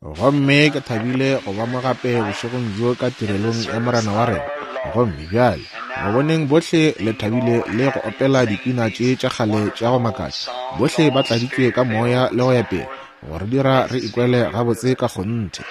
Gomme ke thabile go ba mo gape bošegong bjo ka tirelong ya Morena wa rena. Gomme bjale, go boneng bohle le thabile le go opela dipina tše tša kgale tša go makatša, bohle ba tladitšwe ka Moya le go ya pele, go re dira re ikwele gabotse ka kgonthe.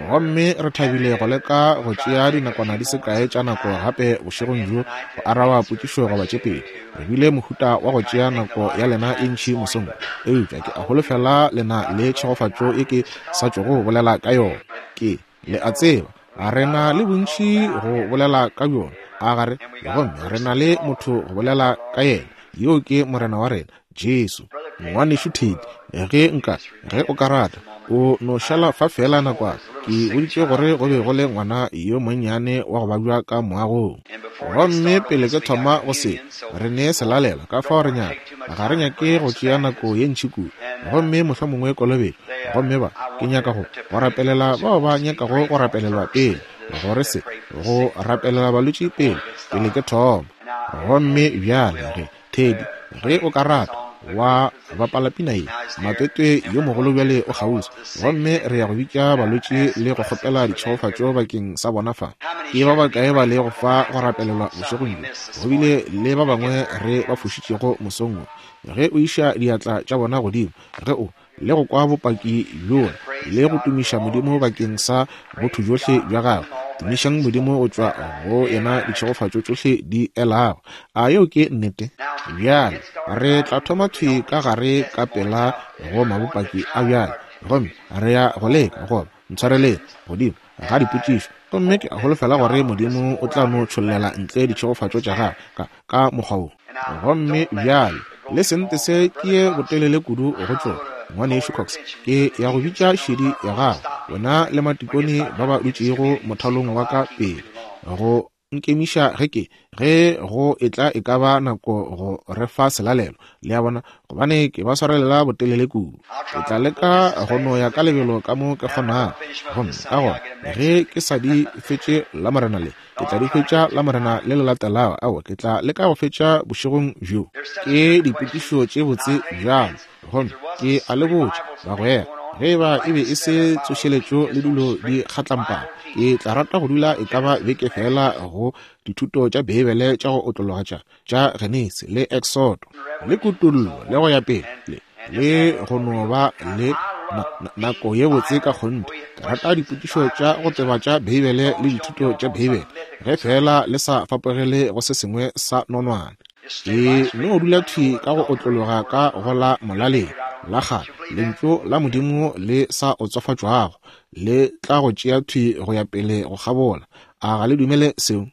Gomme re thabile go leka go tšea dinakwana di se kae tša nako gape bošegong bjo go araba potšišo goba tše pedi. Re bile mohuta wa go tšea nako ya lena e ntši mosong, eupša ke a holofela le na le tšhegofatšo ye ke sa tšogo bolela ka yona. Ke, le a tseba, re na le bontši go bolela ka bjona, a ga re? Gomme re na le motho go bolela ka yena, yoo ke Morena wa rena, Jesu. Ngwanešu Ted, ge nka, ge o ka rata, o no šala fa feela nakwana. Ke boditše gore go be go le ngwana yo monnyane wa go babja ka moagong. Gomme pele ke thoma go se, re ne selalela, ka fao re nyaka, ga re nyake go tšea nako ye ntši kudu, gomme mohlomongwe kolobetšo. Gomme ba, ke nyaka go, go rapelela bao ba nyakago go rapelelwa pele, gore se, go rapelela balwetši pele, pele ke thoma. Gomme bjale ge, Teddy, ge o ka rata, wa bapala pina ye, Matwetwe yo mogolo bjale o kgauswi, gomme re ya go bitša balwetši le go kgopela ditšhegofatšo bakeng sa bona fa. Ke ba bakae ba lego fa go rapelelwa bošegong bjo? Go bile le ba bangwe re ba fošitšego mosong wo. Ge o iša diatla tša bona godimo, ge o, le go kwa bopaki bjola le go tumiša Modimo bakeng sa botho bjohle bja gagwe. Tumišang Modimo go tšwa go yena ditšhegofatšo tšohle di elago. A yeo ke nnete? Bjale re tla thoma thwi ka gare ka pela go mabopaki a bjale, gomme re ya go leka goba ntshwareleng godimo ga dipotšišo, gomme ke a holofela gore Modimo o tla no tšhollela ntle ditšhegofatšo tša gagwe ka, ka mokgwa wo. Gomme bjale, le sente se ke ye botelele kudu go tšona, Ngwanešu Cox, ke ya go bitša šedi ya gago, wena le matikone ba ba dutšego mothalong wa ka pele, go nkemiša ge ke, ge go etla e ka ba nako go re fa selalelo, le a bona, gobane ke ba swarelela botelele kudu. Ke tla leka go no ya ka lebelo ka mo ke kgonago. Gomme ka gona ge ke sa di fetše Lamorena le, ke tla di fetša Lamorena le le latelago. Aowa, ke tla leka go fetša bošegong bjo. Ke dipotšišo tše botse bjalo. Gomme ke a le botša, bagwera, ge e ba e be e se tsošeletšo le dilo di kgatlampana, ke tla rata go dula e ka ba beke feela go dithuto tša Beibele tša go otlologa tša, tša Genesi le Exodo le Kutollo le go ya pele, le, le go no ba le na, na, nako ye botse ka kgonthe. Ke rata dipotšišo tša go tseba tša Beibele le dithuto tša Beibele, ge feela le sa fapogele go se sengwe sa nonwane. Ke no dula thwi ka go otlologa ka go la molaleng la kgale, Lentšu la Modimo le sa otswafatšwago le tla go tšea thwi go ya pele go kgabola. A ga le dumele seo?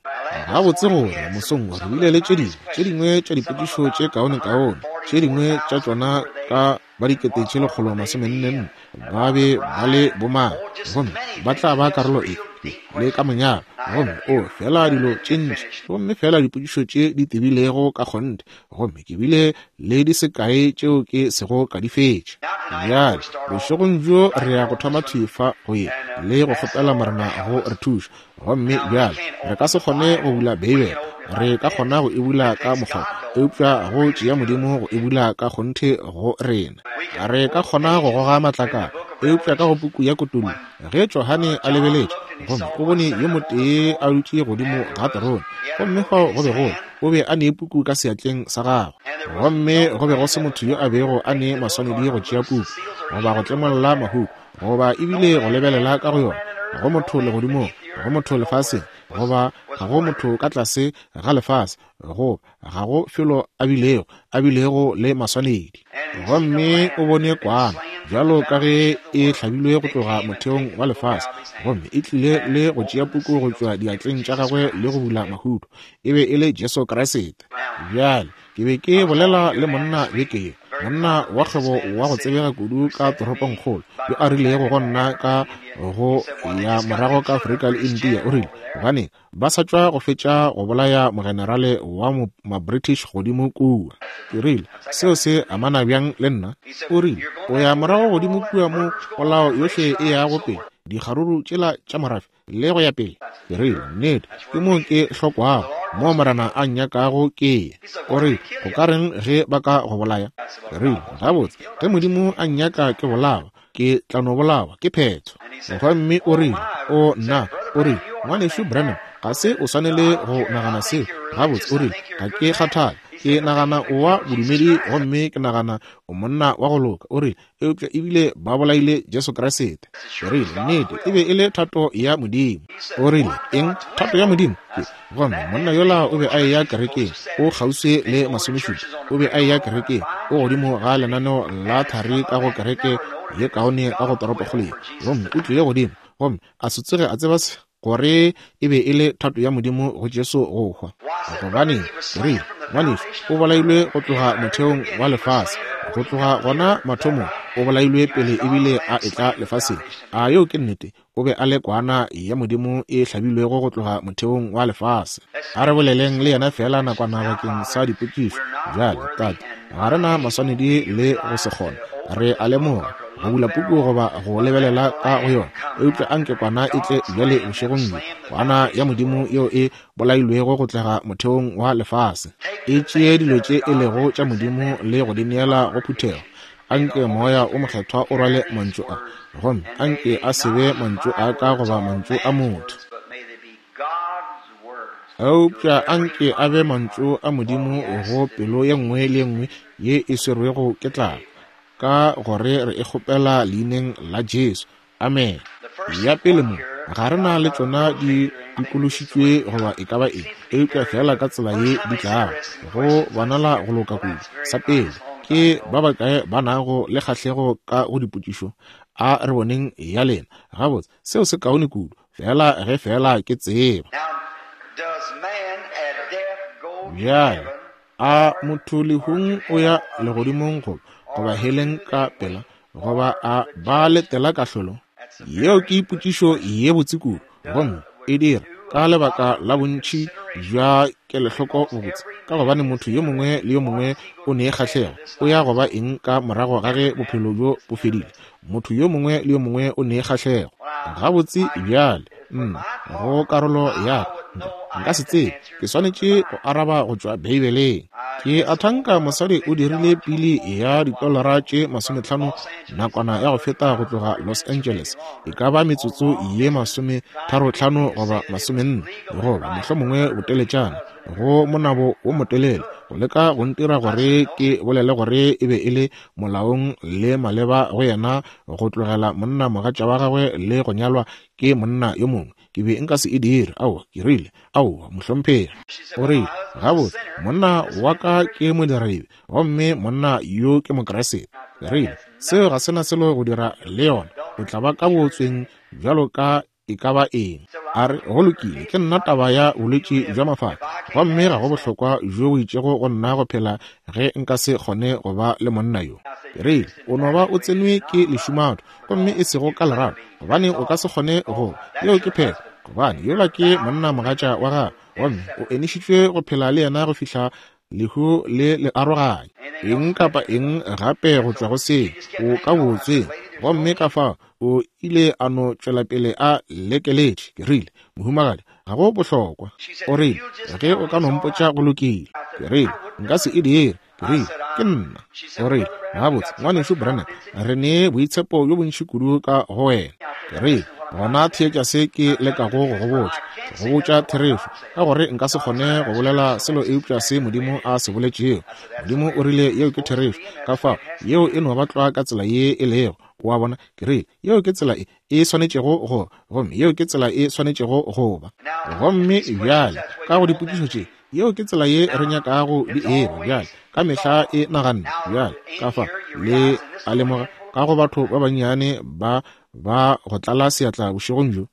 Gabotse gore mosong re bile le tše dingwe, tše dingwe tša dipotšišo tše kaonekaone, tše dingwe tša tšona ka ba 1444 ba be ba le bomang, gomme ba tla ba karolo efe le ka monyalo, gomme o fela dilo tše ntši, gomme fela dipotšišo tše di tebilego ka kgonthe, gomme ke bile le di se kae tšeo ke sego ka di fetša. Bjale, bošegong bjo re ya go thoma thwi fa go ye le go kgopela Morena go re thuša. Gomme bjale re ka se kgone go bula Beibele, re ka kgona go e bula ka mokgwa, eupša go tšea Modimo go e bula ka kgonthe go rena. Re ka kgona go goga matlakala, eupša ka go puku ya Kutullo, ge Johane a lebeletše gomme o bone yo motee a dutše godimo ga terone, gomme fao go be go o be a ne puku ka seatleng sa gagwe, gomme go be go se motho yo a bego a ne maswanedi go tšea puku, goba go tlemolla mahuku, goba ebile go lebelela ka go yona, go motho legodimong, go motho lefaseng, goba ga go motho ka tlase ga lefase, goba ga go felo a bilego, a bilego le maswanedi. Gomme o bone kwana, bjalo ka ge e hlabilwe go tloga motheong wa lefase, gomme e tlile le go tšea puku go tšwa diatleng tša gagwe le go bula mahuto. E be e le Jesu Kriste. Bjale, ke be ke bolela le monna beke ye, monna wa kgwebo wa go tsebega kudu ka toropongkgolo, yo a rilego go nna ka go ya morago ka Afrika le India, o rile, Gobaneng, ba sa tšwa go fetša go bolaya mogenerale wa ma-British godimo kua. Ke rile, Seo se amana bjang le nna? O rile, O ya morago godimo kua mo polao yohle e yago pele, dikgaruru tšela tša morafe, le go ya pele. Ke rile, Nnete, ke moo ke hlokwago, moo Morena a nnyakago ke ye. O rile, Go ka reng ge ba ka go bolaya? Ke rile, Gabotse, ge Modimo a nnyaka ke bolawa, ke tla no bolawa, ke phetho. Gomme o rile, O nna, o rile, Ngwanešu Branham, ga se o swanele go nagana seo. Gabotse, o rile, ga ke kgathale. Ke nagana o wa bodumedi gomme ke nagana o monna wa go loka. O rile, Eupša ebile ba bolaile Jesu Kriste. Ke rile, Nnete, e be e le thato ya Modimo. O rile, Eng? Thato ya Modimo? Ke, gomme monna yola o be a eya kerekeng, o kgauswi le masomešupa, o be a eya kerekeng, o godimo ga lenaneo la thari ka go kereke ye kaone ka go toropokgolo ye. Gomme o tlile godimo, gomme a se tsoge a tseba se, gore e be e le thato ya Modimo go Jesu go hwa. Gobaneng, ke rile, ngwanešu, o bolailwe go tloga motheong wa lefase, go tloga gona mathomong, o bolailwe pele ebile a etla lefaseng. A yeo ke nnete? O be a le kwana ya Modimo e hlabilwego go tloga motheong wa lefase. A re boleleng le yena feela nakwana bakeng sa dipotšišo. Bjale, Tate, ga re na maswanedi le go se kgone. Re a lemoga go bula puku goba go lebelela ka go yona, eupša anke kwana e tle bjale bošegong bjo, kwana ya Modimo yeo e bolailwego go tloga motheong wa lefase, e tšee dilo tše e lego tša Modimo le go di neela go phuthego. Anke Moya o Mokgethwa o rwale mantšu a, gomme anke a se be mantšu a ka goba mantšu a motho, eupša anke a be mantšu a Modimo go pelo ye nngwe le ye nngwe ye e swerwego ke tlala, ka gore re e kgopela Leineng la Jesu. Amene. Ya pele mo, ga re na le tšona di dikološitšwe goba e ka ba eng, eupša feela ka tsela ye di tlago, go bonala go loka kudu. Sa pele, ke ba bakae ba nago le kgahlego ka go dipotšišo? A re boneng ya lena. Gabotse, seo se kaone kudu, feela ge feela ke tseba. Bjale, a motho lehung o ya legodimong goba, goba heleng ka pela, goba a ba letela kahlolo? Yeo ke potšišo ye botse kudu, gomme e dira ka lebaka la bontši bja kelohloko bobotse, ka gobane motho yo mongwe le yo mongwe o ne kgahlego o ya go ba eng ka morago ga ge bophelo bjo bo fedile. Motho yo mongwe le yo mongwe o ne kgahlego. Gabotse bjale, nna, go karolo ya ka, nka se tsebe. Ke swanetše go araba go tšwa Beibeleng. Ke a thanka mosadi o dirile pili ya ditolara tše masometlhano nakwana ya go feta go tloga Los Angeles, e ka ba metsotso ye masometharotlhano goba masomenne, goba mohlomongwe boteletšana, go monabo wo motelele, go leka go ntira gore ke bolele gore e be e le molaong le maleba go yena go tlogela monna mogatša wa gagwe le go nyalwa ke monna yo mongwe. Ke be nka se e dire. Aowa, ke rile, aowa, mohlomphegi. O rile, Gabotse, monna wa ka ke modiradibe, gomme monna yo ke Mokriste. Ke rile, Seo ga se na selo go dira le yona. O tla ba ka bootsweng bjalo ka e ka ba eng. A re, Go lokile, ke nna taba ya bolwetši bja mafahla, gomme ga go bohlokwa bjo bo itšego go nna go phela ge nka se kgone go ba le monna yo. Ke rile, O no ba o tsenwe ke lešumatho, gomme e sego ka lerato, gobane o ka se kgone go, yeo ke phetho, gobane yola ke monna mogatša wa gago, gomme o enišitšwe go phela le yena go fihla lehu le le aroganya. Eng kapa eng gape go tšwa go seo, o ka bootsweng. Gomme ka fao o ile a no tšwela pele a lekeletše. Ke rile, Mohumagadi, ga go bohlokwa. O rile, Ge o ka no mpotša go lokile. Ke rile, Nka se e dire. Ke rile, Ke nna. O rile, Gabotse, Ngwanešu Branham, re ne boitshepo bjo bontši kudu ka go wena. Ke rile, Gona theetša se ke lekago go go botša. Ke go botša therešo, ka gore nka se kgone go bolela selo eupša se Modimo a se boletšego. Modimo o rile yeo ke therešo, ka fao yeo e no ba tlwa ka tsela ye e lego. O a bona? Ke rile, Yeo ke tsela e e swanetšego go, gomme yeo ke tsela e swanetšego go ba. Gomme bjale, ka go dipotšišo tše, Yeo ke tsela ye re nyakago di eba bjale, ka mehla e naganne bjale, ka fa, le a lemoga, ka go batho ba bannyane ba ba go tlala seatla bošegong bjo,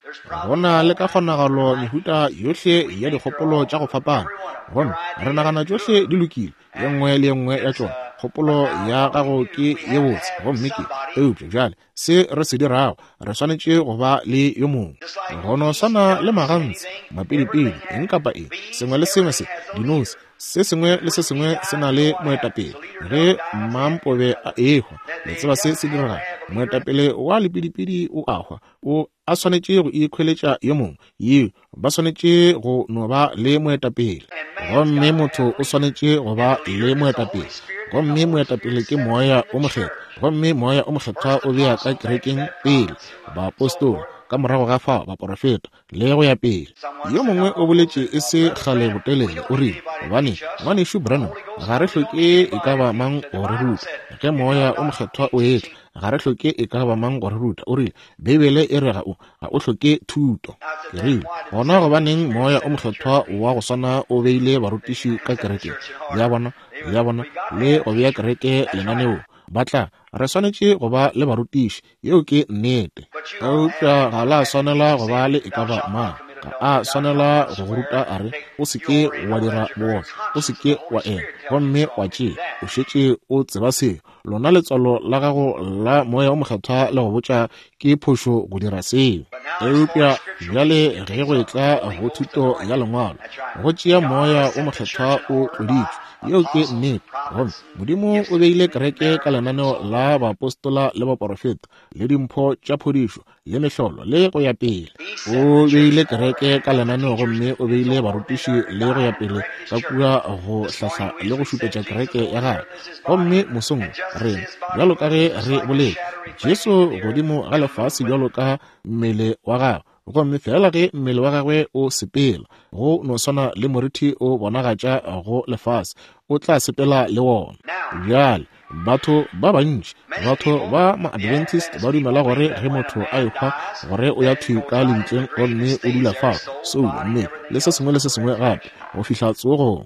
go na le ka kgonagalo mehuta yohle ya dikgopolo tša go fapana, gomme re nagana tšohle di lokile, ye nngwe le ye nngwe ya tšona. Kgopolo ya gago ke ye botse, gomme ke, eupša bjale se re se dirago, re swanetše go ba le yo mongwe. Go no swana le maganse, mapidipidi, eng kapa eng, sengwe le sengwe se, dinose, se sengwe le se sengwe se na le moetapele. Ge mmampobe a ehwa, le tseba se se diregago, moetapele wa lepidipidi o a hwa, o a swanetše go ikhweletša yo mongwe. Yeo, ba swanetše go no ba le moetapele. Gomme motho o swanetše go ba le moetapele. Gomme moetapele ke Moya o Mokgethwa. Gomme Moya o Mokgethwa o bea ka kerekeng pele baapostola, ka morago ga fao baporofeta, le go ya pele. Yo mongwe o boletše e se kgale botelele, o rile, Gobane, Ngwanešu Branham, ga re hloke e ka ba mang go re ruta. Ge Moya o Mokgethwa o etla, ga re hloke e ka ba mang go re ruta. O rile, Beibele e re ga o, ga o hloke thuto. Ke rile, Gona gobaneng Moya o Mokgethwa wa go swana o beile barutiši ka kerekeng ya bona, ya bona, le go bea kereke lenaneong? Ba tla, re swanetše go ba le barutiši. Yeo ke nnete. Eupša ga la swanela go ba le e ka ba mang. Ga a swanela go go ruta a re, O se ke wa dira bootswa, o se ke wa ena, gomme wa tšea. O šetše o tseba seo. Lona letswalo la gago la Moya o Mokgethwa le go botša ke phošo go dira seo. Eupša bjale ge go etla go thuto ya Lengwalo, go tšea Moya o Mokgethwa o tloditšwe. Yeo ke nnete. Gomme Modimo o beile kereke ka lenaneo la baapostola le baporofeta, le dimpho tša phodišo, le mehlolo, le go ya pele. O beile kereke ka lenaneo gomme o beile barutiši le go ya pele ka kua go hlahla le go šupetša kereke ya gagwe. Gomme mosong rena, bjalo ka ge re boletše, Jesu godimo ga lefase bjalo ka mmele wa gagwe, gomme feela ge mmele wa gagwe o sepela, go no swana le morithi o bonagatša go lefase, o tla sepela le wona. Bjale, batho ba bantši, batho ba ma-Adventist ba dumela gore ge motho a ehwa, gore o ya thwi ka lebitleng gomme o dula fao, soulo, mmele, le se sengwe le se sengwe gape, go fihla tsogong.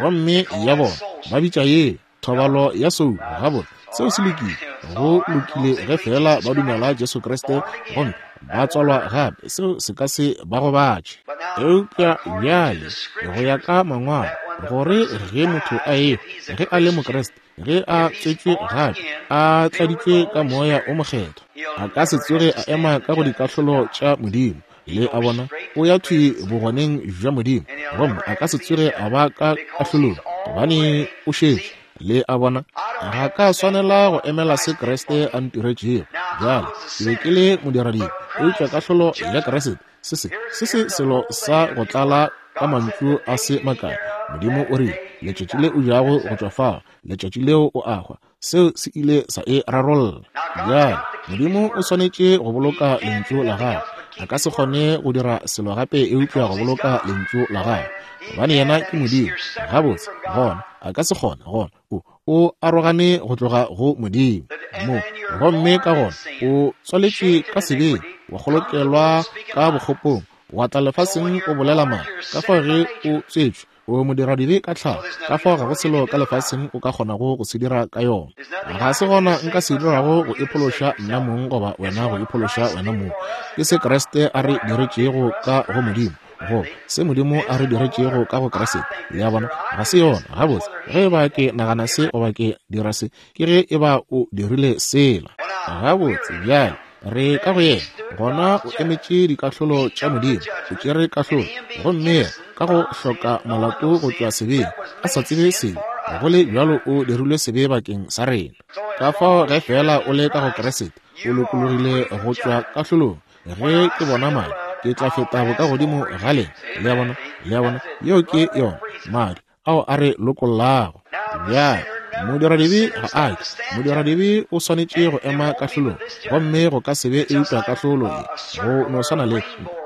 Gomme ya bona, ba bitša ye thobalo ya soulo. Gabotse, seo se lokile. Go lokile ge feela ba dumela Jesu Kriste gomme ba tswalwa gape, seo se ka se ba gobatše. Eupša bjale, go ya ka Mangwalo, gore ge motho a ehwa, ge a le Mokriste, ge a tswetšwe gape, a tladitšwe ka Moya o Mokgethwa, a ka se tsoge a ema ka go dikahlolo tša Modimo. Le a bona, o ya thwi bogoneng bja Modimo, gomme a ka se tsoge a ba ka kahlolong, gobane o šetše. Le a bona, ga ka swanela go emela se Kriste a ntiretšego. Bjale, ke be ke le modiradibe, eupša kahlolo ya Kriste, se se, se se selo sa go tlala ka mantšu a se makae. Modimo o rile, Letšatši le o jago go tšwa fao, letšatši leo o a hwa. Seo se ile sa e rarolla. Bjale, Modimo o swanetše go boloka Lentšu la Gagwe. A ka se kgone go dira selo gape eupša go boloka Lentšu la Gagwe, gobane Yena ke Modimo. Gabotse, gona, A ka se kgone, gona, o, o arogane go tloga go Modimo. Mo, gomme ka gona, o tswaletšwe ka sebeng, wa kgolokelwa ka bokgopong, wa tla lefaseng o bolela maaka, ka fao ge o tswetšwe, O modiradibe ka tlhago, ka fao ga go selo ka lefaseng o ka kgonago go se dira ka yona. Ga se gona nka se dirago go iphološa nna mong goba wena go iphološa wena mong. Ke se Kriste a re diretšego ka go Modimo, go se Modimo a re diretšego ka go Kriste. Le a bona? Ga se yona. Gabotse, ge e ba ke nagana se goba ke dira se, ke ge e ba o dirile sela. Gabotse, bjale, re ka go yena, gona o emetše dikahlolo tša Modimo, o tšere kahlolo, gomme yena ka go hloka molato go tšwa sebeng, a sa tsebe sebe, go le bjalo o dirilwe sebe bakeng sa rena. Ka fao ge feela o le ka go Kriste, o lokologile go tšwa kahlolong. Ge ke bona madi, ke tla feta bokagodimo ga lena. Le a bona? Le a bona? Yeo ke yona, madi ao a re lokollago. Bjale, modiradibe ga a ke. Modiradibe o swanetše go ema kahlolong, gomme go ka se be eupša kahlolo ye, go no swana le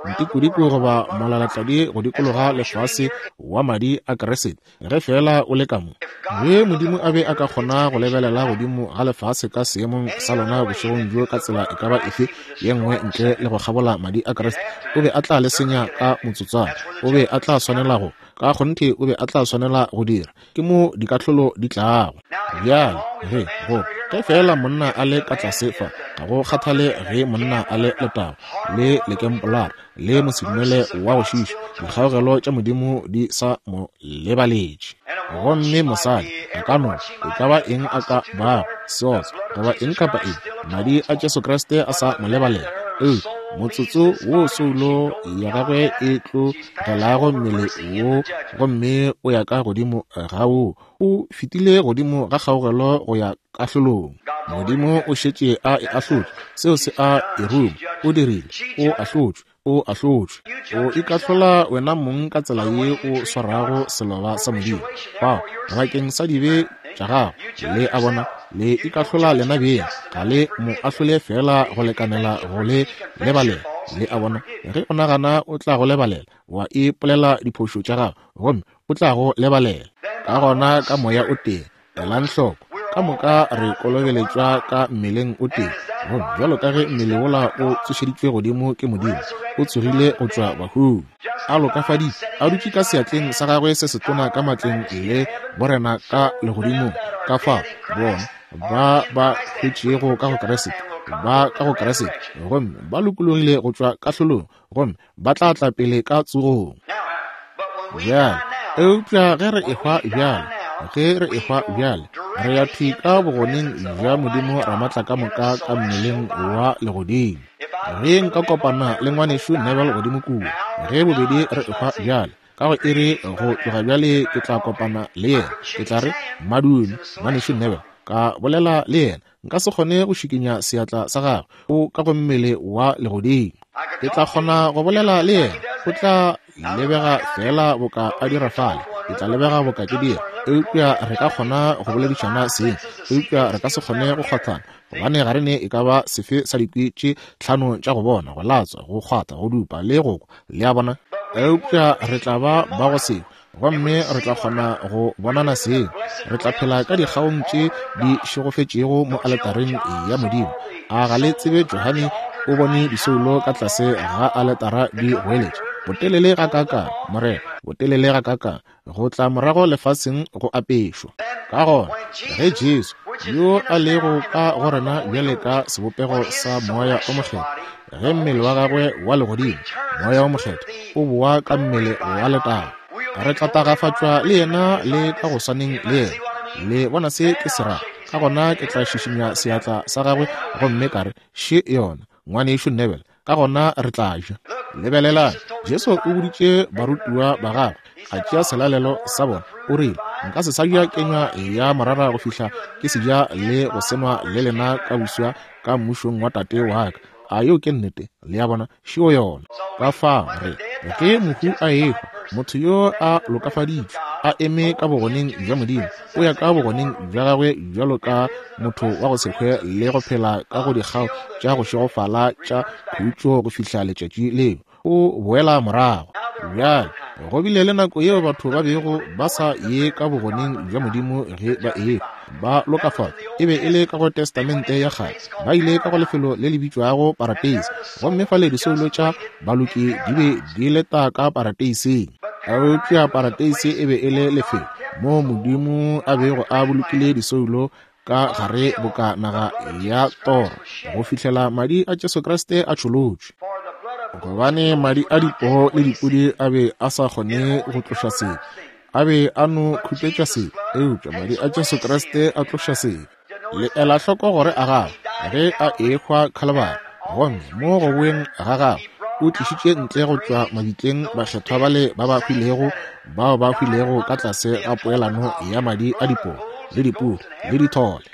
ntikodiko goba molalatladi go dikologa lefase wa madi a Kriste, ge feela o le ka mo. Ge Modimo a be a ka kgona go lebelela godimo ga lefase ka seemong sa lona bošegong bjo ka tsela e ka ba efe ye nngwe ntle le go kgabola madi a Kriste, o be a tla le senya ka motsotswana. O be a tla swanela go Ka kgonthe o be a tla swanela go dira. Ke mo dikahlolo di tlago. Bjale, ge, go, ge feela monna a le ka tlase fa, ga go kgathale ge monna a le letago, le lekempolara, le mosedumele wa go šiiša, dikgaogelo tša Modimo di sa mo lebaletše. Gomme mosadi a ka no, e ka ba eng a ka bago, seotswa, goba eng kapa eng, Madi a Jesu Kriste a sa mo lebalela. Eupša motsotso wo soulo ya gagwe e tlo gelago mmele wo gomme o ya ka godimo ga wo, o fetile godimo ga kgaogelo go ya kahlolong. Modimo o šetše a e ahlotše, seo se a e ruma. O dirile, o ahlotšwe, o ahlotšwe. O ikahlola wena mong ka tsela ye o swarago seloba sa Modimo. Fao, bakeng sa dibe tša gago. Le a bona, le ikahlola lena beng, ga le mo ahlole feela go lekanela go le lebalela. Le a bona, ge o nagana o tla go lebalela, wa ipolela diphošo tša gago, gomme o tla go lebalela. Ka gona ka Moya o tee, elang hloko, ka moka re kolobeletšwa ka mmeleng o tee. Gomme bjalo ka ge mmele wola o tsošeditšwe godimo ke Modimo, o tsogile go tšwa bahung, a lokafaditšwe, a dutše ka seatleng sa gagwe se setona ka matleng le borena ka legodimong, ka fao bona ba ba hwetšego ka go Kriste ba ka go Kriste, gomme ba lokologile go tšwa kahlolong, gomme ba tla tla pele ka tsogong. Bjale, eupša ge re ehwa bjale, ge re ehwa bjale, re ya thwi ka bogoneng bja Modimo Ramatlakamoka ka mmeleng wa legodimo. Ge nka kopana le ngwanešu Neville godimo kua, ge bobedi re ehwa bjale, ka go iri go tloga bjale ke tla kopana le yena, ke tla re, Madume, ngwanešu Neville, ka bolela le yena. Nka se kgone go šikinya seatla sa gagwe, o ka go mmele wa legodimo. Ke tla kgona go bolela le yena, o tla lebega feela boka a dira fale, ke tla lebega boka ke dira, eupša re ka kgona go boledišana seng, eupša re ka se kgone go kgwathana, gobane ga re ne e ka ba sefe sa dikwi tše tlhano tša go bona, go latswa, go kgwatha, go dupa le go kwa, le a bona? Eupša re tla ba ba go se gomme re tla kgona go bonana seng. Re tla phela ka dikgaong tše di šegofetšego mo aletareng ya Modimo. A ga le tsebe Johane o bone disoulo ka tlase ga aletara di goeletša, Botelele gakaakang, Morena, botelele gakaakang, go tla morago lefaseng go apešwa. Ka gona, ge Jesu, yo a lego ka go rena bjale ka sebopego sa Moya o Mokgethwa, ge mmele wa gagwe wa legodimo, Moya o Mokgethwa, o boa ka mmele wa letago, re tla tagafatšwa le yena le ka go swaneng le yena. Le bona se ke se rago? Ka gona ke tla šišinya seatla sa gagwe gomme ka re, Še yona, Ngwanešu Neville. Ka gona re tla ja. Lebelelang, Jesu o boditše barutiwa ba gagwe, a tšea selalelo sa bona, o rile, Nka se sa ja kenywa ya morara go fihla ke se ja le go senwa le lena ka boswa ka mmušong wa Tate wa ka. A yeo ke nnete? Le a bona? Šeo yona. Ka fao re, ge mohu a ehwa, motho yo a lokafaditšwe, a eme ka bogoneng bja Modimo, o ya ka bogoneng bja gagwe bjalo ka motho wa go se hwe le go phela ka go dikgao tša go šegofala tša khutšo go fihla letšatši leo o boela morago. Bjale, go bile le nako yeo batho ba bego ba sa ye ka bogoneng bja Modimo ge ba ehwa, ba lokafatšwa. E be e le ka go Testamente ya Kgale. Ba ile ka go lefelo le le bitšwago parateise, gomme fale disoulo tša baloki di be di leta ka parateiseng. Eupša parateise e be e le lefelo moo Modimo a bego a bolokile disoulo ka gare boka naga ya toro go fihlela madi a Jesu Kriste a tšholotšwe. Gobane madi a dipoo le dipudi a be a sa kgone go tloša sebe, a be a no khupetša sebe, eupša madi a Jesu Kriste a tloša sebe. Le ela hloko gore a gagwe ge a ehwa Khalibari, gomme mo go boeng ga gagwe o tlišitše ntle go tšwa mabitleng bakgethwa bale ba ba hwilego, bao ba hwilego ka tlase ga poelano ya madi a dipoo le dipudi le dithole.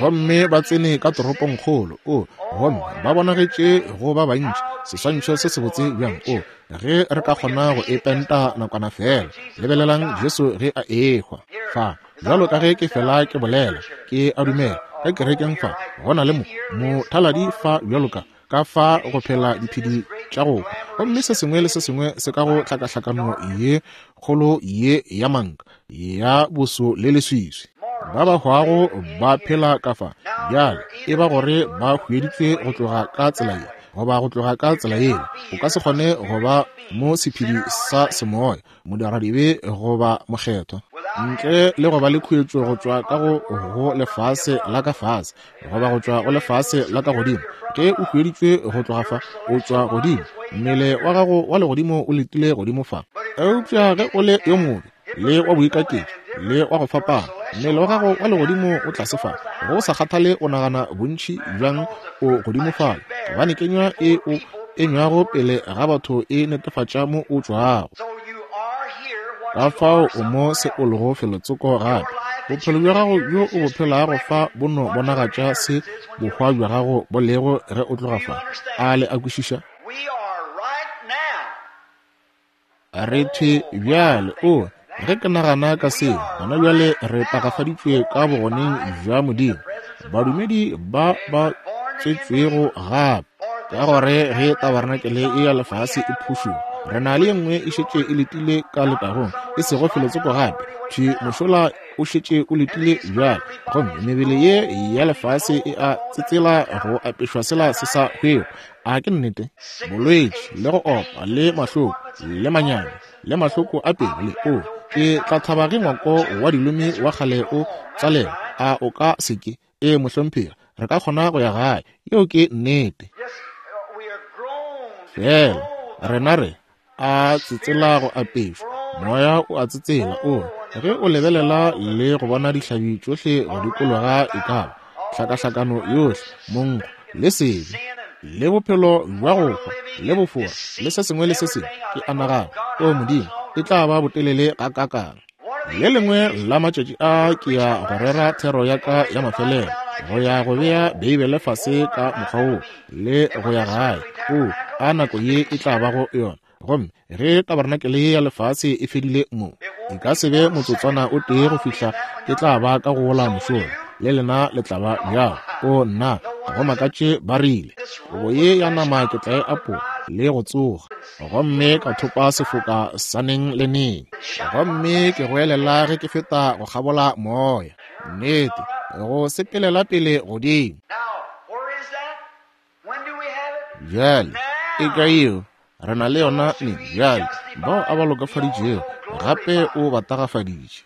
Gomme ba tsene ka toropongkgolo, o, gomme ba bonagetše go ba bantši, seswantšho se sebotse bjang, o, ge re ka kgona go e penta nakwana feela. Lebelelang Jesu ge a ehwa fa. Bjalo ka ge ke fela ke bolela, ke a dumela ka kerekeng fa go na le mo mothaladi fa bjalo ka ka fa go phela diphedi tša go hwa, gomme se sengwe le se sengwe se ka go tlhakahlakano ye kgolo ye ya manka ya boso le leswiswi. Ba ba hwago ba phela ka fa bjale, e ba gore ba hweditšwe go tloga ka tsela ye goba go tloga ka tsela yela. O ka se kgone go ba mo sephedi sa semoya, modiradibe goba mokgethwa, ntle le go ba le khuetšo go tšwa ka go go lefase la ka fase goba go tšwa go lefase la ka godimo. Ge o hueditšwe go tloga fa, o tšwa godimo, mmele wa gago wa legodimo o letile godimo fa. Eupša ge o le yo mobe le wa boikaketši le wa go fapana, mmele wa gago wa legodimo o tlase fa, go sa kgathale o nagana bontši bjang o godimo fale, gobane kenywa e o enywago pele ga batho e netefatša mo o tšwago. Ka fao o mo se o lego felotsoko gape. Bophelo bja gago bjo o bo phelago fa bo no bonagatša se bohwa bja gago bo lego ge o tloga fa. A le a kwešiša? Re thwe bjale, o, Ge ke nagana ka seo, gona bjale re tagafaditšwe ka bogoneng bja Modimo, badumedi ba ba tswetšwego gape. Ka gore ge tabarenakele ye ya lefase e phušoga, re na le ye nngwe e šetše e letile ka letagong, e sego felotsoko gape. Thwi mošola o šetše o letile bjale, gomme mebele ye ya lefase e a tsetsela go apešwa sela se sa hwego. A ke nnete? Bolwetši le go opa le mahloko le manyami le mahloko a pelo le o ke tla thaba ge ngwako wa dilomi wa kgale o tswalelwa. A o ka se ke? Ee, mohlomphegi, re ka kgona go ya gae. Yeo ke nnete. Fela rena re a tsetsela go apešwa. Moya o a tsetsela o re ge o lebelela le go bona dihlabi tšohle go dikologa e ka ba hlakahlakano yohle, monkgo le sebe le bophelo bja go hwa le bofora le se sengwe le se sengwe, ke a nagana, O Modimo, e tla ba botelele gakaakang. Le lengwe la matšatši a ke ya go rera thero ya ka ya mafelelo, go ya go bea Beibele fase ka mokgwa wo le go ya gae. O, a nako ye e tla bago yona! Gomme ge tabarenakele ye ya lefase e fedile mo, e ka se be motsotswana o tee go fihla ke tla ba ka go wola mošola, le lena le tla ba bjalo. O nna, ga go makatše ba rile, Kobo ye ya nama ke tla e apola le go tsoga, gomme ka thopa sefoka sa neng le neng. Gomme ke goelela ge ke feta go kgabola moya. Nnete, go sepelela pele godimo. Bjale, e ka yeo, re na le yona neng? Bjale, bao a ba lokafaditšego, gape o ba tagafaditše.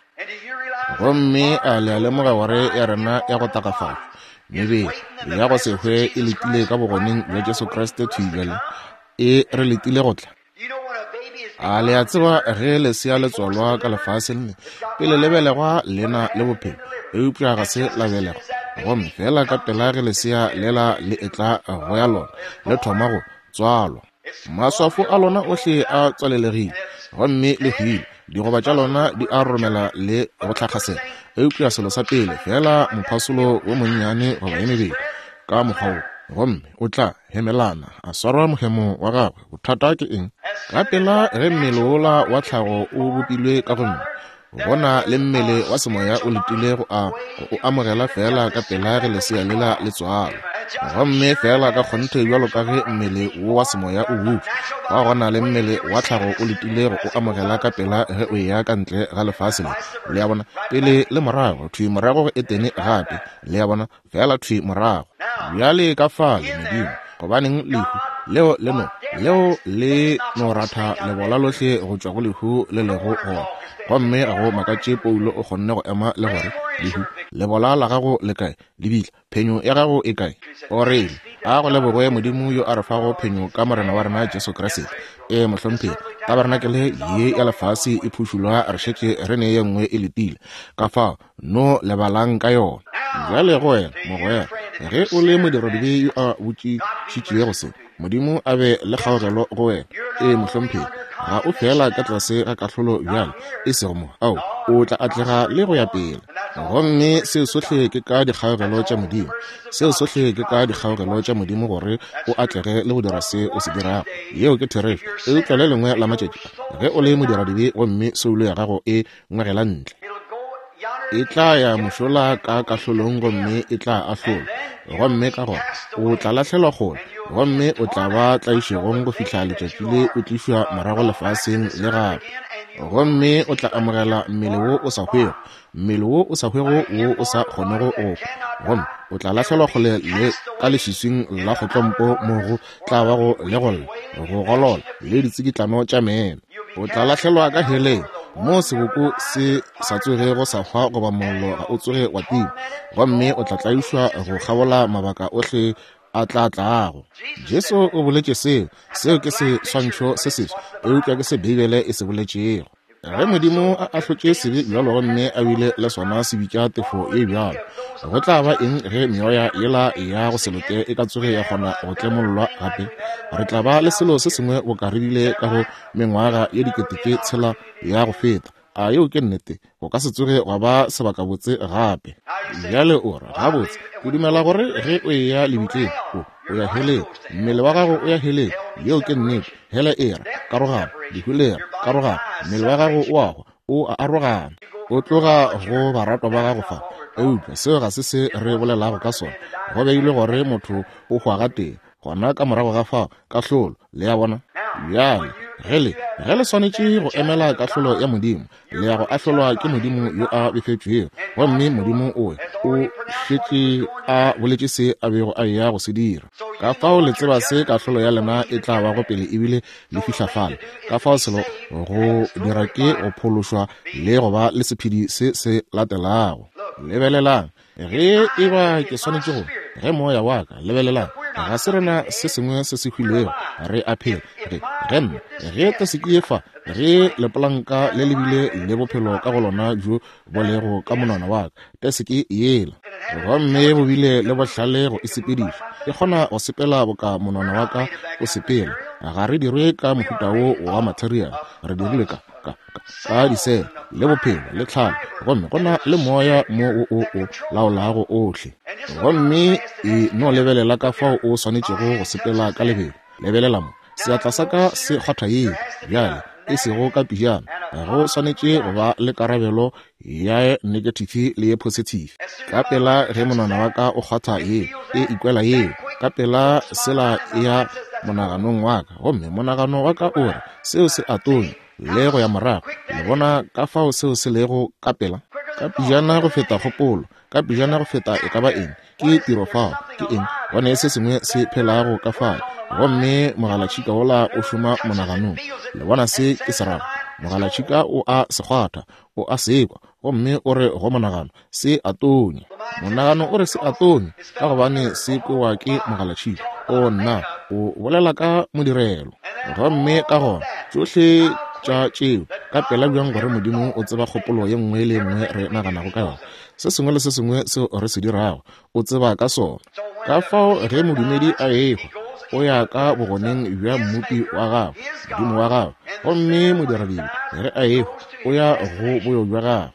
Gomme a le a lemoga gore ya rena ya go tagafatšwa, mebele ya go se hwe e letile ka bogoneng bja Jesu Kriste thwi bjale, e re letile go tla? A le a tseba ge lesea le tswalwa ka lefaseng le, pele le belegwa le na le bophelo, eupša ga se la belegwa. Gomme feela ka pela ge lesea lela le etla go ya lona, le thoma go tswalwa. Maswafo a lona ohle a tswalelegile, gomme le hwile, digoba tša lona di a roromela le go tlhakgasela. Eupša selo sa pele, feela mophasolo wo monnyane goba ye mebedi, ka mokgwa wo, gomme o tla hemelana, a swara mohemo wa gagwe. Bothata ke eng? Ka pela ge mmele wola wa tlhago o bopilwe ka go nna, go na le mmele wa semoya o letile go a o amogela feela ka pela ge lesea lela le tswalwa. Gomme feela ka kgonthe bjalo ka ge mmele wo wa semoya o butšwa, gwa gona le mmele wa tlhago o letile go o amogela ka pela ge o eya ka ntle ga lefase le. Le a bona? Pele le morago, thwi morago go Etene gape. Le a bona? Feela thwi morago bjale ka fale, Modimo, gobaneng lehu leo le no, leo le no ratha lebola lohle go tšwa go lehu le lego gona. Gomme ga go makatše Paulo o kgonne go ema le gore, Lehu, lebola la gago le kae? Lebitla, phenyo ya gago e kae? O rile, A go lebogwe Modimo yo a re fago phenyo ka Morena wa rena Jesu Kriste. Ee, mohlomphegi, tabarenakele ye ya lefase e phušulwa, re šetše re ne ye nngwe e letile. Ka fao, no lebalang ka yona. Bjale go wena, mogwera, ge o le modiradibe yo a botšišitšego se, Modimo a be le kgaogelo go wena. Ee, mohlomphegi, ga o feela ka tlase ga kahlolo bjale, e sego mo, ao, o tla atlega le go ya pele. Gomme seo sohle ke ka dikgaogelo tša Modimo. Seo sohle ke ka dikgaogelo tša Modimo gore o atlege le go dira se o se dirago. Yeo ke therešo. Eupša le lengwe la matšatši a, ge o le modiradibe gomme soulo ya gago e ngwegela ntle, e tla ya mošola ka kahlolong gomme e tla ahlolwa, gomme ka gona o tla lahlelwa kgole, gomme o tla ba tlaišegong go fihla letšatši le o tlišwa morago lefaseng le gape, gomme o tla amogela mmele wo o sa hwego, mmele wo o sa hwego wo o sa kgonego go hwa, gomme o tla lahlelwa kgole le ka leswiswing la kgotlompo mo go tla bago le go lla, go golola le ditsikitlano tša meno. O tla lahlelwa ka heleng, moo seboko se sa tsogego sa hwa goba mollo ga o tsoge wa tima, gomme o tla tlaišwa go kgabola mabaka ohle a tla tlago. Jesu o boletše seo. Seo ke seswantšho se seswa, eupša ke se Beibele e se boletšego. Ge Modimo a ahlotše sebe bjalo gomme a bile le sona se bitša tefo ye bjalo, go tla ba eng ge meoya yela ya go se loke e ka tsoge ya kgona go tlemollwa gape? Re tla ba le selo se sengwe boka re bile ka go mengwaga ye dikete tše tshela ya go feta. A yeo ke nnete? Go ka se tsoge gwa ba sebakabotse gape. Bjale o re, Gabotse, ke dumela gore ge o eya lebitleng, o, o ya heleng. Mmele wa gago o ya heleng. Yeo ke nnete. Hele e ra, karogano. Lehu le ra, karogano. Mmele wa gago o a hwa. O a arogana. O tloga go baratwa ba gago fa. Eupša seo ga se se re bolelago ka sona. Go beilwe gore motho o hwa gatee, gona ka morago ga fao, kahlolo. Le a bona? Bjale, ge le, ge le swanetše go emela kahlolo ya Modimo, le ya go ahlolwa ke Modimo yo a befetšwego. Gomme Modimo o, o šetše a boletše se a bego a eya go se dira. Ka fao le tseba se kahlolo ya lena e tla bago pele ebile le fihla fale. Ka fao selo go dira ke go phološwa le go ba le sephedi se se latelago. Lebelelang, ge e ba ke swanetše go, ge moya wa ka, lebelelang, ga se rena se sengwe se se hwilego, re a phela. Ge, ge nna, ge tasiki ye fa, ge lepolanka le le bile le bophelo ka go lona bjo bo lego ka monwana wa ka, tasiki yela, gomme bo bile le bohlale go e sepediša, e kgona go sepela boka monwana wa ka o sepela. Ga re dirwe ka mohuta wo wa material, re dirilwe ka, ka, ka, ka disele le bophelo le tlhalo, gomme go na le moya mo o o o laolago ohle. Gomme e no lebelela ka fao o swanetšego go sepela ka lebelo. Lebelela mo, seatla sa ka se kgwatha yeo bjale, e sego ka pijana. Go swanetše go ba le karabelo ya negative le ye positive. Ka pela ge monwana wa ka o kgwatha yeo, e ikwela yeo ka pela, sela e ya monaganong wa ka, gomme monagano wa ka o re seo se a tonya le go ya morago. Le bona ka fao seo se lego ka pela? Ka pijana go feta kgopolo, ka pejana go feta e ka ba eng. Ke tiro fao. Ke eng? Go ne se sengwe se phelago ka fao, gomme mogalatšhika wola o šoma monaganong. Le bona se ke se rago? Mogalatšhika o a se kgwatha, o a se kwa, gomme o re go monagano, se a tonya. Monagano o re se a tonya ka gobane se kwewa ke mogalatšhika. O nna, o bolela ka modirelo. Gomme ka gona tšohle tša tšeo ka pela bjang gore Modimo o tseba kgopolo ye nngwe le ye nngwe re naganago ka yona. Se sengwe le se sengwe seo re se dirago, o tseba ka sona. Ka fao ge modumedi a ehwa, o ya ka bogoneng bja Mmopi wa gagwe, Modimo wa gagwe, gomme modiradibe ge a ehwa, o ya go boyo bja gagwe.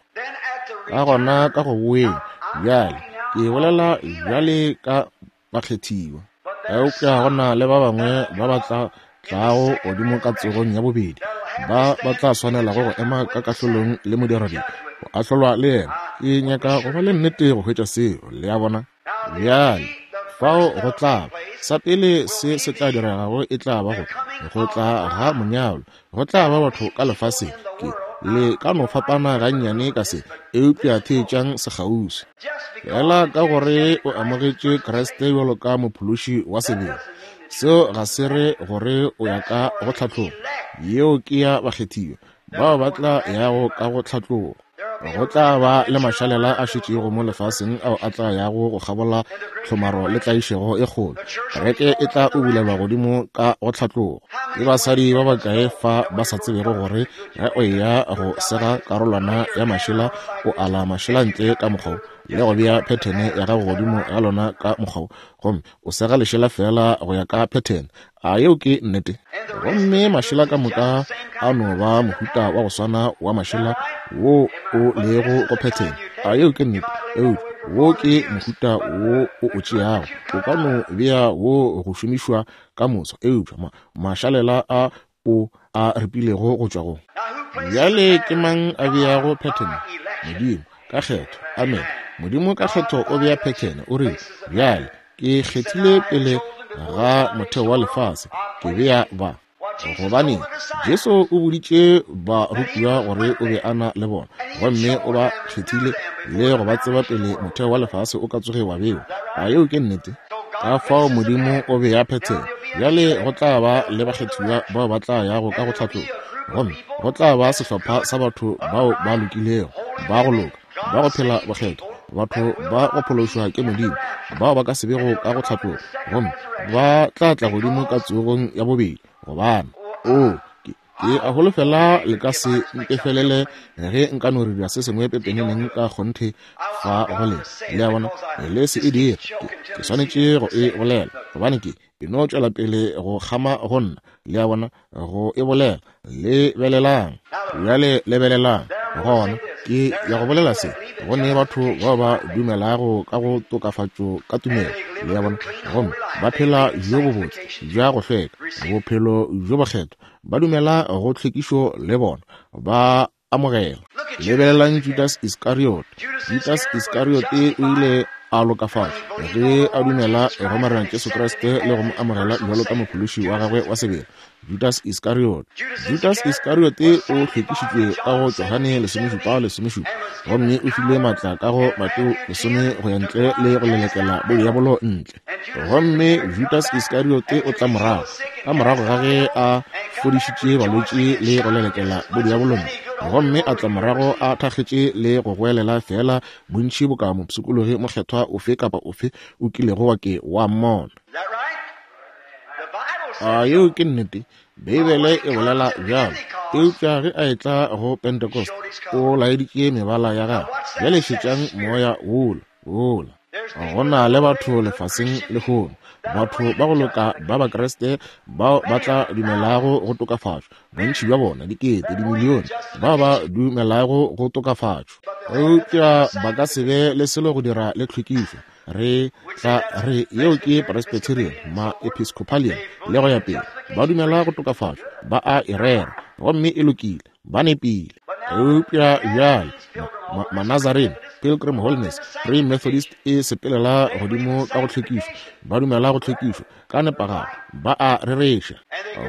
Ka gona ka go boeng bjale, ke bolela bjale ka bakgethiwa. Eupša go na le ba bangwe ba ba tla tlago godimo ka tsogong ya bobedi, ba ba tla swanelago go ema ka kahlolong le modiradibe, go ahlolwa le yena. Ke nyaka go ba le nnete go hwetša seo, le a bona. Bjale, fao go tla ba, sa pele se se tla diregago e tla ba go, go tla ga monyalwa. Go tla ba batho ka lefaseng, ke, le ka no fapana gannyane ka se, eupša theetšang sekgauswi. Feela ka gore o amogetše Kriste bjalo ka Mophološi wa sebele, seo ga se re gore o ya ka go tlhatlogo. Yeo ke ya bakgethiwa, bao ba tla yago ka go tlhatlogo. Go tla ba le mašalela a šetšego mo lefaseng ao a tla yago go kgabola tlhomaro le tlaišego e kgolo. Kereke e tla ubulelwa godimo ka go tlhatlogo. Ke basadi ba bakae fa ba sa tsebego gore ge o eya go sega karolwana ya mašela, o ala mašela ntle ka mokgwa wo, le go bea phethene ya gago godimo ga lona ka mokgwa wo, gomme o sega lešela feela go ya ka phethene. A yeo ke nnete? Gomme mašela ka moka a no ba mohuta wa go swana wa mašela wo o lego go phethene. A yeo ke nnete? Eupša wo ke mohuta wo o o tšeago. O ka no bea wo go šomišwa ka moso, eupša ma, mašalela a o a ripilego go tšwa go. Bjale ke mang a beago phethene? Modimo, ka kgetho. Amen. Modimo ka kgetho o bea phethene. O rile, Bjale Ke kgethile pele ga motheo wa lefase, ke bea ba. Gobane Jesu o boditše barutiwa gore o be a na le bona, gomme o ba kgethile le go ba tseba pele motheo wa lefase o ka tsoge wa bewa. A yeo ke nnete? Ka fao Modimo o bea phethelo. Bjale go tla ba le bakgethiwa bao ba tla yago ka go tlhatlogo, gomme go tla ba sehlopha sa batho bao ba lokilego, ba go loka, ba go phela bokgethwa, batho ba go phološwa ke Modimo, bao ba ka se bego ka go tlhatloga, gomme ba tla tla godimo ka tsogong ya bobedi. Gobane, oo, ke, ke a holofela le ka se mpefelele ge nka no dira se sengwe pepeneneng ka kgonthe fa go lena. Le a bona? Le se e dire. Ke, ke swanetše go e bolela, gobane ke, E no tšwela pele go kgama go nna, le a bona, go e bolela. Lebelelang bjale, lebelelang. Gona ke ya go bolela se, go ne batho bao ba dumelago ka go tokafatšo ka tumelo, le a bona, gomme ba phela bjo bobotse, bja go hlweka, bophelo bjo bokgethwa, ba dumela go tlhwekišo le bona, ba. amogela. Lebelelang Judas Iskariot. Judas Iskariot o ile a lokafatšwa ge a dumela go Morena Jesu Kriste le go mo amogela bjalo ka mophološi wa gagwe wa sebele. Judas Iskariot. Judas Iskariot o hlwekišitšwe ka go Johane 17:17 gomme o filwe maatla ka go Mateo 10 go ya ntle le go lelekela bodiabolo ntle. Gomme Judas Iskariot o tla morago ka morago ga ge a fodišitše balwetši le go lelekela bodiabolo ntle, gomme a tla morago a thakgetše le go goelela feela bontši boka mopshikologi mokgethwa ofe kapa ofe o kilego wa ke wa mmona. A yeo ke nnete? Beibele e bolela bjalo. Eupša ge a etla go Pentecost, o laeditše mebala ya gagwe. Bjale šetšang moya wola, wola. Go na le batho lefaseng lehono, batho ba go loka ba Bakriste bao ba tla dumelago go tokafatšwa, bontši bja bona, dikete, dimilione, bao ba dumelago go tokafatšwa. Eupša ba ka se be le selo go dira le tlhwekišo. Re tla re yeo ke Presbyterian, ma-Episcopalian le go ya pele. Ba dumela go tokafatšwa, ba a e rera, gomme e lokile, ba nepile. Eupša bjale Manazarene, Pilgrim Holiness, Free Methodist e sepelela godimo ka go tlhwekišwa, ba dumela go tlhwekišwa ka nepagalo, ba a rereša,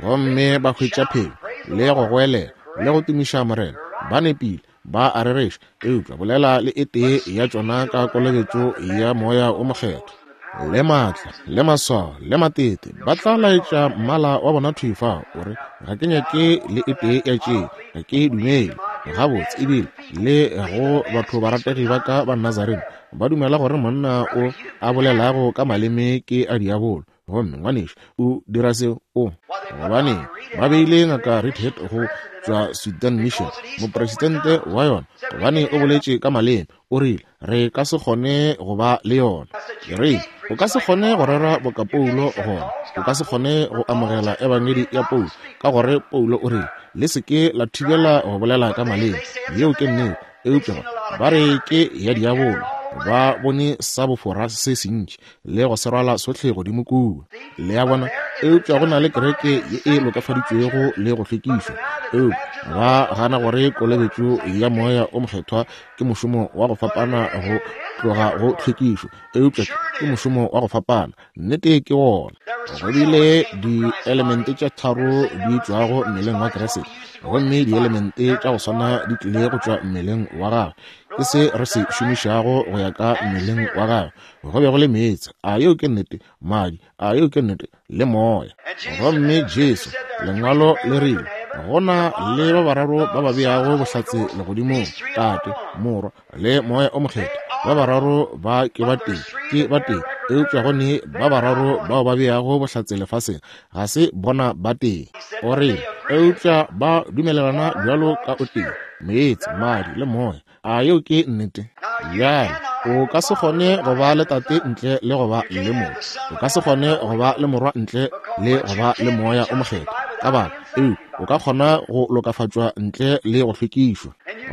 gomme ba hwetša phenyo le go goelela le go tumiša Morena, ba nepile, ba a rereša. Eupša bolela le e tee ya tšona ka kolobetšo ya Moya o Mokgethwa le maatla le maswao le matete, ba tla laetša mmala wa bona thwi fao, o re, Ga ke nyake le e tee ya tše, ga ke dumele. Gabotse, ebile le go batho barategi ba ka ba Nazarene ba dumela gore monna o a bolelago ka maleme ke a diabolo. Gomme ngwanešu o dira seo, o gobane ba beile Ngaka Reidhead go tšwa Sudan Mission, mopresidente wa yona, gobane o boletše ka maleme. O rile, Re ka se kgone go ba le yona. Ke rile, O ka se kgone go rera boka Paulo gona. O ka se kgone go amogela ebangedi ya Paulo, ka gore Paulo o rile, Le se ke la thibela go bolela ka maleme. Yeo ke nnete. Eupša ba re ke ya diabolo. Ba bone sa bofora se sentši le go se rwala sohle godimo kua. Le a bona? Eupša go na le kereke ye e lokafaditšwego le go hlwekišwa, eupša ba gana gore kolobetšo ya Moya o Mokgethwa ke mošomo wa go fapana go tloga go tlhwekišo, eupša ke mošomo wa go fapana. Nnete ke wona. Go bile dielemente tše tharo di tšwago mmeleng wa Kriste, gomme dielemente tša go swana di tlile go tšwa mmeleng wa gagwe. Ke se re se šomišago go ya ka mmeleng wa gagwe. Go be go le meetse, a yeo ke nnete, madi, a yeo ke nnete, le moya. Gomme Jesu, Lengwalo le rile, go na le ba bararo ba ba beago bohlatse legodimong, Tate, Morwa, le Moya o Mokgethwa. Ba bararo ba ke ba tee, ke ba tee, eupša go ne ba bararo bao ba beago bohlatse lefaseng, ga se bona ba tee. O rile, eupša ba dumelelana bjalo ka o tee, meetse, madi, le moya. A yeo ke nnete? Bjale, o ka se kgone go ba le Tate ntle le go ba le Morwa. O ka se kgone go ba le Morwa ntle le go ba le Moya o Mokgethwa. Ka baka eo, o ka kgona go lokafatšwa ntle le go hlwekišwa.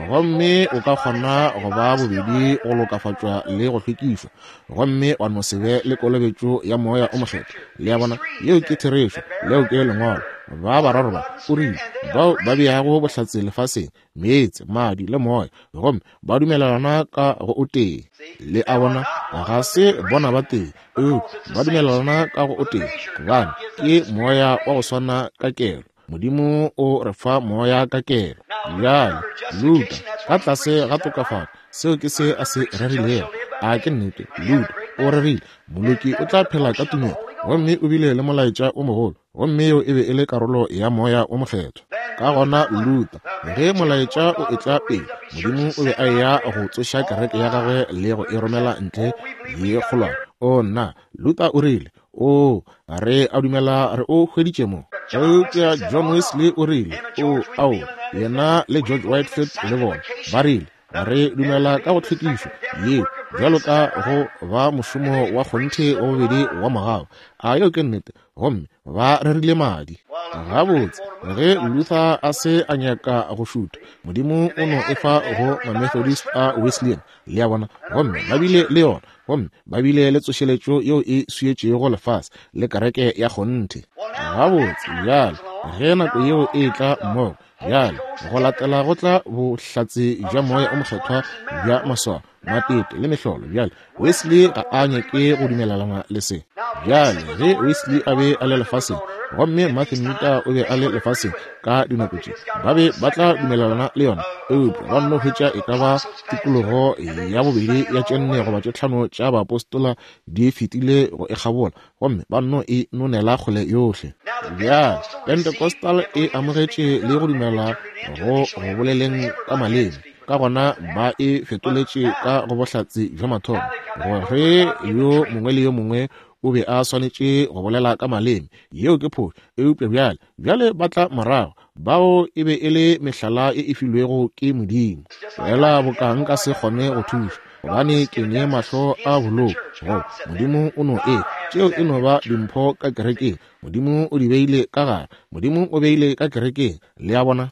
Gomme o ka kgona go ba bobedi go lokafatšwa le go hlwekišwa, gomme wa no se be le kolobetšo ya Moya o Mokgethwa. Le a bona? Yeo ke therešo. Leo ke Lengwalo. Ba bararo ba, o rile, bao ba beago bohlatse lefaseng, meetse, madi le moya, gomme ba dumelelana ka go o tee. Le a bona, ga se bona ba tee, eupša ba dumelelana ka go o tee, gobane ke moya wa go swana ka kelo. Modimo o re fa moya ka kelo. Bjale, Luther, ka tlase ga tokafatšo, seo ke se a se rerilego. A ke nnete? Luther o rerile, Moloki o tla phela ka tumelo, gomme o bile le molaetša o mogolo. Gomme yeo e be e le karolo ya Moya o Mokgethwa. Ka gona Luther, ge molaetša o etla pele, Modimo o be a eya go tsoša kereke ya gagwe le go e romela ntle ye kgolwane. O nna, Luther o rile, O, re a dumela re o hweditše mo. Eupša John Wesley o rile, O, ao, yena le George Whitefield le bona, ba rile, Re dumela ka go tlhwekišo ye bjalo ka go ba mošomo wa kgonthe wa bobedi wa mogau. A yeo ke nnete? Gomme ba rerile madi. Gabotse, ge Luther a se a nyaka go šutha, Modimo o no e fa go Mamethodist a Wesleyan, le a bona, gomme ba bile le yona, gomme ba bile le tsošeletšo yeo e swietšego lefase le kereke ya kgonthe. Gabotse, bjale, Ge nako yeo e etla mmogo, bjale go latela go tla bohlatse bja Moya o Mokgethwa bja maswao, matete le mehlolo. Bjale Wesley ga a nyake go dumelelana le se. Bjale ge Wesley a be a le lefaseng, gomme Martin Luther o be a le lefaseng ka dinako tše, ba be ba tla dumelelana le yona, eupša ba nno hwetša e ka ba tikologo ya bobedi ya tše nne goba tše tlhano tša baapostola di fetile go e kgabola, gomme ba nno e nonela kgole yohle. Bjale Pentecostal e amogetše le go dumela go go boleleng ka maleme, ka gona ba e fetoletše ka go bohlatse bja mathomo, gore yo mongwe le yo mongwe o be a swanetše go bolela ka maleme. Yeo ke phošo. Eupša bjale, bjale ba tla morago, bao e be e le mehlala e e filwego ke Modimo. Fela boka nka se kgone go thuša, gobane ke ne mahlo a bolou, go Modimo o no e. Tšeo e no ba dimpho ka kerekeng. Modimo o di beile ka gare. Modimo o beile ka kerekeng. Le a bona?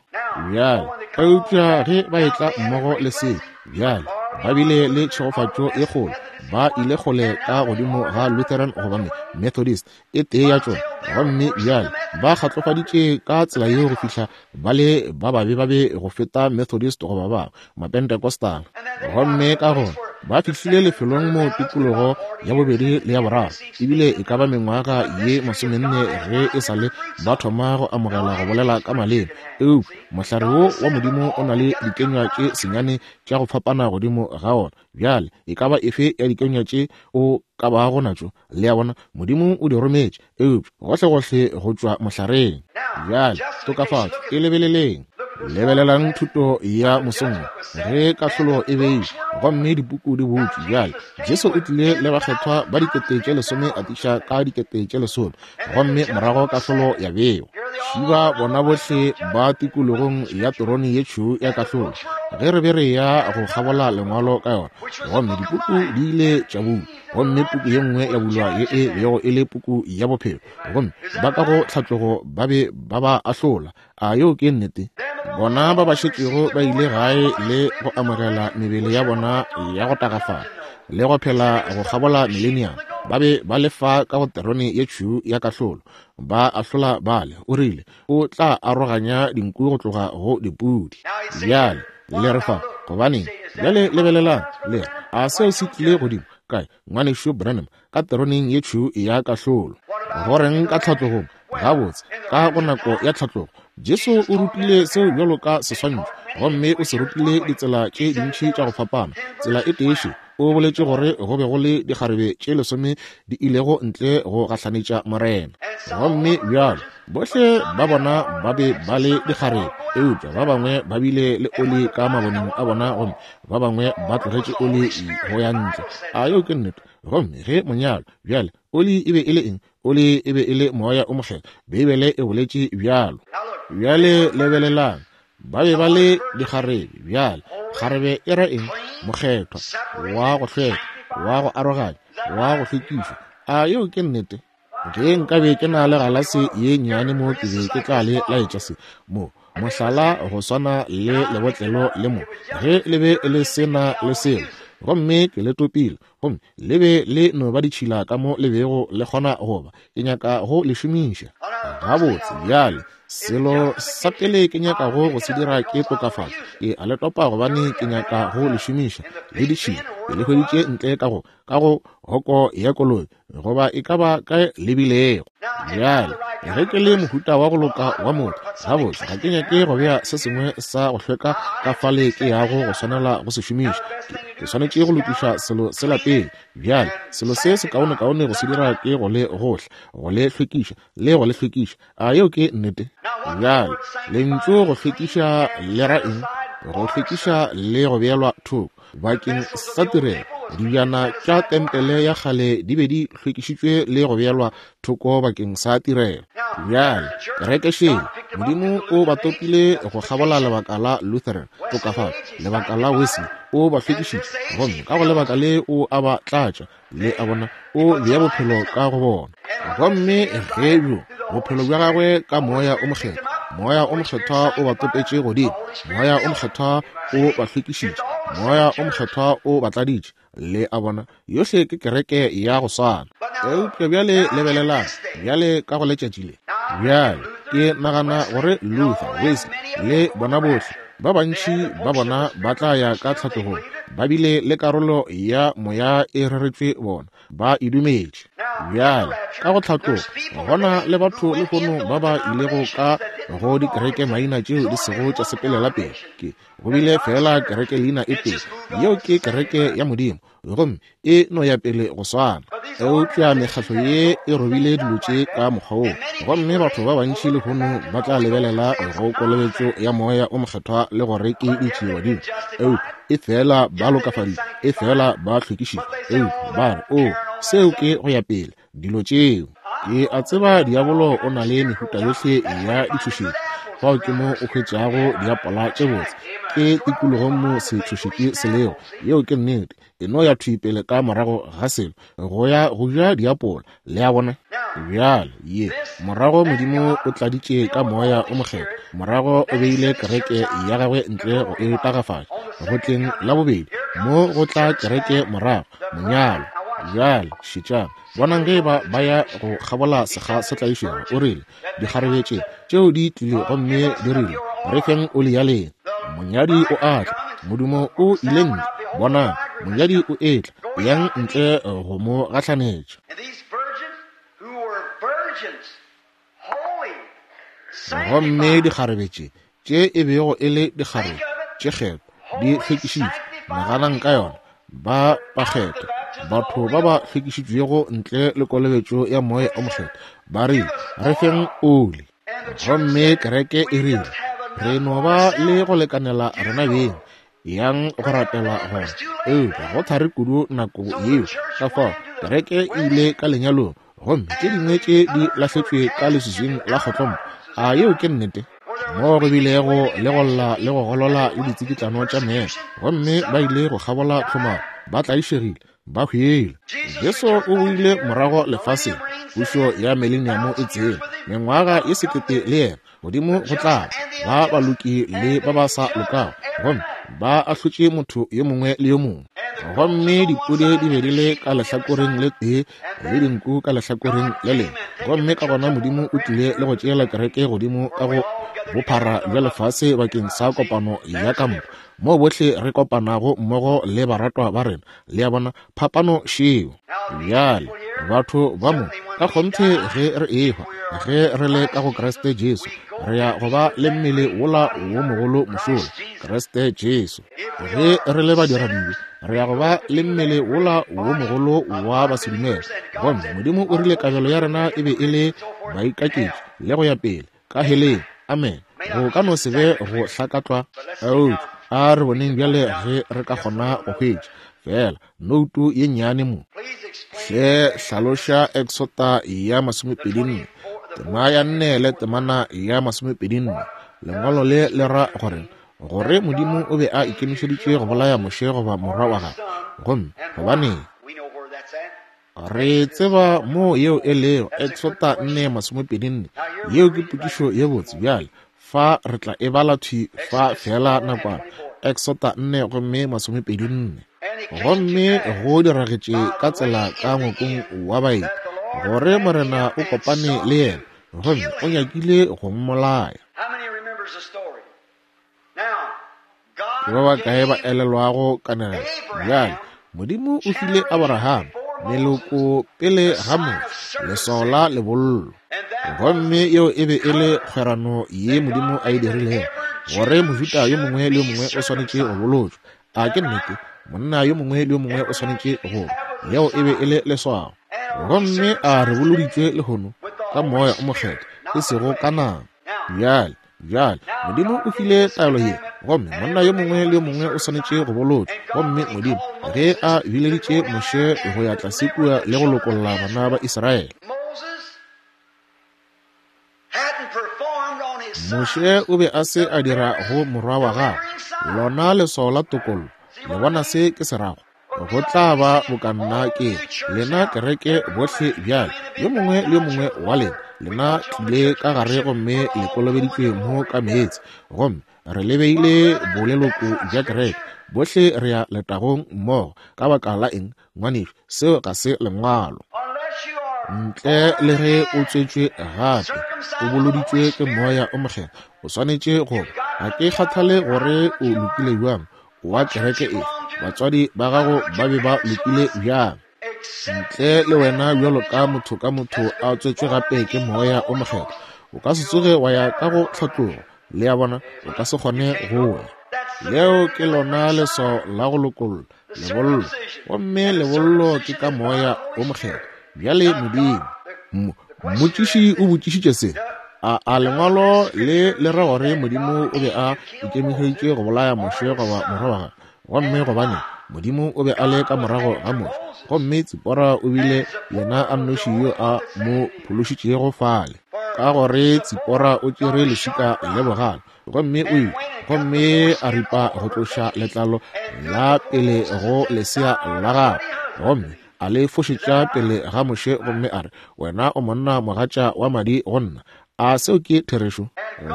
Bjale, eupša ge ba etla mmogo le se, bjale, ba bile le tšhegofatšo e kgolo. Ba ile kgole ka godimo ga Lutheran goba Methodist, e tee ya tšona. Gomme bjale ba kgatlofaditše ka tsela yeo go fihla ba le ba babe ba be go feta Methodist goba ba Mapentecostal. Gomme ka gona ba fihlile lefelong mo tikologo ya bobedi le ya boraro, ebile e ka ba mengwaga ye masomenne ge e sa le ba thoma go amogela go bolela ka maleme. Eupša mohlare wo wa Modimo o na le dikenywa tše senyane tša go fapana godimo ga ona. Bjale e ka ba efe ya dikenywa tše o ka bago natšo, le a bona, Modimo o di rometše, eupša gohlegohle go tšwa mohlareng. Bjale tokafatšo e lebeleleng. Lebelelang thuto ya mosong wo, ge kahlolo e beilwe gomme dipuku di butšwe. Bjale Jesu o tlile le bakgethwa ba 10,000 atiša ka 10,000, gomme morago kahlolo ya bewa. Šiba bona bohle ba tikologong ya terone ye tšhweu ya kahlolo, ge re be re ya go kgabola Lengwalo ka yona, gomme dipuku di ile tša bulwa, gomme puku ye nngwe ya bulwa ye e bego e le puku ya bophelo, gomme ba ka go tlhatlogo ba be ba ba ahlola. A yeo ke nnete? Bona ba ba šetšego ba ile gae le go amogela mebele ya bona ya go tagafala le go phela go kgabola mileniamo, ba be ba le fa ka go terone ye tšhweu ya kahlolo, ba ahlola bale. O rile o tla aroganya dinku go tloga go dipudi. Bjale le re fa, gobaneng? Bjale lebelelang, le re, a seo se tlile godimo kae, Ngwanešu Branham, ka teroneng ye tšhweu ya kahlolo? Go reng ka tlhatlogong? Gabotse, ka go nako ya tlhatlogo, Jesu o rutile seo bjalo ka seswantšho, gomme o se rutile ditsela tše dintši tša go fapana. Tsela e tee še, o boletše gore go be go le dikgarebe tše lesome di ilego ntle go gahlanetša Morena. Gomme bjalo, bohle ba bona ba be ba le dikgarebe, eupša ba bangwe ba bile le oli ka maboneng a bona gomme ba bangwe ba tlogetše oli go ya ntle. A yeo ke nnete? Gomme ge monyalo, bjale, oli e be e le eng? Oli e be e le Moya o Mokgethwa. Beibele e boletše bjalo. Bjale lebelelang, ba be ba le dikgarebe. Bjale, kgarebe e ra eng? Mokgethwa, wa go hlweka, wa go aroganya, wa go hlwekišwa. A yeo ke nnete? Ge nkabe ke na le galase ye nnyane mo, ke be ke tla le laetša se mo, mohlala go swana le lebotlelo le mo, ge le be le se na le selo, gomme ke le topile, gomme le be le no ba ditšhila ka mo le bego le kgona go ba. Ke nyaka go le šomiša. Gabotse, bjale, selo sa pele ke nyakago go se dira ke tokafatšo. Ke a le topa gobane ke nyaka go le šomiša. Le ditšhila, ke le hweditše ntle ka go, ka go hoko ya koloi, goba e ka ba kae le bilego. Bjale, ge ke le mohuta wa go loka wa motho, gabotse, ga ke nyake go bea se sengwe sa go hlweka ka fale ke yago go swanela go se šomiša. Ke, ke swanetše go lokiša selo sela pele. Bjale, selo se sekaonekaone go se dira ke go le gohla, go le hlwekiša, le go le hlwekiša. A yeo ke nnete? Bjale, lentšu go hlwekiša le ra eng? Go hlwekiša le go beelwa thoko bakeng sa tirelo. Dibjana tša tempele ya kgale di be di hlwekišitšwe le go beelwa thoko bakeng sa tirelo. Bjale, kereke šele, Modimo o ba topile go kgabola lebaka la Lutheran, tokafatšo, lebaka la Wesley, o ba hlwekišitše, gomme ka go lebaka le o a ba tlatša, Le a bona, o bea bophelo ka go bona. Gomme ge bjo bophelo bja gagwe ka Moya o Mokgethwa, Moya o Mokgethwa o ba topetše godimo, Moya o Mokgethwa o ba hlwekišitše, Moya o Mokgethwa o ba tladitše. Le a bona, yohle ke kereke ya go swana. Eupša bjale lebelelang, bjale ka go letšatši le. Bjale. Ke nagana gore Luther, Wesley, le bona bohle, ba bantši ba bona ba tla ya ka tlhatlogong, ba bile le karolo ya moya e reretšwe bona, ba e dumetše. Bjale, ka go tlhatloga, gona le batho lehono ba ba ilego ka go dikereke maina tšeo di sego tša sepelela pele. Ke go bile feela kereke leina e tee, yeo ke kereke ya Modimo, gomme e no ya pele go swana. Eupša mekgatlo ye e robile dilo tše ka mokgwa woo, gomme batho ba bantši lehono ba tla lebelela go kolobetšo ya Moya o Mokgethwa le gore ke ditšiebadimo, eupša e fela ba lokafaditšwe, e fela ba hlwekišitšwe, eupša ba re, Oo, seo ke go ya pele, dilo tšeo. Ke a tseba diabolo o na le mehuta yohle ya ditšhošetši. Fao ke mo o hwetšago diapola tše botse, ke tikologong mo setšhošetši se lego. Yeo ke nnete. E no ya thwi pele ka morago ga selo, go ya go ja diapola. Le a bona? Bjale, ye, morago Modimo o tladitše ka Moya o Mokgethwa, morago o beile kereke ya gagwe ntle go e tagafatša, go tleng la bobedi, mo go tla kereke morago, monyalo. Bjale, šetšang, bonang ge eba ba ya go kgabola sekga se tlaišego. O rile, Dikgarebe tše, tšeo di tlile gomme di rile, Re feng oli ya lena. Monyadi o a tla. Modumo o ile ntle. Bonang, monyadi o etla. Yang ntle go mo gahlanetša. Gomme dikgarebe tše, tše e bego e le dikgarebe tše kgethwa, di hlwekišitšwe, naganang ka yona, ba bakgethwa, batho ba ba hlwekišitšwego ntle le kolobetšo ya Moya o Mokgethwa, ba rile, Re feng oli. Gomme kereke e rile, Re no ba le go lekanela rena beng, yang go rapela gona. Eupša go thari kudu nako yeo, ka fao kereke e ile ka lenyalong, gomme tše dingwe tše di lahletšwe ka leswiswing la kgotlompo. A yeo ke nnete? Mo go bilego le go lla le go golola le ditsikitlano tša meya, gomme ba ile go kgabola tlhomaro, ba tlaišegile, ba hwile. Jesu o boile morago lefaseng, pušo ya mileniamo e tsene, mengwaga ye sekete le yena, godimo go tla ba baloki le ba ba sa lokago, gomme ba ahlotše motho yo mongwe le yo mongwe. Gomme dipudi di be di le ka lehlakoreng le tee le dinku ka lehlakoreng le lengwe. Gomme ka gona Modimo o tlile le go tšeela kereke godimo ka go bophara bja lefase bakeng sa kopano ya kampo, moo bohle re kopanago mmogo le baratwa ba rena. Le a bona, phapano šeo. Bjale, batho ba mo, ka kgonthe ge re ehwa, ge re le ka go Kriste Jesu, re ya go ba le mmele wola wo mogolo mošola, Kriste Jesu. Ge re le badiradibe, re ya go ba le mmele wola wo mogolo wa basedumele. Gomme Modimo o rile kabelo ya rena e be e le baikaketši, le go ya pele, ka heleng. Amen. Go ka no se be go hlakatlwa, eupša a re boneng bjale ge re ka kgona go hwetša feela noutu ye nnyane mo. Hle hlaloša Eksota ya 24, tema ya 4 le temana ya 24. Lengwalo le le ra gore gore Modimo o be a ikemišeditše go bolaya Moshe goba morwa wa gagwe. Gomme gobaneng? Re tseba mo yeo e lego, Eksota 4:24. Yeo ke potšišo ye botse. Bjale, fa re tla e bala thwi fa feela nakwana. Eksota 4 gomme 24. Gomme go diragetše ka tsela ka ngwakong wa baeti, gore Morena o kopane le yena, gomme o nyakile go mmolaya. Ke ba bakae ba elelwago kanegelo? Bjale, Modimo o file Abraham meloko pele ga Moshe, leswao la lebollo. Gomme yeo e be e le kgwerano ye Modimo a e dirilego, gore Mojuda yo mongwe le yo mongwe o swanetše go bolotšwa. A ke nnete? Monna yo mongwe le yo mongwe o swanetše go. Yeo e be e le leswao. Gomme a re boloditšwe lehono ka Moya o Mokgethwa, e sego ka nama. Bjale, Bjale, Modimo o file taelo ye, gomme monna yo mongwe le yo mongwe o swanetše go bolotšwa. Gomme Modimo, ge a bileditše Moshe go ya tlase kua le go lokolla bana ba Israele, Moshe o be a se a dira go morwa wa gagwe lona leswao la tokollo. Le bona se ke se rago? Go tla ba boka nna ke lena kereke bohle bjale, yo mongwe le yo mongwe wa lena, lena tlile ka gare gomme le kolobeditšwe mo ka meetse, gomme re le beile boleloko bja kereke, bohle re ya letagong mmogo. Ka baka la eng, ngwanešu, seo ga se Lengwalo. Ntle le ge o tswetšwe gape, o boloditšwe ke Moya o Mokgethwa, o swanetše go ba. Ga ke kgathale gore o lokile bjang, o wa kereke efe, batswadi ba gago ba be ba lokile bjang. Ntle le wena bjalo ka motho ka motho a tswetšwe gape ke Moya o Mokgethwa, o ka se tsoge wa ya ka go tlhatlogo. Le a bona, o ka se kgone go ya. Leo ke lona leswao la go lokolla, lebollo. Gomme lebollo ke ka Moya o Mokgethwa. Bjale Modimo, mmotšiši o botšišitše se, a, a lengwalo le le ra gore Modimo o be a ikemišeditše go bolaya Moshe goba morwa wa gagwe? Gomme gobane Modimo o be a le ka morago ga Moshe, gomme Tsipora o bile yena a nnoši yo a mo phološitšego fale, ka gore Tsipora o tšere lešika le bogale, gomme o ile gomme a ripa go tloša letlalo la pele go lesea la gagwe, gomme a le fošetša pele ga Moshe, gomme a re, Wena o monna mogatša wa madi go nna. A seo ke therešo?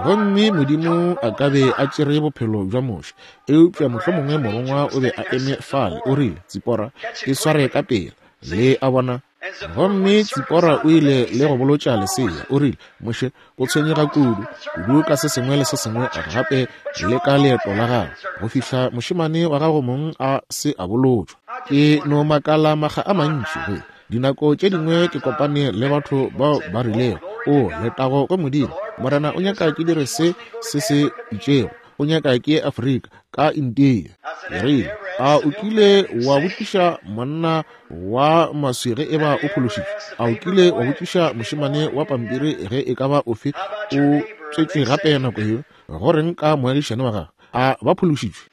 Gomme Modimo a ka be a tšere bophelo bja Moshe, eupša mohlomongwe morongwa o be a eme fale, o rile, Tsipora, e sware ka pela. Le a bona? Gomme Tsipora o ile le go bolotša lesea, o rile, Moshe, o tshwenyega kudu, kudu ka se sengwe le se sengwe gape le ka leeto la gago, go fihla mošemane wa gago mong a se a bolotšwa. Ke no makala makga a mantši ge Dinako tše dingwe ke kopane le batho bao ba rilego, O, letago go Modimo, Morena o nyaka ke dire se, se se itšego. O nyaka ke ye Afrika, ka India. Ke rile, A o kile wa botšiša monna wa maswi ge eba o phološitšwe? A o kile wa botšiša mošemane wa pampiri ge e ka ba ofe o tswetšwe gape nako yeo? Go reng ka moagišane wa gago? A ba phološitšwe?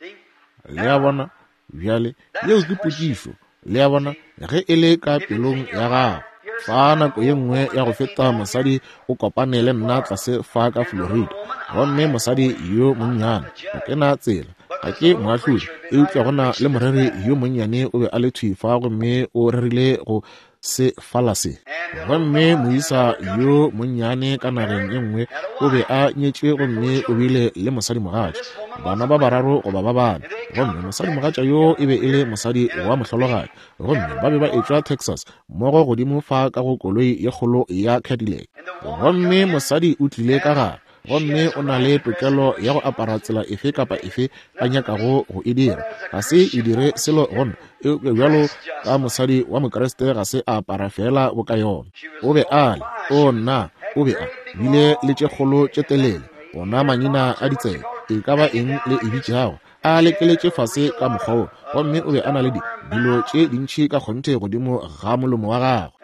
Le a bona? Bjale, yeo ke potšišo, le a bona, ge e le ka pelong ya gago. Fa nako ye nngwe ya go feta mosadi o kopane le nna tlase fa ka Florida, gomme mosadi yo monnyane, ga ke na tsela, ga ke moahlodi, eupša go na le moreri yo monnyane o be a le thwi fa gomme o rerile go se fala se. Gomme moisa yo monnyane ka nageng e nngwe o be a nyetše gomme o bile le mosadimogatša, bana ba bararo goba ba bane. Gomme mosadimogatša yo e be e le mosadi wa mohlologadi. Gomme ba be ba etšwa Texas, mmogo godimo fa ka go koloi ye kgolo ya Cadillac. Gomme mosadi o tlile ka gare, gomme o na le tokelo ya go apara tsela efe kapa efe a nyakago go e dira. Ga se e dire selo go nna, eupša bjalo ka mosadi wa Mokriste ga se a apara feela boka yona. O be a le, o nna, o be a bile le tše kgolo tše telele, ona mangina a ditsebe, e ka ba eng le e bitšago, a lekeletše fase ka mokgwa wo, gomme o be a na le di, dilo tše dintši ka kgonthe godimo ga molomo wa gagwe.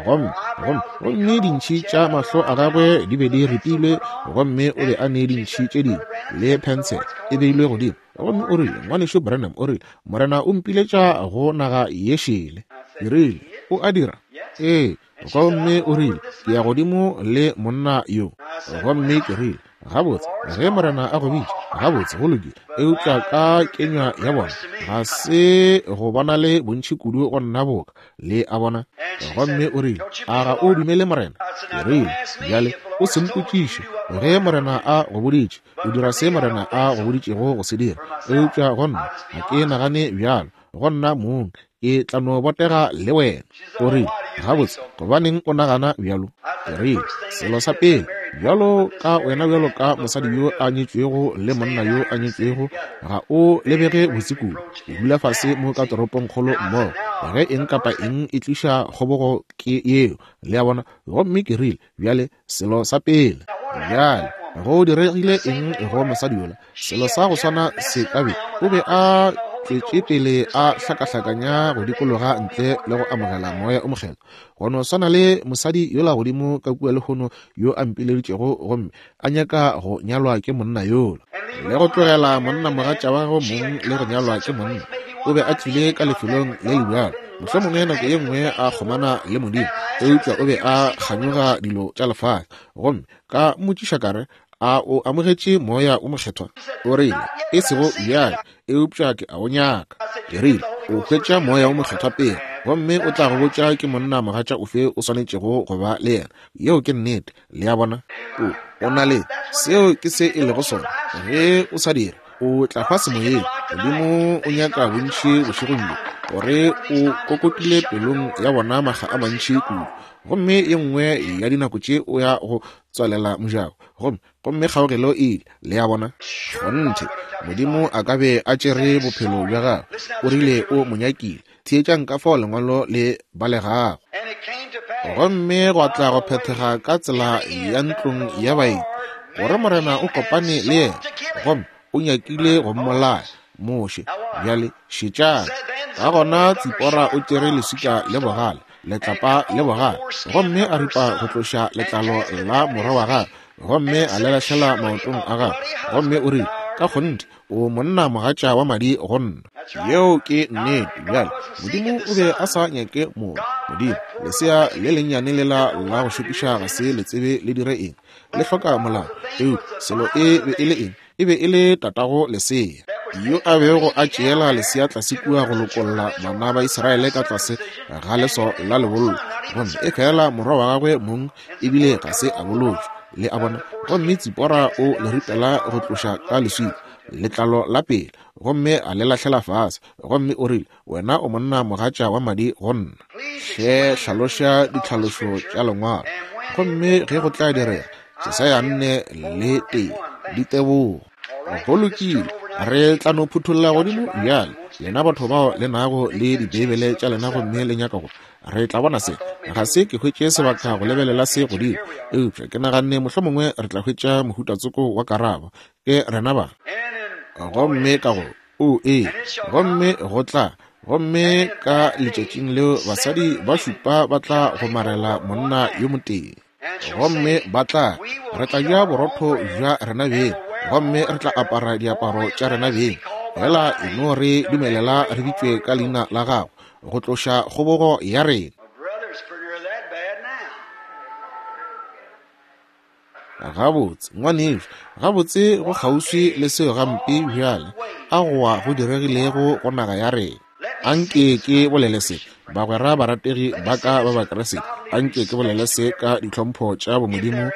Gomme, gomme, gomme dintšhi tša mahlo a gagwe di be di ripilwe, gomme o be a ne dintšhi tše dingwe le phensele e beilwe godimo. Gomme o rile, Ngwanešu Branham, o rile, Morena o mpiletša go naga ye šele. Ke rile, O a dira? Ee. Gomme o rile, Ke ya godimo le monna yo. Gomme ke rile, Gabotse, ge Morena a go bitša, gabotse, go lokile. Eupša ka kenywa ya bona, ga se go bonale bontši kudu go nna boka, le a bona. Gomme o rile, A ga o dumele Morena? Ke rile, Bjale, o se mpotšiše. Ge Morena a go boditše, o dira se Morena a go boditšego go se dira. Eupša go nna, ga ke nagane bjalo. Go nna mong, ke tla no botega le wena. O rile, Gabotse, gobaneng o nagana bjalo? Ke rile, Selo sa pele, bjalo ka wena bjalo ka mosadi yo a nyetšwego le monna yo a nyetšwego, ga o lebege botse kudu. O dula fase mo ka toropongkgolo mmogo. Ge eng kapa eng e tliša kgobogo, ke yeo. Le a bona? Gomme ke rile, Bjale, selo sa pele, bjale, go diregile eng go mosadi yola? Selo sa go swana se ka be, o be a tšwetše pele a hlakahlakanya go dikologa ntle le go amogela Moya o Mokgethwa. Go no swana le mosadi yola godimo ka kua lehono yo a mpileditšego gomme a nyaka go nyalwa ke monna yola, le go tlogela monna mogatša wa gagwe mong le go nyalwa ke monna. O be a tlile ka lefelong le le bjalo, mohlomongwe nako ye nngwe a kgomana le Modimo, eupša o be a kganyoga dilo tša lefase. Gomme ka mmotšiša ka re, A o amogetše Moya wo Mokgethwa? O rile, E sego bjale, eupša ke a o nyaka. Ke rile, O hwetša Moya wo Mokgethwa pele, gomme o tla go botša ke monna mogatša ofe o swanetšego go ba le yena. Yeo ke nnete. Le a bona? O, o na le, seo ke se e lego sona. Ge o sa dire, o tla hwa semoyeng. Modimo o nyaka bontši bošegong bjo, gore o kokotile pelong ya bona makga a mantši kudu. Gomme ye nngwe ya dinako tše o ya go tswalela mojako, gomme, gomme kgaogelo e ile. Le a bona? Kgonthe, Modimo a ka be a tšere bophelo bja gagwe. O rile o mo nyakile. Theetšang ka fao Lengwalo le balegago. Gomme gwa tla go phethega ka tsela ya ntlong ya baeti, gore Morena o kopane le yena, gomme o nyakile go mmolaya. Moshe, bjale šetšang. Ka gona Tsipora o tšere leswika le bogale, letlapa le bogale, gomme a ripa go tloša letlalo la morwa wa gagwe, gomme a le lahlela maotong a gagwe, gomme o rile, Ka kgonthe, o monna mogatša wa madi go nna. Yeo ke nnete. Bjale, Modimo o be a sa nyake morwa. Modimo, lesea le lennyane lela la go šokiša ga se le tsebe le dire eng. Le hloka molao. Eupša selo e be e le eng? E be e le tatago lesea, yo a bego a tšeela lesea tlase kua go lokolla bana ba Israele ka tlase ga leso la lebollo, gomme efela morwa wa gagwe mong ebile ga se a bolotšwa. Le a bona? Gomme Tsipora o le ripela go tloša ka leswika, letlalo la pele, gomme a le lahlela fase, gomme o rile, Wena o monna mogatša wa madi go nna. Hle hlaloša ditlhalošo tša Lengwalo. Gomme ge go tla direga, Jesaya 4 le 1, ditebogo. Go lokile, re tla no phutholla godimo bjale, lena batho bao le nago le Dibeibele tša lena gomme le nyaka go. Re tla bona se. Ga se ke hwetše sebaka go lebelela se godimo, eupša ke naganne mohlomongwe re tla hwetša mohutatsoko wa karabo. Ke rena ba. Gomme ka go O ee, gomme go tla, gomme ka letšatšing leo basadi ba šupa ba tla gomarela monna yo motee, gomme ba tla re tla ja borotho bja rena beng, gomme re tla apara diaparo tša rena beng, fela e no re dumelela re bitšwe ka leina la gago, go tloša kgobogo ya rena. Gabotse, ngwanešu, gabotse go kgauswi le seo gampe bjale, a goa go diregilego go naga ya rena. Anke ke bolele se, bagwera barategi ba ka ba Bakriste, anke ke bolele se ka ditlhompho tša bomodimo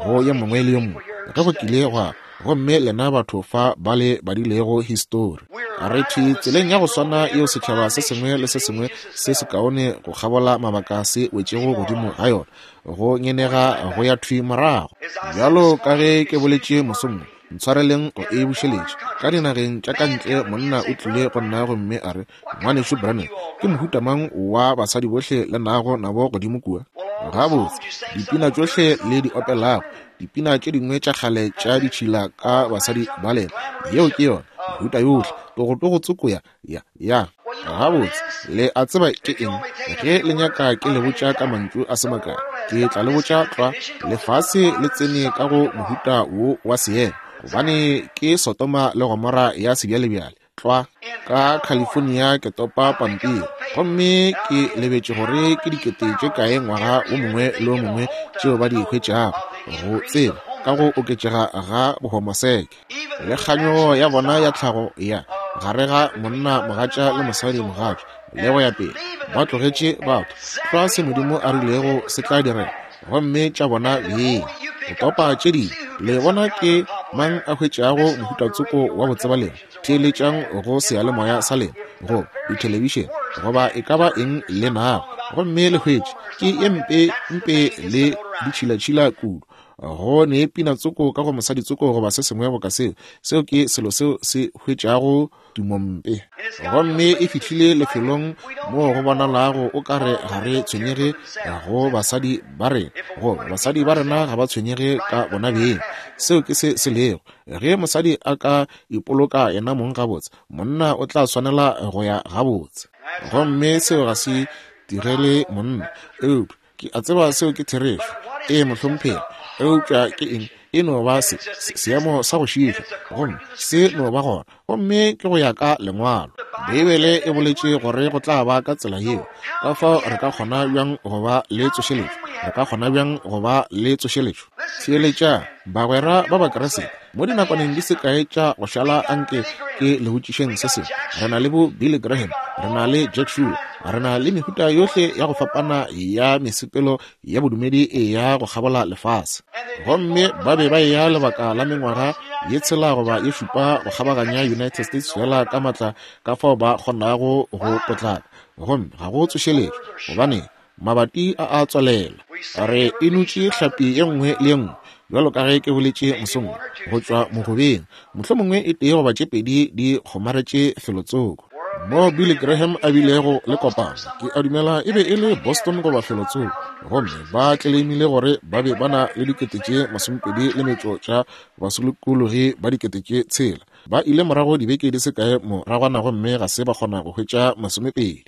go yo mongwe le yo mongwe, ge go kile gwa Gomme lena batho fa ba le badilego histori, re thwi tseleng ya go swana yeo setšhaba se sengwe le se sengwe se sekaone go kgabola mabaka se wetšego godimo ga yona, go ngenega go ya thwi morago. Bjalo ka ge ke boletše mosong wo, ntshwareleng go e bušeletša. Ka dinageng tša ka ntle monna o tlile go nna gomme a re, Ngwanešu Branham, ke mohuta mang wa basadi bohle le nago nabo godimo kua? Gabotse, dipina tšohle le di opelago, dipina tše dingwe tša kgale tša ditšhila ka basadi ba lena, yeo ke yona, mehuta yohle, togotogo tsoko ya, ya, ya. Gabotse, le a tseba ke eng? Ge le nyaka ke le botša ka mantšu a se makae, ke tla le botša tlwa, lefase le tsene ka go mohuta wo wa seemo, gobane ke Sodoma le Gomora ya sebjalebjale. Tlwa ka California ke topa pampiri, gomme ke lebetše gore ke dikete tše kae ngwaga wo mongwe le wo mongwe tšeo ba di hwetšago, go tseba ka go oketšega ga bohomoseke le kganyogo ya bona ya tlhago ya gare ga monna mogatša le mosadi mogatša le go ya pele. Ba tlogetše batho tlwa se Modimo a rilego se tla direga, gomme tša bona beng go topa tše dingwe. Le bona ke mang a hwetšago mohutatsoko wa botsebalegi? Theeletšang go seyalemoya sa lena, goba dithelebišene, goba e ka ba eng le nago, gomme le hwetše ke ye mpe mpe le ditšhilatšhila kudu. Go ne pina tsoko ka go mosadi tsoko goba se sengwe boka seo, seo ke selo seo se hwetšago tumompe. Gomme e fihlile lefelong moo go bonalago o ka re ga re tshwenyege go basadi ba rena, goba basadi ba rena ga ba tshwenyege ka bona beng. Seo ke se se lego. Ge mosadi a ka ipoloka yena mong gabotse, monna o tla swanela go ya gabotse. Gomme seo ga se direle monna. Eupša ke a tseba seo ke therešo. Ee, mohlomphegi. Eupša ke eng? E no ba se, se, seemo sa go šiiša, gomme se no ba gona. Gomme ke go ya ka Lengwalo. Beibele e boletše gore go tla ba ka tsela yeo. Ka fao re ka kgona bjang go ba le tsošeletšo? Re ka kgona bjang go ba le tsošeletšo? Theeletšang, bagwera ba Bakriste, mo dinakwaneng di se kae tša go šala anke ke le botšišeng se sengwe. Re na le bo Billy Graham, re na le Jack Shuler, re na le mehuta yohle ya go fapana ya mesepelo ya bodumedi e ya go kgabola lefase. Gomme ba be ba eya lebaka la mengwaga ye tshela goba ye šupa go kgabaganya United States feela ka matla ka fao ba kgonago go potlaka, gomme ga go tsošeletšo. Gobaneng? Mabati a a tswalelwa. Re enotše hlapi ye nngwe le ye nngwe, bjalo ka ge ke boletše mosong wo, go tšwa mogobeng. Mohlomongwe e tee goba tše pedi di kgomaretše felotsoko. Mo Billy Graham a bilego le kopano, ke a dumela e be e le Boston goba felotsoko, gomme ba tleleimile gore ba be ba na le dikete tše masomepedi le metšo tša basokologi ba dikete tše tshela. Ba ile morago dibeke di se kae moragwana gomme ga se ba kgona go hwetša masomepedi.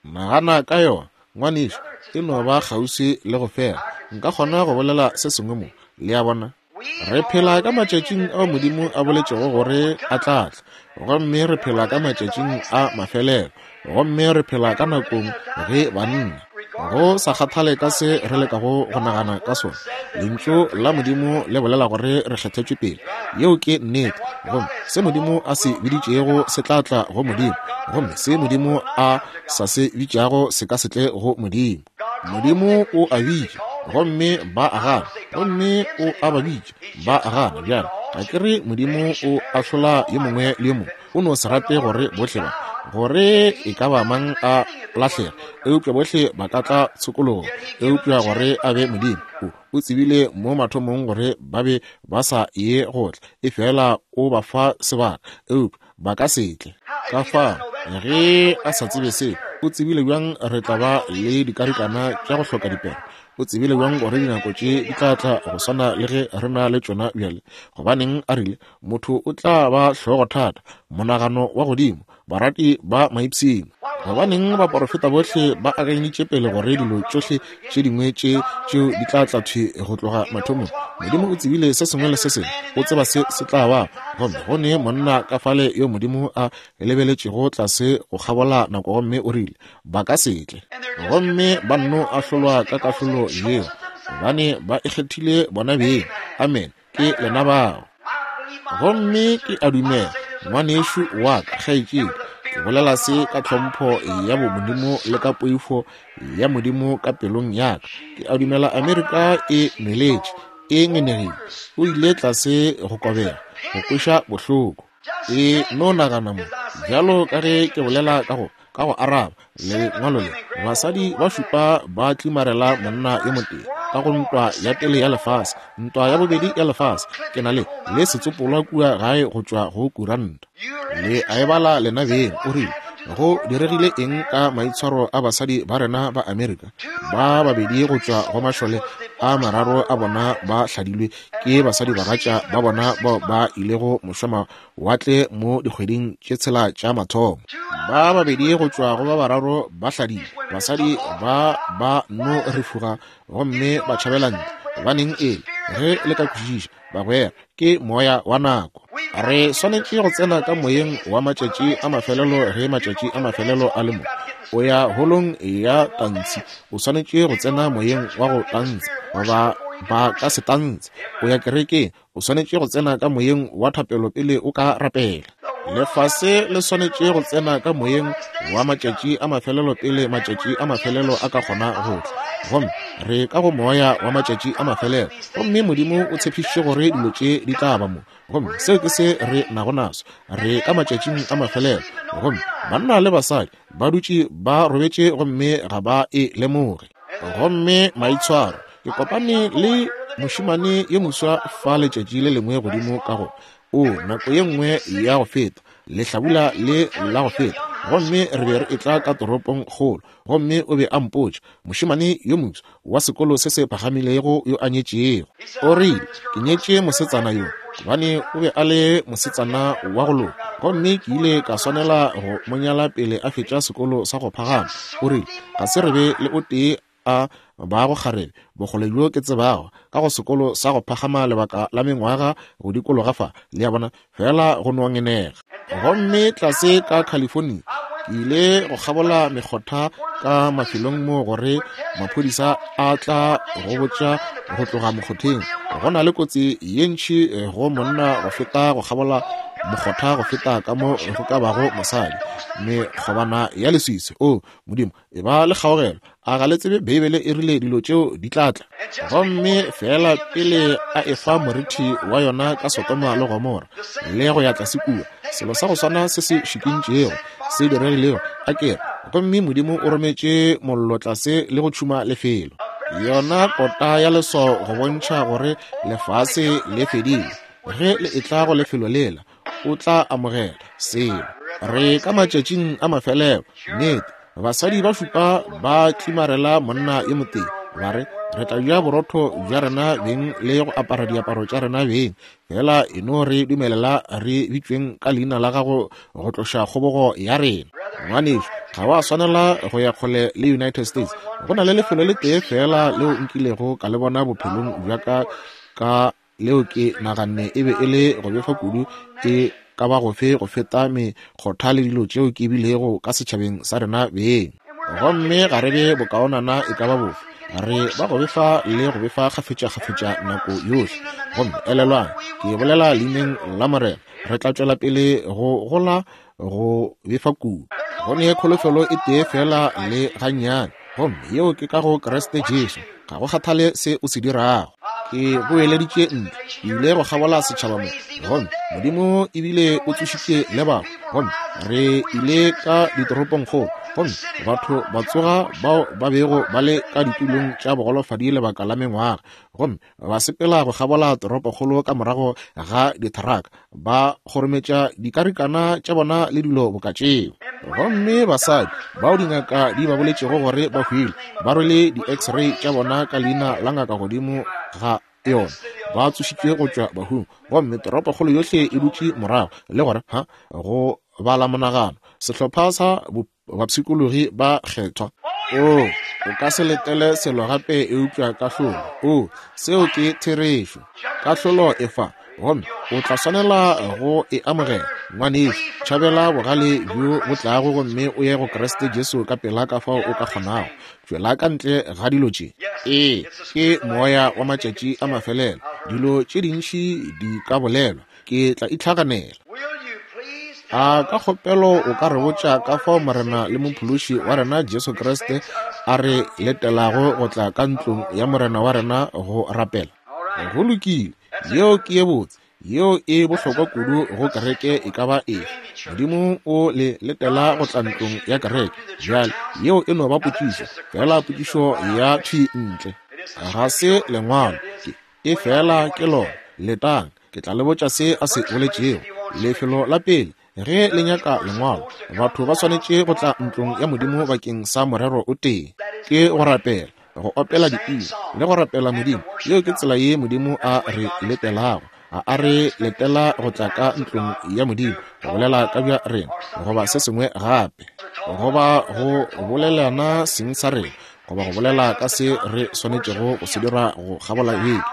Nagana ka yona, ngwanešu, e no ba kgauswi le go fela. Nka kgona go bolela se sengwe mo, le a bona. Re phela ka matšatšing ao Modimo a boletšego gore a tla tla, gomme re phela ka matšatšing a mafelelo, gomme re phela ka nakong ge banna, go sa kgathale ka se re lekago go nagana ka sona, Lentšu la Modimo le bolela gore re kgethetšwe pele. Yeo ke nnete. Gomme se Modimo a se biditšego se tla tla go Modimo, gomme se Modimo a sa se bitšago se ka se tle go Modimo. Modimo o a bitša, gomme ba a gana, gomme o a ba bitša, ba a gana. Bjale, ga ke re Modimo o ahlola yo mongwe le yo mongwe, o no se rate gore bohle ba, gore e ka ba mang a lahlega, eupša bohle ba ka tla tshokologong, eupša gore a be Modimo, o, o tsebile mo mathomong gore ba be ba sa ye go tla, efela o ba fa sebaka, eupša ba ka se tle. Ka fao, ge a sa tsebe se, o tsebile bjang re tla ba le dikarikana tša go hloka dipere? O tsebile bjang gore dinako tše di tla tla go swana le ge re na le tšona bjale? Gobaneng a rile, Motho o tla ba hlogothata, monagano wa godimo, barati ba maipshino. Gobaneng baporofeta bohle ba akanyeditše pele gore dilo tšohle tše dingwe tše tšeo di tla tla thwi go tloga mathomong? Modimo o tsebile se sengwe le se sengwe, o tseba se se tla ba. Gomme go ne monna ka fale yo Modimo a lebeletšego tlase go kgabola nako gomme o rile, Ba ka se tle. Gomme ba nno ahlolwa ka kahlolo yeo, gobane ba ikgethile bona beng. Amene. Ke lena bao. Gomme ke a dumela, ngwanešu wa ka, kgaetšedi, ke bolela se ka tlhompho ya bomodimo le ka poifo ya Modimo ka pelong ya ka. Ke a dumela Amerika e nweletše, e ngenegile. O ile tlase go kobega, go kweša bohloko. E no nagana mo, bjalo ka ge ke bolela ka go, ka go araba lengwalo le, basadi ba šupa ba tlimarela monna yo motee ka go ntwa ya pele ya lefase, ntwa ya bobedi ya lefase. Ke na le, le setsopolwa kua gae go tšwa go kuranta. Le a e bala lena beng. O rile, Go diregile eng ka maitshwaro a basadi ba rena ba Amerika? Ba babedi go tšwa go mašole a mararo a bona ba hladilwe ke basadibagatša ba bona bao ba ilego mošwamawatle mo dikgweding tše tshela tša mathomo. Ba babedi go tšwa go ba bararo ba hladilwe. Basadi ba ba no rifuga gomme ba tšhabela ntle. Gobaneng e le? Ge le ka kwešiša, bagwera, ke moya wa nako. Re swanetše go tsena ka moyeng wa matšatši a mafelelo ge matšatši a mafelelo a le mo. O ya holong ya tantshi, o swanetše go tsena moyeng wa go tantsha, goba ba ka se tantshe. O ya kerekeng, o swanetše go tsena ka moyeng wa thapelo pele o ka rapela. Lefase le swanetše go tsena ka moyeng wa matšatši a mafelelo pele matšatši a mafelelo a ka kgona go tla. Gomme re ka go moya wa matšatši a mafelelo, gomme Modimo o tshepišitše gore dilo tše di tla ba mo. Gomme seo ke se re nago naso. Re ka matšatšing a mafelelo, gomme banna le basadi ba dutše ba robetše gomme ga ba e lemoge. Gomme maitshwaro, ke kopane le mošemane yo moswa fa letšatši le lengwe godimo ka go, o, nako ye nngwe ya go feta, lehlabula le la go feta, gomme re be re etla ka toropong kgolo, gomme o be a mpotša, mošemane yo moswa wa sekolo se se phagamilego yo a nyetšego, o rile, Ke nyetše mosetsana yo gobane o be a le mosetsana wa go loka, gomme ke ile ka swanela go mo nyala pele a fetša sekolo sa go phagama. O rile, Ga se re be le o tee a bago kgarebe bokgole bjo ke tsebago ka go sekolo sa go phagama lebaka la mengwaga go dikologa fa, le a bona, feela go no ngenega. Gomme tlase ka California, ke ile go kgabola mekgotha ka mafelong moo gore maphodisa a tla go botša go tloga mokgotheng go na le kotsi ye ntši go monna go feta go kgabola mokgotha go feta ka mo go ka bago mosadi. Mekgobana ya leswiswi, o Modimo, e ba le kgaogelo. A ga le tsebe Beibele e rile dilo tšeo di tla tla? Gomme feela pele a efa morithi wa yona ka Sodoma le Gomora le go ya tlase kua, selo sa go swana se se šikintšego se diregilego, a ke re, Gomme Modimo o rometše mollo tlase le go tšhuma lefelo, yona kota ya leswao go bontšha gore lefase le fedile. Ge le etla go lefelo lela, o tla amogela selo. Re ka matšatšing a mafelelo. Nnete, basadi ba šupa ba tlimarela monna yo motee, ba re, Re tla ja borotho bja rena beng le go apara diaparo tša rena beng, fela e no re dumelela re bitšweng ka leina la gago go tloša kgobogo ya rena. Ngwanešu, ga wa swanela go ya kgole le United States. Go na le lefelo le tee feela leo nkilego ka le bona bophelong bja ka ka leo ke naganne e be e le go befa kudu e ka ba gofe go feta mekgotha le dilo tšeo ke bilego ka setšhabeng sa rena beng. Gomme ga re be bokaonana e ka ba bofe, re ba go befa le go befa kgafetšakgafetša nako yohle. Gomme elelwang, ke bolela leineng la Morena, re tla tšwela pele go gola go befa kudu. Go ne kholofelo e tee feela le gannyane, gomme yeo ke ka go Kriste Jesu. Ga go kgathale se o se dirago. Ke boeleditše ntlo, ke ile go kgabola setšhaba mo, gomme Modimo ebile o tsošitše le batho, gomme re ile ka ditoropongkgolo, gomme batho ba tsoga bao ba bego ba le ka ditulong tša bogolofadi lebaka la mengwaga, gomme ba sepela go kgabola toropokgolo ka morago ga dithraka, ba kgorometša dikarikana tša bona le dilo boka tšeo. Gomme basadi bao dingaka di ba boletšego gore ba hwile, ba rwele di-x-ray tša bona ka leina la ngaka godimo ga yona, ba tsošitšwe go tšwa bahung, gomme toropokgolo yohle e dutše morago le gore ha go bala monagano sehlopha sa bapshikologi ba kgethwa. Oo, o ka se letele selo gape eupša kahlolo. Oo, seo ke therešo. Kahlolo e fa, gomme o tla swanela go e amogela. Ngwanešu, tšhabela bogale bjo bo tlago gomme o ye go Kriste Jesu ka pela ka fao o ka kgonago. Tšwela ka ntle ga dilo tše. Ee, ke moya wa matšatši a mafelelo. Dilo tše dintši di ka bolelwa. Ke tla itlhaganela. A ka kgopelo o ka re botša ka fao Morena le Mophološi wa rena Jesu Kriste a re letelago go tla ka ntlong ya Morena wa rena go rapela? Go lokile, yeo ke ye botse, yeo e bohlokwa kudu go kereke e ka ba efe. Modimo o le letela go tla ntlong ya kereke. Bjale, yeo e no ba potšišo, feela potšišo ya thwi ntle. Ga se lengwalo, ke Efela ke lona, letang, ke tla le botša se a se boletšego. Lefelo la pele, ge le nyaka lengwalo, batho ba swanetše go tla ntlong ya Modimo bakeng sa morero o tee, ke go rapela, go opela dipina, le go rapela Modimo. Yeo ke tsela ye Modimo a re letelago. A a re letela go tla ka ntlong ya Modimo, go bolela ka bja rena, goba se sengwe gape, goba go bolelana seng sa rena, goba go bolela ka se re swanetšego go se dira go kgabola beke.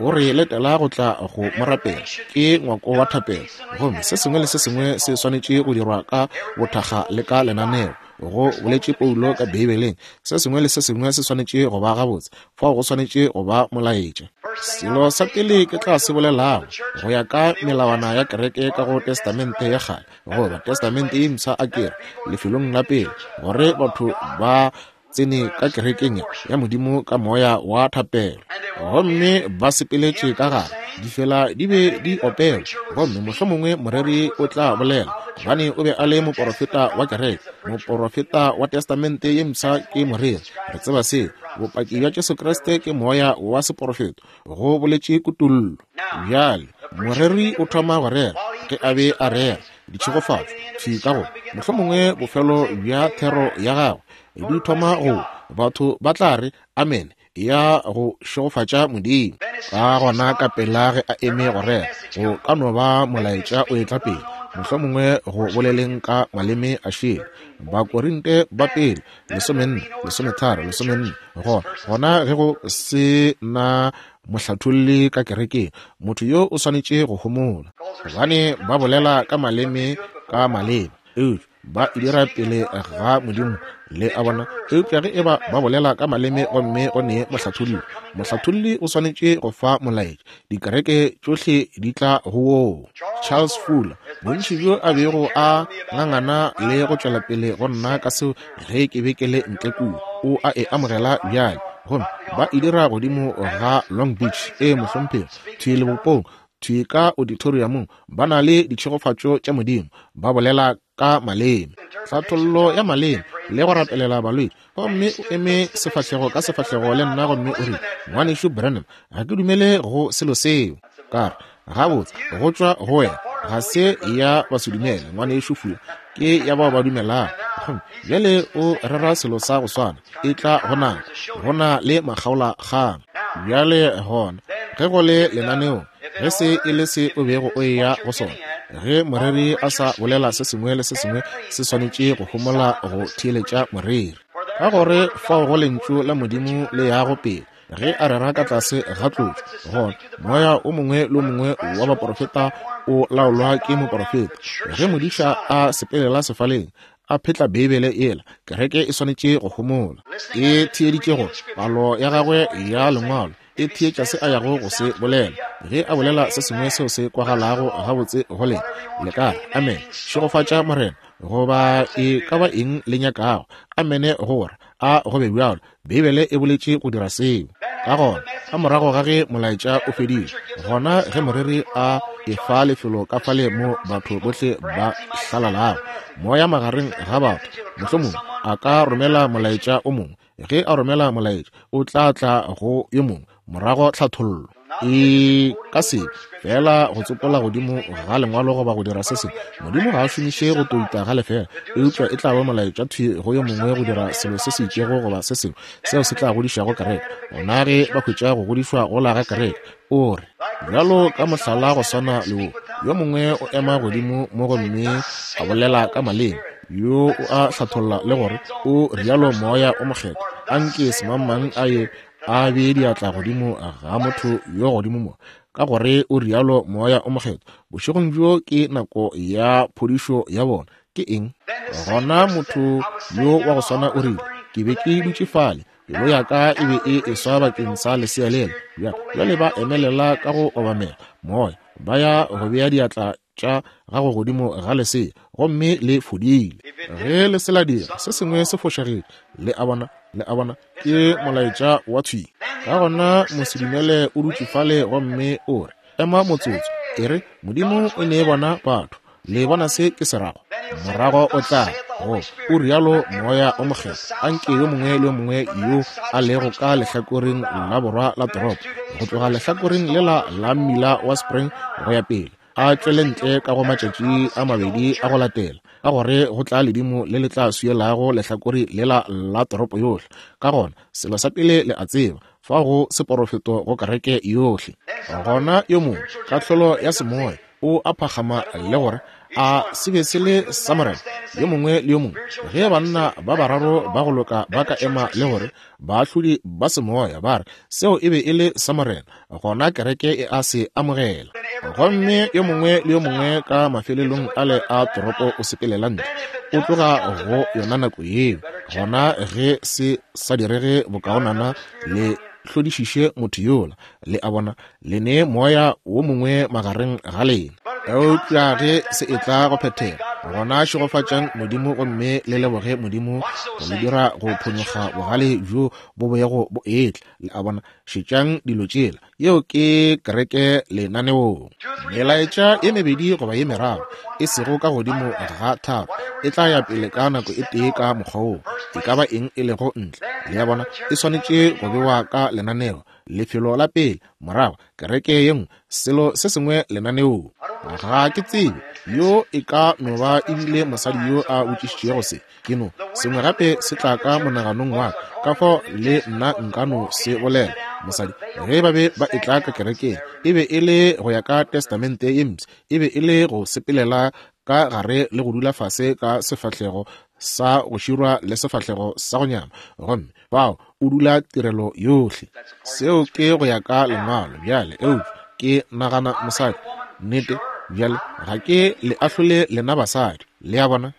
O re letela go tla go mo rapela. Ke ngwako wa thapelo, gomme se sengwe le se sengwe se swanetše go dirwa ka bothakga le ka lenaneo. Go boletše Paulo ka Beibeleng, se sengwe le se sengwe se swanetše go ba gabotse, fao go swanetše go ba molaetša. Selo sa pele ke tla se bolelago, go ya ka melawana ya kereke ka go Testamente ya Kgale goba Testamente ye Mpsha, a ke re, lefelong la pele, gore batho ba tsene ka kerekeng ya Modimo ka moya wa thapelo, gomme ba sepeletše ka gare, difela di be di opelwa, gomme mohlomongwe moreri o tla bolela, gobane o be a le moporofeta wa kereke. Moporofeta wa Testamente ye Mpsha ke moreri, re tseba seo. Bopaki bja Jesu Kriste ke moya wa seporofeto, go boletše kutollo. Bjale, moreri o thoma go rera, ge a be a rera, ditšhegofatšo thwi ka go mohlomongwe bofelo bja thero ya gagwe di thoma go batho ba tla re amene ya go šegofatša Modimo. Ka gona ka pela ge a eme go rera, go ka no ba molaetša o etla pele, mohlomongwe go boleleng ka maleme a šele. Bakorinte ba pele 14, 13, 14. Gona, gona ge go se na mohlatholli ka kerekeng, motho yo o swanetše go homola, gobane ba bolela ka maleme ka maleba, eupša ba e dira pele ga Modimo, le a bona. Eupša ge eba ba bolela ka maleme gomme go ne mohlatholli, mohlatholli o swanetše go fa molaetša, dikereke tšohle di tla go woo. Charles Fuller, bontši bjo a bego a ngangana le go tšwela pele go nna ka seo ge ke be ke le ntle kua, o a e amogela bjale. Gomme ba e dira godimo ga Long Beach, ee, mohlomphegi, thwi lebopong, thwi ka auditoriumong, ba na le ditšhegofatšo tša Modimo, ba bolela ka maleme. Tlhathollo ya maleme, le go rapelela balwetši. Gomme o eme sefahlego ka sefahlego le nna gomme o rile, Ngwanešu Branham, ga ke dumele go selo seo. Ka re, Gabotse, go tšwa go wena. Ga se ya basedumele, Ngwanešu Fuller. Ke ya bao ba dumelago. Gomme bjale o rera selo sa go swana. E tla go nako. Go na le makgaolakgang. Bjale gona, ge go le lenaneong, ge se e le se o bego o eya go sona, ge moreri a sa bolela se sengwe le se sengwe se swanetše go homola go theeletša moreri. Ka gore fao go Lentšu la Modimo le yago pele, ge a rera ka tlase ga tlotšo, gona moya o mongwe le o mongwe wa baporofeta o laolwa ke moporofeta. Ge modiša a sepelela sefaleng, a phetla Beibele yela, kereke e swanetše go homola. E theeditše gore palo ya gagwe ya Lengwalo e theetša se a yago go se bolela. Ge a bolela se sengwe seo se kwagalago gabotse go lena, le ka re, Amene, šegofatša Morena, goba e ka ba eng le nyakago. Amene go ra, a go be bjalo. Beibele e boletše go dira seo. Ka gona, ka morago ga ge molaetša o fedile, gona ge moreri a efa lefelo ka fale mo batho bohle ba hlalalago, moya magareng ga batho, mohlomongwe a ka romela molaetša o mongwe. Ge a romela molaetša, o tla tla go yo mongwe, morago tlhathollo. E ka se fela go tsopola godimo ga lengwalo goba go dira se sengwe. Modimo ga a šomiše go touta ga lefela, eupša e tla ba molaetša thwi go yo mongwe go dira selo se se itšego goba se sengwe seo se tla godišago kereke. Gona ge ba hwetša go godišwa gola ga kereke, o re, bjalo ka mohlala go swana le wo, yo mongwe o ema godimo mo gomme a bolela ka maleme, yo o a hlatholla le gore o rialo Moya o Mokgethwa, anke semangmang a ye a bee diatla godimo ga motho yo godimo mo, ka gore o rialo Moya o Mokgethwa, bošegong bjo ke nako ya phodišo ya bona. Ke eng? Gona motho yo wa go swana o rile, Ke be ke dutše fale, pelo ya ka e be e eswa bakeng sa lesea lela. Bjale ba emelela ka go obamela Moya, ba ya go bea diatla tša gago godimo ga lesea, gomme le fodile. Ge le se la dira, se sengwe se fošagetše. Le a bona? Le a bona? Ke molaetša wa thwi. Ka gona mosedumele o dutše fale gomme o re, Ema motsotso, e re, Modimo o ne bona batho. Le bona se ke se rago? Morago o tla go, o rialo Moya o Mokgethwa, anke yo mongwe le yo mongwe yo a lego ka lehlakoreng la borwa la toropo, go tloga lehlakoreng lela la mmila wa Spring go ya pele, a tšwele ntle ka go matšatši a mabedi a go latela, ka gore go tla ledimo le le tla swielago lehlakore lela la toropo yohle. Ka gona, selo sa pele le a tseba, fa go seporofeto go kereke yohle. Gona yo mongwe, kahlolo ya semoya, o a phakgama le gore a se be se le sa Morena. Yo mongwe le yo mongwe, ge banna ba bararo ba go loka ba ka ema le gore baahlodi ba semoya ba re seo e be e le sa Morena, gona kereke e a se amogela. Gomme yo mongwe le yo mongwe ka mafelelong ale a toropo o sepelela ntle, o tloga go yona nako yeo. Gona ge se sa direge bokaonana le hlodišiše motho yola, le a bona, le ne moya wo mongwe magareng ga lena. Eupša ge se etla go phethega, gona šegofatšang Modimo gomme le leboge Modimo go le dira go phonyokga bogale bjo bo boyego bo etla. Le a bona? Šetšang dilo tšela. Yeo ke kereke lenaneong. Melaetša ye mebedi goba ye meraro, e sego ka godimo ga tharo, e tla ya pele ka nako e tee ka mokgwa woo, e ka ba eng e lego ntle. Le a bona? E swanetše go bewa ka lenaneo. Lefelo la pele, morago kereke ye nngwe, selo se sengwe lenaneong. Ga ke tsebe, yo e ka no ba e bile mosadi yo a botšišitšego se. Ke no, sengwe gape se tla ka monaganong wa ka, ka fao le nna nka no se bolela. Mosadi, ge ba be ba etla ka kerekeng, e be e le go ya ka Testamente ye Mpsha, e be e le go sepelela ka gare le go dula fase ka sefahlego sa go širwa le sefahlego sa go nyama, gomme fao o dula tirelo yohle. Seo ke go ya ka Lengwalo bjale, eupša ke nagana mosadi, nnete, bjale ga ke le ahlole lena basadi, le a bona.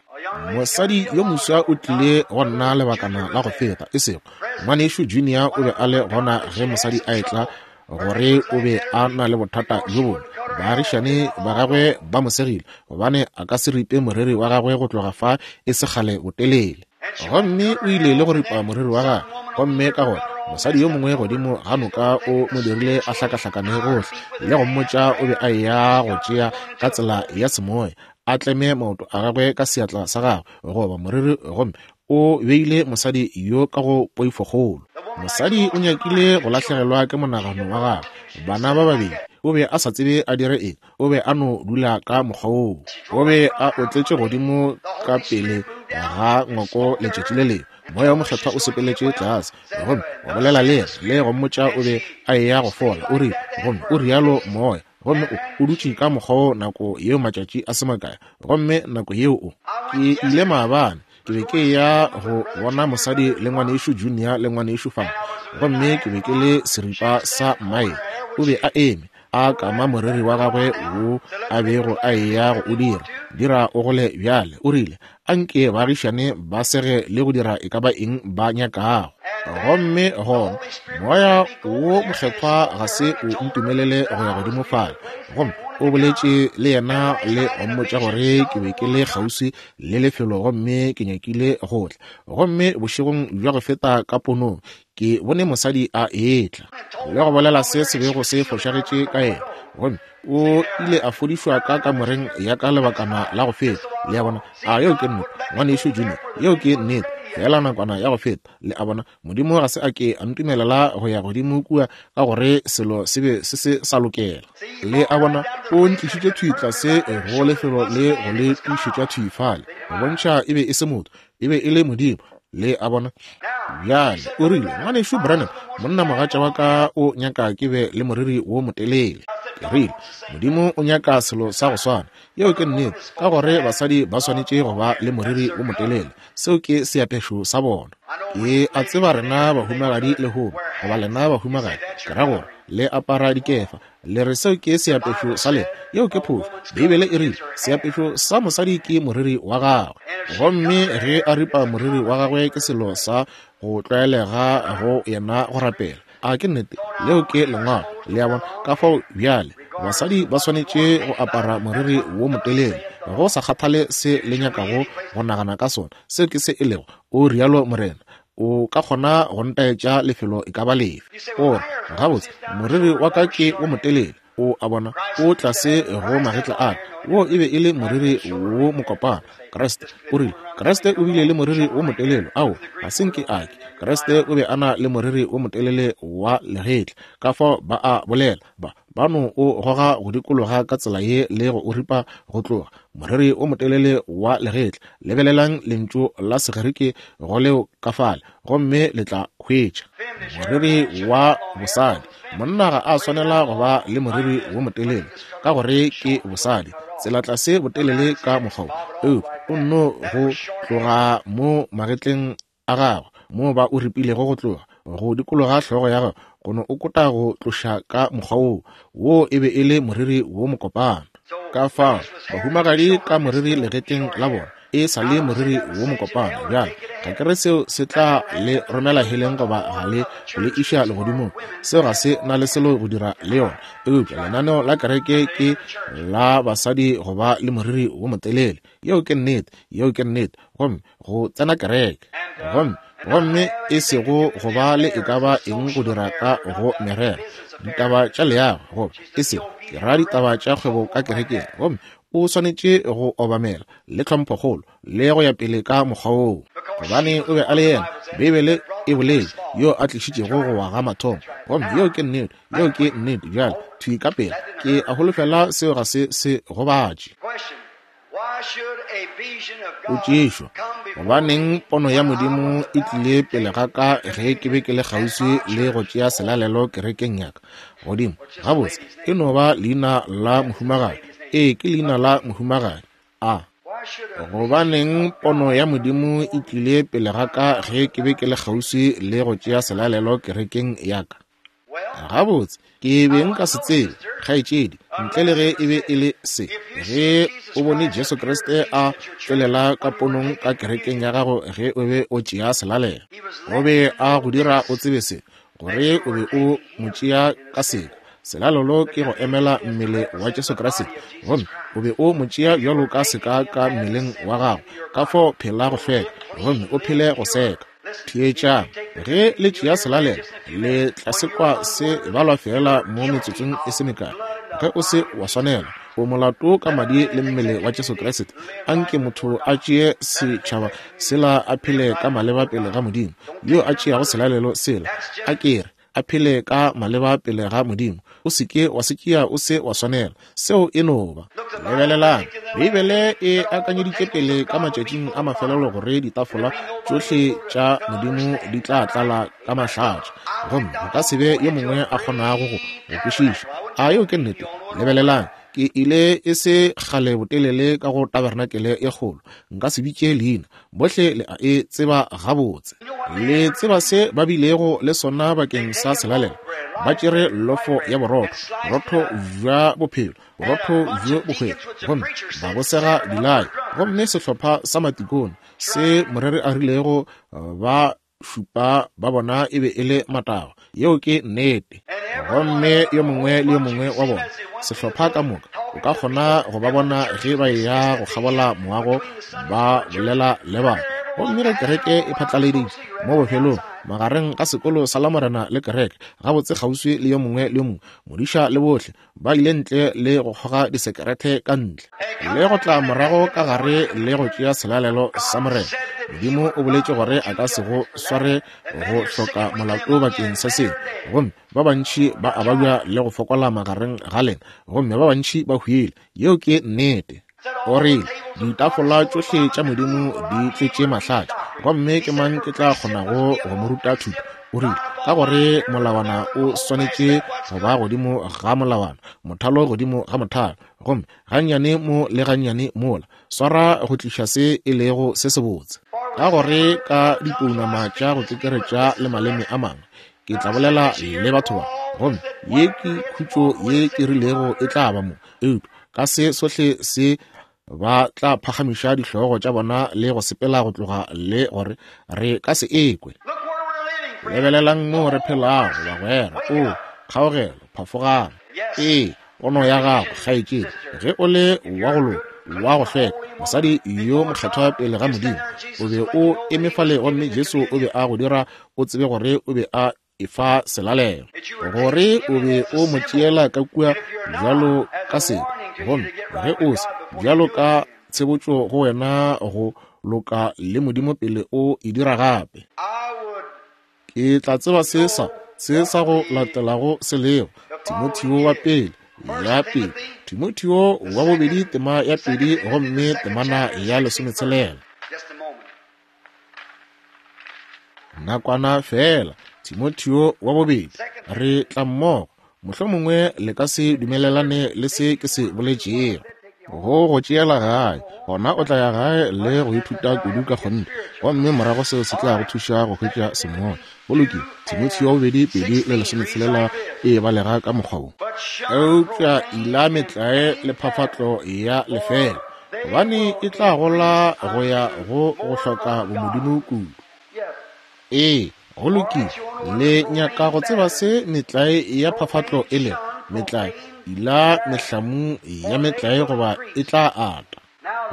Mosadi yo moswa o tlile go nna lebakana la go feta, e sego ngwanešu Junior o be a le gona ge mosadi a etla gore o be a na le bothata bjo bongwe. Baagišane ba gagwe ba mo segile gobane a ka se ripe moriri wa gagwe go tloga fa e se kgale botelele. Gomme o ile le go ripa moriri wa gagwe, gomme ka gona mosadi yo mongwe godimo ga noka o mo dirile a hlakahlakane gohle le go mmotša o be a eya go tšea ka tsela ya semoya, a tleme maoto a gagwe ka seatla sa gagwe goba moriri, gomme O beile mosadi yo ka go poifokgolo. Mosadi o nyakile go lahlegelwa ke monagano wa gagwe. Bana ba babedi, o be a sa tsebe a dire eng. O be a no dula ka mokgwa woo. O be a otletše godimo ka pele ga ngwako letšatši le lengwe. Moya wo Mokgethwa o sepeletše tlase gomme wa bolela le yena le go mmotša o be a eya go fola. O rile, gomme o rialo Moya. Gomme o, o dutše ka mokgwa woo nako yeo matšatši a se makae. Gomme nako yeo o. Ke ile maabane, ke be ke eya go bona mosadi le ngwanešu Junior le ngwanešu Fang. Gomme ke be ke le seripa sa maele. O be a eme, a kama moriri wa gagwe wo a bego a eya go o dira, dira o gole bjale. O rile, A nke baagišane ba sege le go dira e ka ba eng ba nyakago. Gomme gona Moya wo Mokgethwa ga se o ntumelele go ya godimo fale. Gomme o boletše le yena le go mmotša gore ke be ke le kgauswi le lefelo gomme ke nyakile go tla. Gomme bošegong bja go feta ka ponong ke bone mosadi a etla le go bolela se se bego se fošagetše ka yena, gomme o ile a fodišwa ka kamoreng ya ka lebakana la go feta. Le a bona? A yeo ke nnete, ngwanešu Junior? Yeo ke nnete, feela nakwana ya go feta. Le a bona? Modimo ga se a ke a ntumelela go ya godimo kua ka gore selo se be se se sa lokela. Le a bona? O ntlišitše thwi tlase go lefelo le go le tiišetša thwi fale, go bontšha e be e se motho, e be e le Modimo. Le a bona? Bjale, o rile, Ngwanešu Branham, monnamogatša wa ka o nyaka ke be le moriri wo motelele. Ke rile, Modimo o nyaka selo sa go swana. Yeo ke nnete, ka gore basadi ba swanetše go ba le moriri wo motelele. Seo ke seapešo sa bona. Ke a tseba rena bahumagadi lehono, goba lena bahumagadi, ke ra gore, le apara dikefa, Le re seo ke seapešo sa lena. Yeo ke phošo. Beibele e rile, Seapešo sa mosadi ke moriri wa gagwe. Gomme ge a ripa moriri wa gagwe ke selo sa go tlwaelega go yena go rapela. A ke nnete? Leo ke Lengwalo. Le a bona? Ka fao bjale, basadi ba swanetše go apara moriri wo motelele. Go sa kgathale se le nyakago go nagana ka sona, seo ke se e lego, o rialo morena. O ka kgona go ntaetša lefelo e ka ba lefe. O re, Gabotse, moriri wa ka ke wo motelele. O a bona, o tlase go magetla a ka. Wo e be e le moriri wo mokopana. Kriste o rile, Kriste o bile le moriri wo motelele. Ao, ga se nke a ke. Kriste o be a na le moriri wo motelele wa legetla. Ka fao ba a bolela, ba, ba no o goga go dikologa ka tsela ye le go o ripa go tloga, moriri o motelele wa legetla. Lebelelang lentšu la Segerike go leo ka fale, gomme le tla hwetša moriri wa bosadi. Monna ga a swanela go ba le moriri wo motelele ka gore ke bosadi, tsela tlase botelele ka mokgwa wo, eupša o nno go tloga mo magetleng a gagwe moo ba o ripilego go tloga go dikologa hlogo ya gagwe go no o kota go tloša ka mokgwa woo. Woo e be e le moriri wo mokopana. Ka fao bahumagadi ka moriri legetleng la bona e sa le moriri wo mokopana. Bjale ga ke re seo se tla le romela heleng goba ga le go le iša legodimong. Seo ga se na le selo go dira le yona. Eupša lenaneo la kereke ke la basadi go ba le moriri wo motelele. Yeo ke nnete. Yeo ke nnete. Gomme go tsena kereke, gomme, gomme e sego go ba le e ka ba eng go dira ka go merero, ditaba tša leago, goba e sego, ke ra ditaba tša kgwebo ka kerekeng, gomme o swanetše go obamela le tlhomphokgolo le go ya pele ka mokgwa woo, gobane o be a le yena, Beibele e boletše, yo a tlišitšego go wa ga mathomo. Gomme yeo ke nnete, yeo ke nnete. Bjale, thwi ka pela, ke a holofela seo ga se se gobatše. Potšišo, Gobaneng pono ya Modimo e tlile pele ga ka ge ke be ke le kgauswi le go tšea selalelo kerekeng ya ka? Godimo, gabotse, e no ba leina la mohumagadi. Ee, ke leina la mohumagadi. A. Gobaneng pono ya Modimo e tlile pele ga ka ge ke be ke le kgauswi le go tšea selalelo kerekeng ya ka? Gabotse, ke be nka se tsebe, kgaetšedi, ntle le ge e be e le se. Ge o bone Jesu Kriste a tšwelela ka ponong ka kerekeng ya gago ge o be o tšea selalelo, o be a go dira o tsebe se, gore o be o mo tšea ka seka. Selalelo ke go emela mmele wa Jesu Kriste, gomme o be o mo tšea bjalo ka seka ka mmeleng wa gago. Ka fao phela go hlweka, gomme o phele go seka. Theetšang, ge le tšea selalelo, le tla se kwa se balwa feela mo metsotsong e se mekae. Ge o se wa swanela O molato ka madi le mmele wa Jesu Kriste. Anke motho a tšee setšhaba sela a phele ka maleba pele ga Modimo. Yo a tšeago selalelo sela, a ke re, a phele ka maleba pele ga Modimo. O se ke wa se tšea o se wa swanela. Seo e no ba. Lebelelang, Beibele e akanyeditše pele ka matšatšing a mafelelo gore ditafola tšohle tša Modimo di tla tlala ka mahlatša, gomme go ka se be yo mongwe a kgonago go go kwešiša. A yeo ke nnete? Lebelelang, ke ile e se kgale botelele ka go tabernakele e kgolo, nka se bitše leina, bohle le a e tseba gabotse. Le tseba se ba bilego le sona bakeng sa selalelo? Ba tšere lofo ya borotho, borotho bja bophelo, borotho bjo bohwetša, gomme ba bo sega dilai. Gomme sehlopha sa matikone, se moreri a rilego ba šupa ba bona e be e le matagwa. Yeo ke nnete. Gomme yo mongwe le yo mongwe wa bona, sehlopha ka moka, o ka kgona go ba bona ge ba eya go kgabola moago ba bolela le batho. Gomme ge kereke e phatlaleditše mo bofelong, magareng ga sekolo sa Lamorena le kereke, gabotse kgauswi le yo mongwe le yo mongwe, modiša le bohle, ba ile ntle le go kgoga disekerete ka ntle le go tla morago ka gare le go tšea selalelo sa Morena. Modimo o boletše gore a ka se go sware go hloka molato bakeng sa seo. Gomme ba bantši ba a babja le go fokola magareng ga lena, gomme ba bantši ba hwile. Yeo ke nnete. O rile, Ditafola tšohle tša Modimo di tletše mahlatša, gomme ke mang ke tla kgonago go mo ruta thuto? O rile, Ka gore molawana o swanetše go ba godimo ga molawana, mothalo godimo ga mothalo, gomme gannyane mo le gannyane mola, swara go tliša se e lego se sebotse. Ka gore ka dipounama tša go kekeretša le maleme a mangwe ke tla bolela le batho ba, gomme ye ke khutšo ye ke rilego e tla ba mo, eupša ka se sohle se ba tla phagamiša dihlogo tša bona le go sepela go tloga le gore re ka se ekwe. Lebelelang moo re phelago, bagwera. O, kgaogelo, phafogang. Ee, pono ya gago, kgaetšedi, ge o le wa go loka, wa go hlweka, mosadi yo mokgethwa pele ga Modimo, o be o eme fale gomme Jesu o be a go dira o tsebe gore o be a efa selalelo, gore o be o mo tšeela ka kua bjalo ka sebe, gomme ge o se bjalo ka tshebotšo go wena go loka le Modimo pele o e dira gape. Ke tla tseba se sa se sa go latelago se lego. Timotheo wa pele ya pele, Timotheo wa bobedi tema ya pedi gomme temana ya lesometshela. Nakwana feela, Timotheo wa bobedi, re tla mmogo. Mohlomongwe le ka se dumelelane le se ke se boletšego. Go go tšeela gae, gona o tla ya gae le go ithuta kudu ka kgonthe, gomme morago seo se tla go thuša go hwetša semoya. Go lokile, Timotheo wa bobedi pedi le lesometshela e balega ka mokgwa wo. Eupša ila metlae le phafatlo ya lefeela, gobane e tla gola go ya go go hloka bomodimo kudu. Ee, go lokile. Le nyaka go tseba se metlae ya phafatlo e lego? Metlae, ila mehlamu ya metlae goba e tla ata.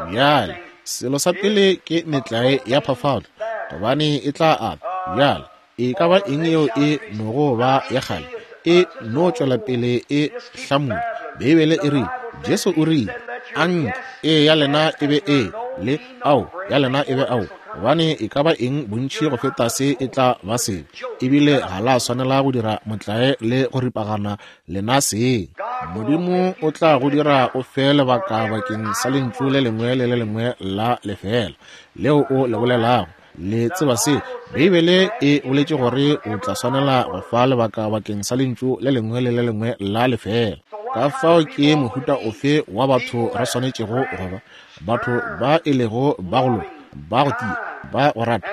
Bjale, selo sa pele ke metlae ya phafatlo, gobane e tla ata. Bjale, e ka ba eng yeo e nogo ba ya kgale, e no tšwela pele e hlamula. Beibele e rile, Jesu o rile, Anke ee ya lena e be ee, le ao ya lena e be ao, gobane e ka ba eng bontši go feta se e tla ba sebe. Ebile ga la swanela go dira motlae le go ripagana lena seng. Modimo o tla go dira o fe lebaka bakeng sa lentšu le lengwe le le lengwe la lefeela leo o le bolelago. Le tseba se, Beibele e boletše gore o tla swanela go fa lebaka bakeng sa lentšu le lengwe le le lengwe la lefeela. Ka fao ke mohuta ofe wa batho re swanetšego go ba? Batho ba e lego ba go loka, ba go tia, ba go rata,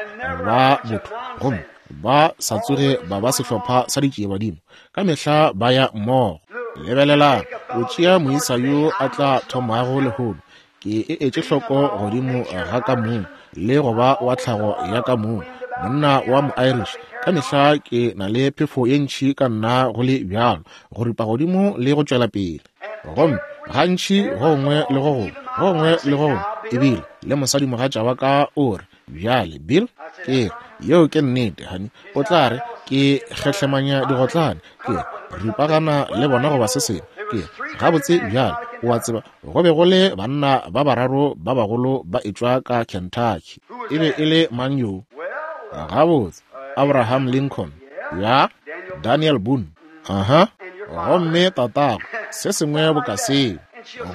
ba botho, gomme ba sa tsoge ba ba sehlopha sa ditšiebadimo. Ka mehla ba ya mmogo. Lebelelang, o tšea moisa yo a tla thomago lehono, Ke e etše hloko godimo ga ka mong le go ba wa tlhago ya ka mong, monna wa mo-Irish. Ka mehla ke na le phefo ye ntši ka nna go le bjalo, go ripa godimo le go tšwela pele. Gomme gantši go gongwe le go gongwe, go gongwe le go gongwe, ebile le mosadimogatša wa ka o re, Bjale, Bill, ke re, yeo ke nnete, honey. O tla re ke kgehlemanya digotlane, ke ripagana le bona goba se sengwe. Ke re, gabotse bjale, O a tseba, go be go le banna ba bararo ba bagolo ba etšwa ka Kentucky. E be e le mang yo? Gabotse, Abraham Lincoln. Ya, Daniel Boone. Aha. Gomme tatago, se sengwe boka seo.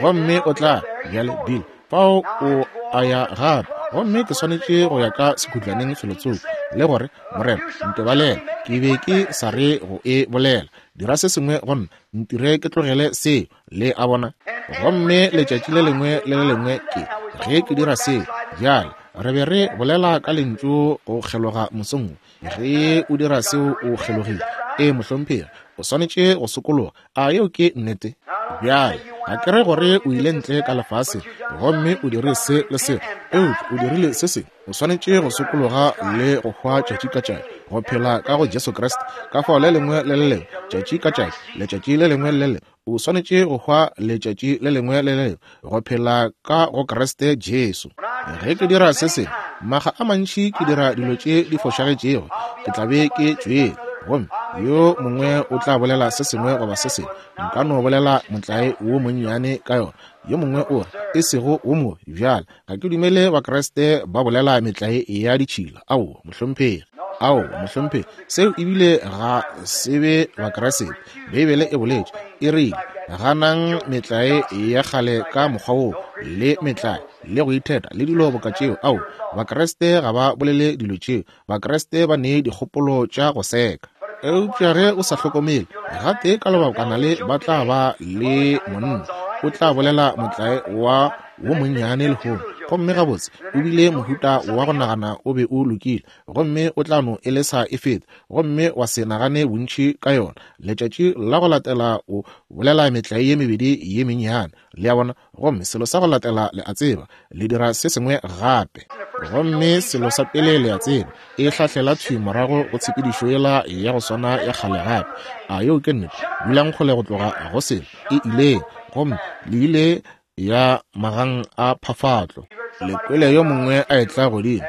Gomme o tla, bjale, Bill, fao o a ya gape. Gomme ke swanetše go ya ka sekhutlaneng felotsoko, le gore, Morena, ntebalele, ke be ke sa re go e bolela. Dira se sengwe go nna, ntire ke tlogele seo, le a bona. Gomme letšatši le lengwe le le lengwe ke ge ke dira seo. Bjale, re be re bolela ka lentšu go kgeloga mosong wo. Ge o dira seo, o kgelogile. Ee, mohlomphegi, o swanetše go sokologa. A yeo ke nnete? Bjale, ga ke re gore o ile ntle ka lefaseng gomme o dire se le se, eupša o dirile se sengwe. O swanetše go sokologa le go hwa tšatši ka tšatši, go phela ka go Jesu Kriste. Ka fao le lengwe le le lengwe, tšatši ka tšatši, letšatši le lengwe le le lengwe, o swanetše go hwa letšatši le lengwe le le lengwe, go phela ka go Kriste Jesu. Ge ke dira se sengwe, makga a mantši ke dira dilo tše di fošagetšego, ke tla be ke tšwele, gomme yo mongwe o tla bolela se sengwe goba se sengwe. Nka no bolela motlae wo monnyane ka yona. Yo mongwe o re, e sego wo mobe. Bjale, ga ke dumele Bakriste ba bolela metlae ya ditšhila. Aowa, mohlomphegi. Aowa, mohlomphegi. Seo ebile ga se be Bakriste. Beibele e boletše, e rile, Ganang metlae ya kgale ka mokgwa woo, le metlae, le go itheta, le dilo boka tšeo. Aowa, Bakriste ga ba bolele dilo tšeo. Bakriste ba ne dikgopolo tša go seka. Eupša ge o sa hlokomele, gatee ka lebakana le ba tla ba le monna, o tla bolela motlae wa wo monnyane lehono, gomme gabotse o bile mohuta wa go nagana o be o lokile, gomme o tla no e lesa e feta, gomme wa se nagane bontši ka yona. Letšatši la go latela o bolela metlae ye mebedi ye mennyane, le a bona, gomme selo sa go latela le a tseba, le dira se sengwe gape. Gomme selo sa pele le a tseba, e hlahlela thwi morago go tshepedišo yela ya go swana ya kgale gape. A yeo ke nnete? Dulang kgole go tloga go selo, e ileng, gomme le ile ya magang a phafatlo. Le kwele yo mongwe a etla godimo.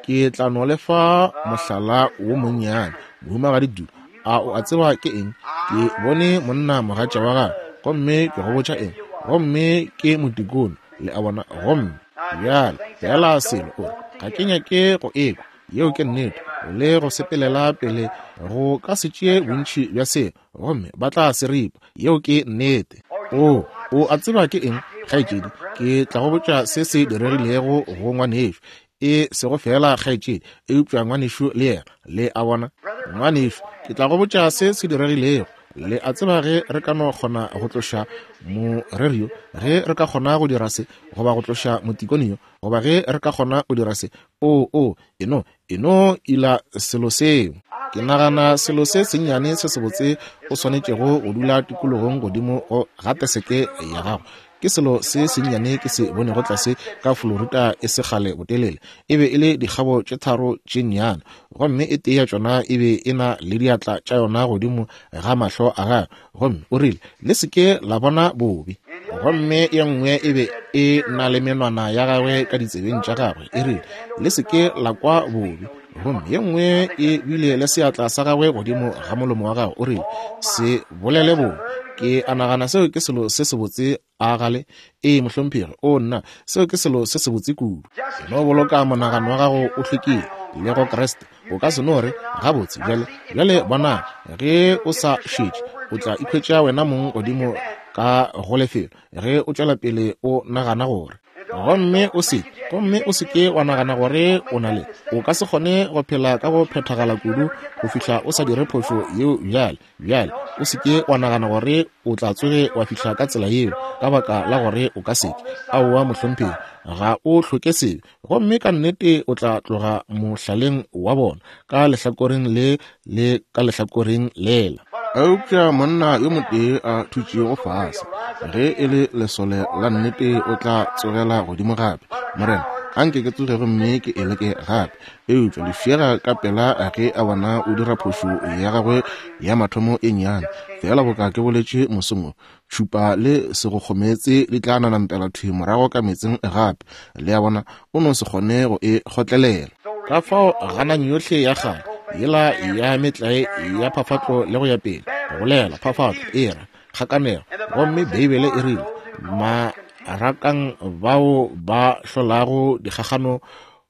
Ke tla no le fa mohlala wo monnyane. Mohumagadi Du, a o a tseba ke eng? Ke bone monna mogatša wa gagwe, gomme ke go botša eng, gomme ke motikone, le a bona. Gomme bjale feela selo, o re, ga ke nyake go ekwa. Yeo ke nnete. Le go sepelela pele go ka se tšee bontši bja selo, gomme ba tla se ripa. Yeo ke nnete. O, o a tseba ke eng, kgaetšedi? Ke tla go botša se se diregilego go ngwanešu. E sego feela kgaetšedi, eupša ngwanešu le yena. Le a bona? Ngwanešu, ke tla go botša se se diregilego. Le a tseba ge re ka no kgona go tloša moreri yo, ge re ka kgona go dira se, goba go tloša motikone yo, goba ge re ka kgona go dira se, o, o, e no, e no ila selo seo. Ke nagana selo se sennyane se sebotse o swanetšego go dula tikologong godimo go ga teseke ya gago. Ke selo se sennyane ke se bonego tlase ka Florida e se kgale botelele. E be e le dikgabo tše tharo tše nnyane, gomme e tee ya tšona e be e na le diatla tša yona godimo ga mahlo a gagwe, gomme o rile, Le se ke la bona bobe. Gomme ye nngwe e be e na le menwana ya gagwe ka ditsebeng tša gagwe, e rile, Le se ke la kwa bobe. Gomme ye nngwe e bile le seatla sa gagwe godimo ga molomo wa gagwe, o rile, Se bolele bobe. Ke a nagana seo ke selo se sebotse, a gale? Ee, mohlomphegi. O nna, seo ke selo se sebotse kudu. E no boloka monagano wa gago o hlwekile le go Kriste. O ka se no re, Gabotse, bjale, bjale bonang, ge o sa šetše, o tla ikhwetša wena mong godimo ka go lefelo, ge o tšwela pele o nagana gore. Gomme o se, gomme o se ke wa nagana gore o na le, o ka se kgone go phela ka go phethagala kudu go fihla o sa dire phošo yeo bjale. Bjale, o se ke wa nagana gore o tla tsoge wa fihla ka tsela yeo, ka baka la gore o ka se ke. Aowa, mohlomphegi, ga o hloke sebe. Gomme ka nnete o tla tloga mohlaleng wa bona, ka lehlakoreng le le ka lehlakoreng lela. Eupša monna yo motee a thutšego fase, ge e le lesole la nnete, o tla tsogela godimo gape. Morena, a nke ke tsoge gomme ke e leke gape. Eupša lefšega ka pela ge a bona o dira phošo ya gagwe ya mathomo e nnyane, feela boka ke boletše mosong wo, tšhupa le segokgomeetse di tla nanampela thwi morago ka meetseng gape. Le a bona, o no se kgone go e kgotlelela. Ka fao ganang yohle ya kgale yela ya metlae ya phafatlo le go ya pele, go bolela phafatlo e ra kgakanego, gomme Beibele e rile, Marakang bao ba hlolago dikgakgano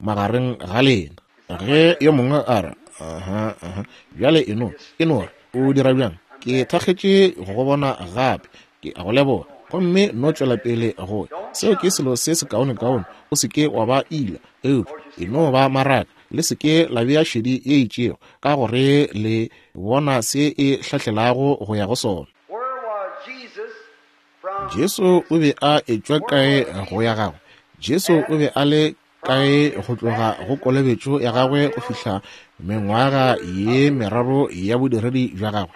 magareng ga lena. Ge yo mongwe a re, Aha, aha, bjale e no, e no re, o dira bjang? Ke thakgetše go go bona gape. Ke a go leboga. Gomme no tšwela pele go ya. Seo ke selo se sekaonekaone. O se ke wa ba ila, eupša e no ba maraka. Le se ke la bea šedi ye itšego, ka gore le bona se e hlahlelago go ya go sona. Jesu o be a etšwa kae go ya gagwe? Jesu o be a le kae go tloga go kolobetšo ya gagwe go fihla mengwaga ye meraro ya bodiredi bja gagwe?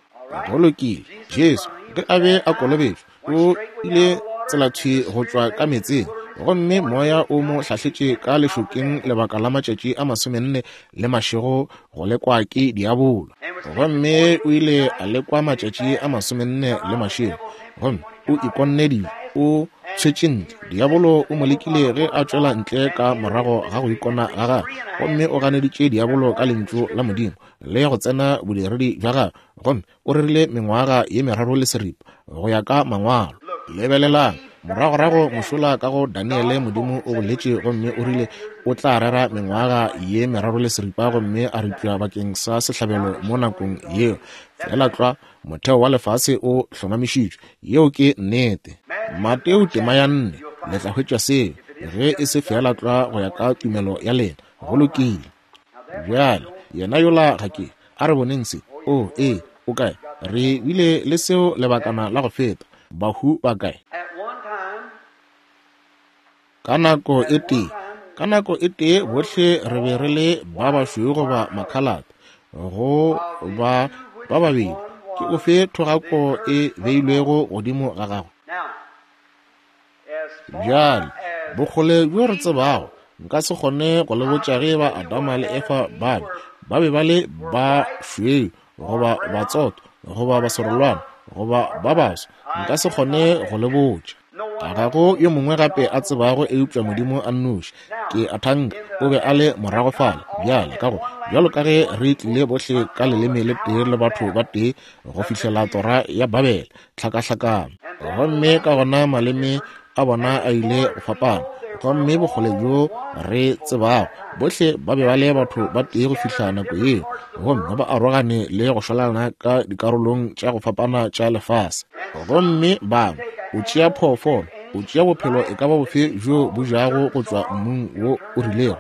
Go lokile, Jesu ge a be a kolobetšwa o ile tselathwi go tšwa ka meetseng, gomme moya o mo hlahletše ka lešokeng lebaka la matšatši a masomenne le mašego go lekwa ke diabolo. Gomme o ile a lekwa matšatši a masomenne le mašego, gomme o ikonne dijo, o tshwetše ntle. Diabolo o mo lekile ge a tšwela ntle ka morago ga go ikona ga gagwe, gomme o ganeditše diabolo ka Lentšu la Modimo le go tsena bodiredi bja gagwe, gomme o rerile mengwaga ye meraro le seripa go ya ka Mangwalo. Lebelelang, moragorago mošola ka go Daniele, Modimo o boletše gomme o rile o tla rera mengwaga ye meraro le seripa gomme a ripša bakeng sa sehlabelo mo nakong yeo. Feela tlwa motheo wa lefase o hlomamišitšwe. Yeo ke nnete. Mateo tema ya nne, le tla hwetša seo, ge e se feela tlwa go ya ka tumelo ya lena. Go lokile. Bjale, yena yola ga ke. A re boneng se. O, ee, o kae? Re bile le seo lebakana la go feta. Bahu ba kae? Ka nako e tee, ka nako e tee bohle re be re le ba bašweu goba makhalate, go ba ba babedi. Ke ofe thogako e beilwego godimo ga gago? Bjale, bokgole bjo re tsebago, nka se kgone go le botša ge eba Adama le Efa ba be ba be ba le ba šweu goba batsoto goba baserolwana goba ba baso, nka se kgone go le botša. Ga go yo mongwe gape a tsebago eupša Modimo a nnoši. Ke a thanka o be a le morago fale bjale, ka go bjalo ka ge re tlile bohle ka leleme le tee le batho ba tee go fihlela tora ya Babele, tlhakahlakano. Gomme ka gona maleme a bona a ile go fapana, gomme bokgole bjo re tsebago, bohle ba be ba le batho ba tee go fihla nako yeo, gomme ba arogane le go šwalana ka dikarolong tša go fapana tša lefase. Gomme bangwe, o tšea phoofolo, o tšea bophelo e ka ba bofe bjo bo jago go tšwa mmung wo o rilego,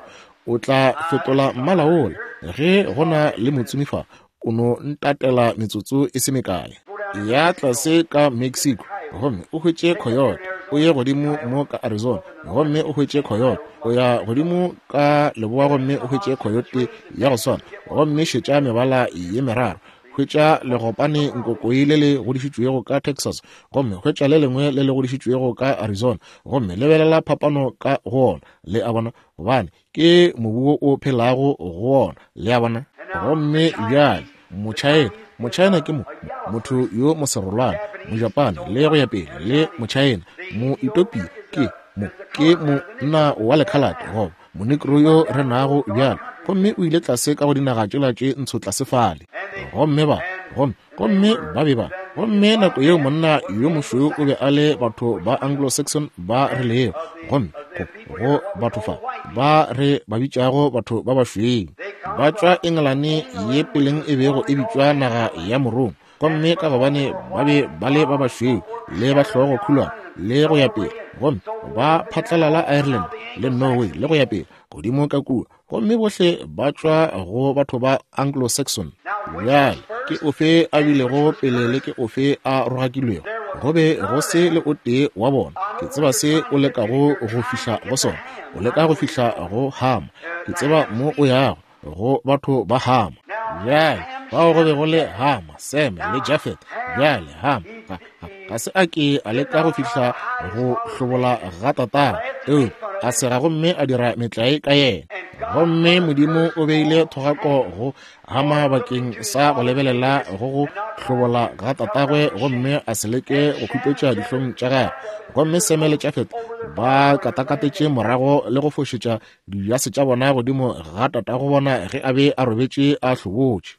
o tla fetola mmala wola. Ge go na le motsomi fa, o no ntatela metsotso e se mekae. Ya tlase ka Mexico gomme o hwetše coyote, o ye godimo mo ka Arizona gomme o hwetše coyote, o ya godimo ka leboa gomme o hwetše coyote ya go swana, gomme šetša mebala ye meraro. Hwetša legopane nkokoi le le godišitšwego ka Texas gomme hwetša le lengwe le le godišitšwego ka Arizona, gomme lebelela phapano ka go ona. Le a bona? Gobane ke mobu wo o phelago go wona, le a bona. Gomme bjale Mochina, Mochina ke mo, motho yo moserolwana, Mojapane le go ya pele, le Mochina, Moetopia ke mo, ke monna wa lekhalate goba Monegro yo re nago bjale, gomme o ile tlase ka go dinaga tšela tše ntsho tlase fale. Gomme ba, gomme Gomme ba be ba. Gomme nako yeo monna yo mošweu o be a le batho ba Anglo-Saxon ba re lego, gomme go, go batho fa ba re ba bitšago batho ba bašweu, ba tšwa Engelane ye peleng e bego e bitšwa naga ya Morongwa, gomme ka gobane ba be ba le ba bašweu le ba hlogo khulwana le go ya pele, gomme ba phatlalala Ireland le Norway le go ya pele godimo ka kua, gomme bohle ba tšwa go batho ba Anglo-Saxon. Bjale, ke ofe a bilego pele le ke ofe a rogakilwego? Go be go se le o tee wa bona. Ke tseba se o lekago go fihla go sona. O leka go fihla go Hama. Ke tseba mo o yago, go batho ba Hama. Bjale, fao go be go le Hama, Seme le Jafet. Bjale, Hama ga, ga, ga se a ke a leka go fihla go hlobola ga tatagwe, eupša a sega gomme a dira metlae ka yena. Gomme Modimo o beile thogako go Hama bakeng sa go lebelela go go hlobola ga tatagwe gomme a se leke go khupetša dihlong tša gagwe. Gomme Seme le Jafet ba katakatetše morago le go fošetša dijase tša bona godimo ga tatago bona ge a be a robetše a hlobotše.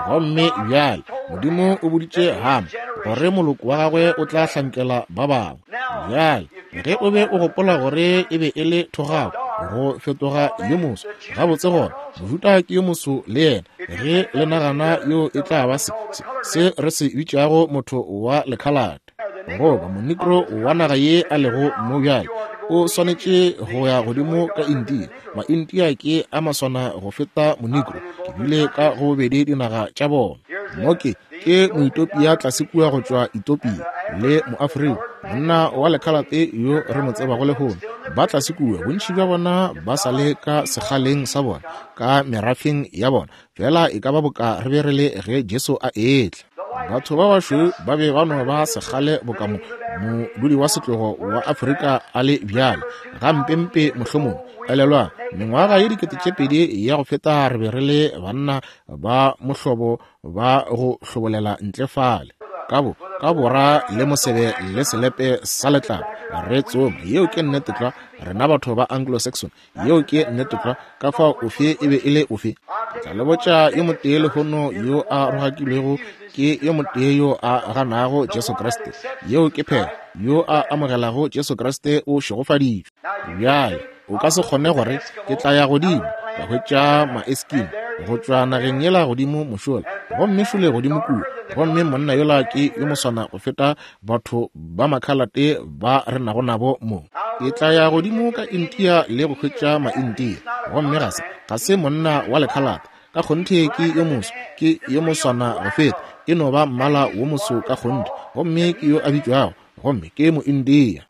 Gomme bjale Modimo o boditše Hama gore moloko wa gagwe o tla hlankela ba bangwe. Bjale ge o be o gopola gore e be e le thogako go fetoga yo moso, gabotse gona Mojuda ke yo moso le yena. Ge le nagana yo e tla ba se, se, se re se bitšago motho wa lekhalate goba monigro wa naga ye a lego mo bjale, o swanetše go ya godimo ka India. Maindia ke a maswana go feta monigro. Ke bile ka go bobedi dinaga tša bona. Mo ke, ke Moetopia tlase kua go tšwa Etopia, le Moafrika, monna wa lekhalate yo re mo tsebago lehono. Ba tlase kua, bontši bja bona ba sa le ka sekgaleng sa bona, ka merafeng ya bona, fela e ka ba boka re be re le ge Jesu a etla. Batho ba bašweu ba be ba no ba sekgale boka mo, modudi wa setlogo wa Afrika a le bjale, gampempe mohlomongwe. Elelwang, mengwaga ye 2000 ya go feta re be re le banna ba mohlobo ba go hlobolela ntle fale ka bo ka bora le mosebe le selepe sa letlalo re tsoma. Yeo ke nnete tlwa, rena batho ba Anglo-Saxon. Yeo ke nnete tlwa. Ka fao ofe e be e le ofe? Ke tla le botša yo motee lehono yo a rogakilwego ke yo motee yo a ganago Jesu Kriste. Yeo ke phela. Yo a amogelago Jesu Kriste o šegofaditšwe. Bjale, o ka se kgone gore ke tla ya godimo ka hwetša Maeskimo go tšwa nageng yela godimo mošola, gomme šole godimo kua, gomme monna yola ke yo moswana go feta batho ba makhalate ba re nago nabo mo. Ke tla ya godimo ka India le go hwetša Maindia, gomme ga se, ga se monna wa lekhalate, ka kgonthe ke yo moso, ke yo moswana go feta, e no ba mmala wo moso ka kgonthe, gomme ke yo a bitšwago gomme ke Moindia.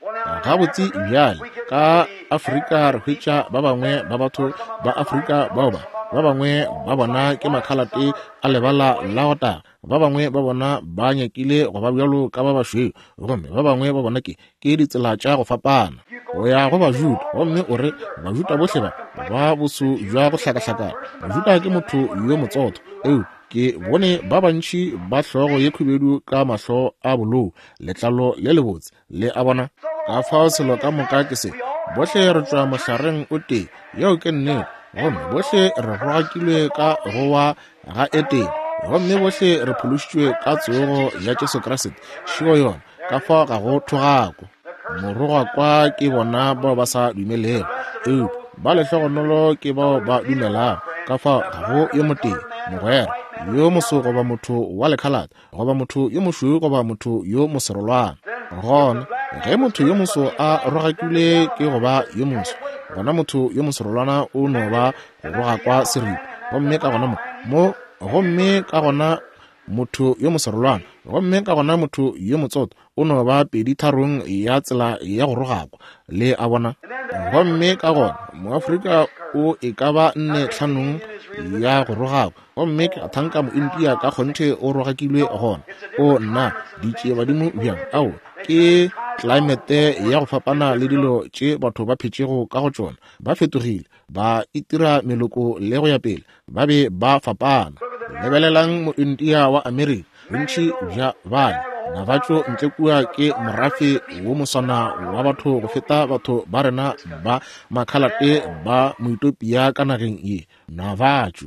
Gabotse bjale, ka Afrika re hwetša ba bangwe ba batho ba Afrika bao ba ba bangwe ba bona ke makhalate a lebala la go taga, ba bangwe ba bona ba nyakile go ba bjalo ka ba bašweu, gomme ba bangwe ba bona ke ke ditsela tša go fapana. O ya go Bajuda gomme o re Bajuda bohle ba ba boso bja go hlakahlakana. Mojuda ke motho yo motsotho, eu Ke bone ba bantši ba hlogo ye khubedu ka mahlo a bolou, letlalo le lebotse, le a bona. Ka fao selo ka moka ke se, bohle re tšwa mohlareng o tee, yeo ke nnete, gomme bohle re rogakilwe ka go wa ga Etene, gomme bohle re phološitšwe ka tsogo ya Jesu Kriste. Šeo yona, ka fao ga go thogako. Morogakwa ke bona bao ba sa dumelego, eupša ba lehlogonolo ke bao ba dumelago. Ka fao ga go yo motee, mogwera yo moso goba motho wa lekhalate goba motho yo mošweu goba motho yo moserolwana. Gona ge motho yo moso a rogakilwe ke go ba yo moso, gona motho yo moserolwana o no ba go rogakwa seripa. Gomme ka gona mo, mo, gomme ka gona motho yo moserolwana, gomme ka gona motho yo motsotho o no ba peditharong ya tsela ya go rogakwa, le a bona. Gomme ka gona Moafrika o e ka ba nne tlhanong ya go rogakwa, gomme ke a thanka Moindia ka kgonthe o rogakilwe gona. O nna, ditšiebadimo bjang! Ao, ke klimate ya go fapana le dilo tše batho ba phetšego ka go tšona. Ba fetogile, ba itira meloko le go ya pele, ba be ba fapana. Lebelelang Moindia wa Amerika, bontši bja bale Navatšo ntle kua ke morafe wo moswana wa batho go feta batho ba rena ba makhalate ba Moetopia ka nageng ye. Navatšo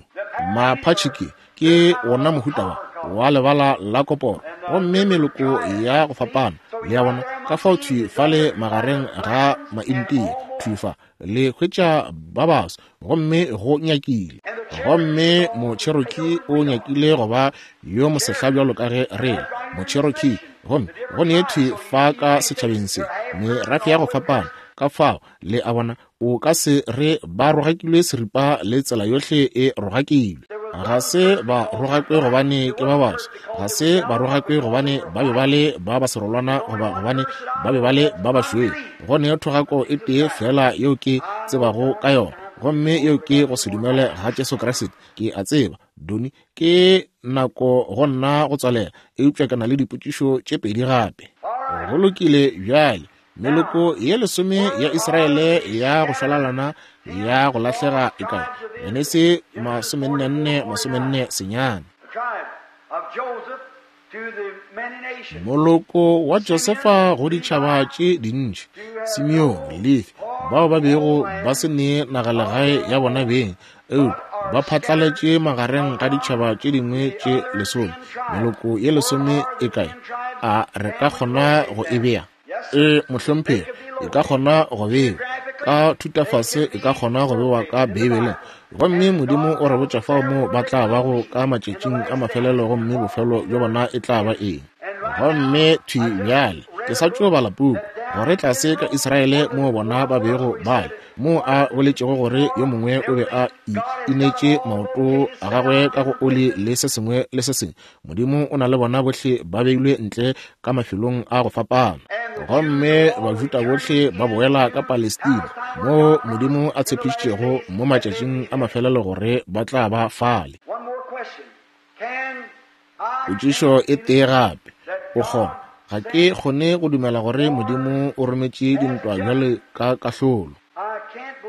Maphatšhike ke wona mohuta wa wa lebala la koporo, gomme meloko ya go fapana, le a bona, ka fao thwi fale magareng ga Maindia, thwi fa le hwetša ba baso, gomme go nyakile, gomme Mocherokee o nyakile go ba yo mosehla bjalo ka ge re le Mocherokee, gomme go ne thwi fa ka setšhabeng se merafe ya go fapana. Ka fao, le a bona, o ka se re ba rogakilwe seripa le tsela yohle e rogakilwe. Ga se ba rogakwe gobane ke ba baso, ga se ba rogakwe gobane ba be ba le ba baserolwana goba gobane ba be ba le ba bašweu. Go ne thogako e tee feela yeo ke tsebago ka yona, gomme yeo ke go se dumele ga Jesu Kriste. Ke a tseba, Donny, ke nako go nna go tswalela, eupša ke na le dipotšišo tše pedi gape. Go lokile bjale. Meloko ye lesome ya Israele ya go šwalalana ya go lahlega e kae? Genesi 44, 49. Moloko wa Josefa go ditšhaba tše dintši, Simeone, Lefi, bao ba bego ba se ne nagalegae ya bona beng, eupša ba phatlaletše magareng ga ditšhaba tše dingwe tše lesome. Meloko ye lesome e kae? A re ka kgona go e bea? Ee, mohlomphegi, e ka kgona go bewa ka thutafase, e ka kgona go bewa ka Beibeleng. Gomme Modimo o re botša fao moo ba tla bago ka matšatšing a mafelelo, gomme bofelo bja bona e tla ba eng. Gomme thwi bjale ke sa tšo bala puku gore tlase ka Israele moo bona ba bego ba le, moo a boletšego gore yo mongwe o be a inetše maoto a gagwe ka go oli le se sengwe le se sengwe. Modimo o na le bona bohle ba beilwe ntle ka mafelong a go fapana. Gomme Bajuda bohle ba boela ka Palestina, moo Modimo a tshepišitšego mo matšatšing a mafelelo gore ba tla ba fale. Potšišo e tee gape, o kgona, ga ke kgone go dumela gore Modimo o rometše dintwa bjale ka kahlolo.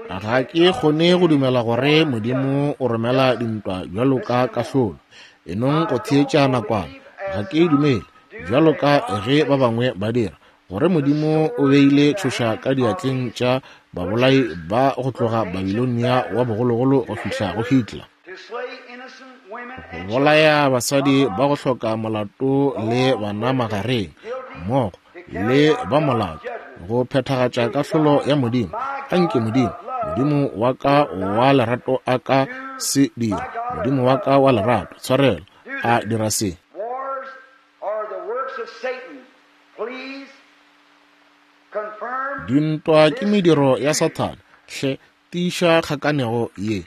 Ga ke kgone go dumela gore Modimo o romela dintwa bjalo ka kahlolo. E nong go theetša nakwana. Ga ke dumele, bjalo ka ge ba bangwe ba dira, gore Modimo o beile tšhoša ka diatleng tša babolai ba go tloga Babilonia wa bogologolo go fihla go Hitler. Go bolaya basadi ba go hloka molato le bana magareng, mmogo le ba molato, go phethagatša kahlolo ya Modimo. Anke Modimo, Modimo wa ka wa lerato a ka se dira. Modimo wa ka wa lerato, tshwarelo, a dira se. Dintwa ke mediro ya Sathane. Hle tiiša kgakanego ye.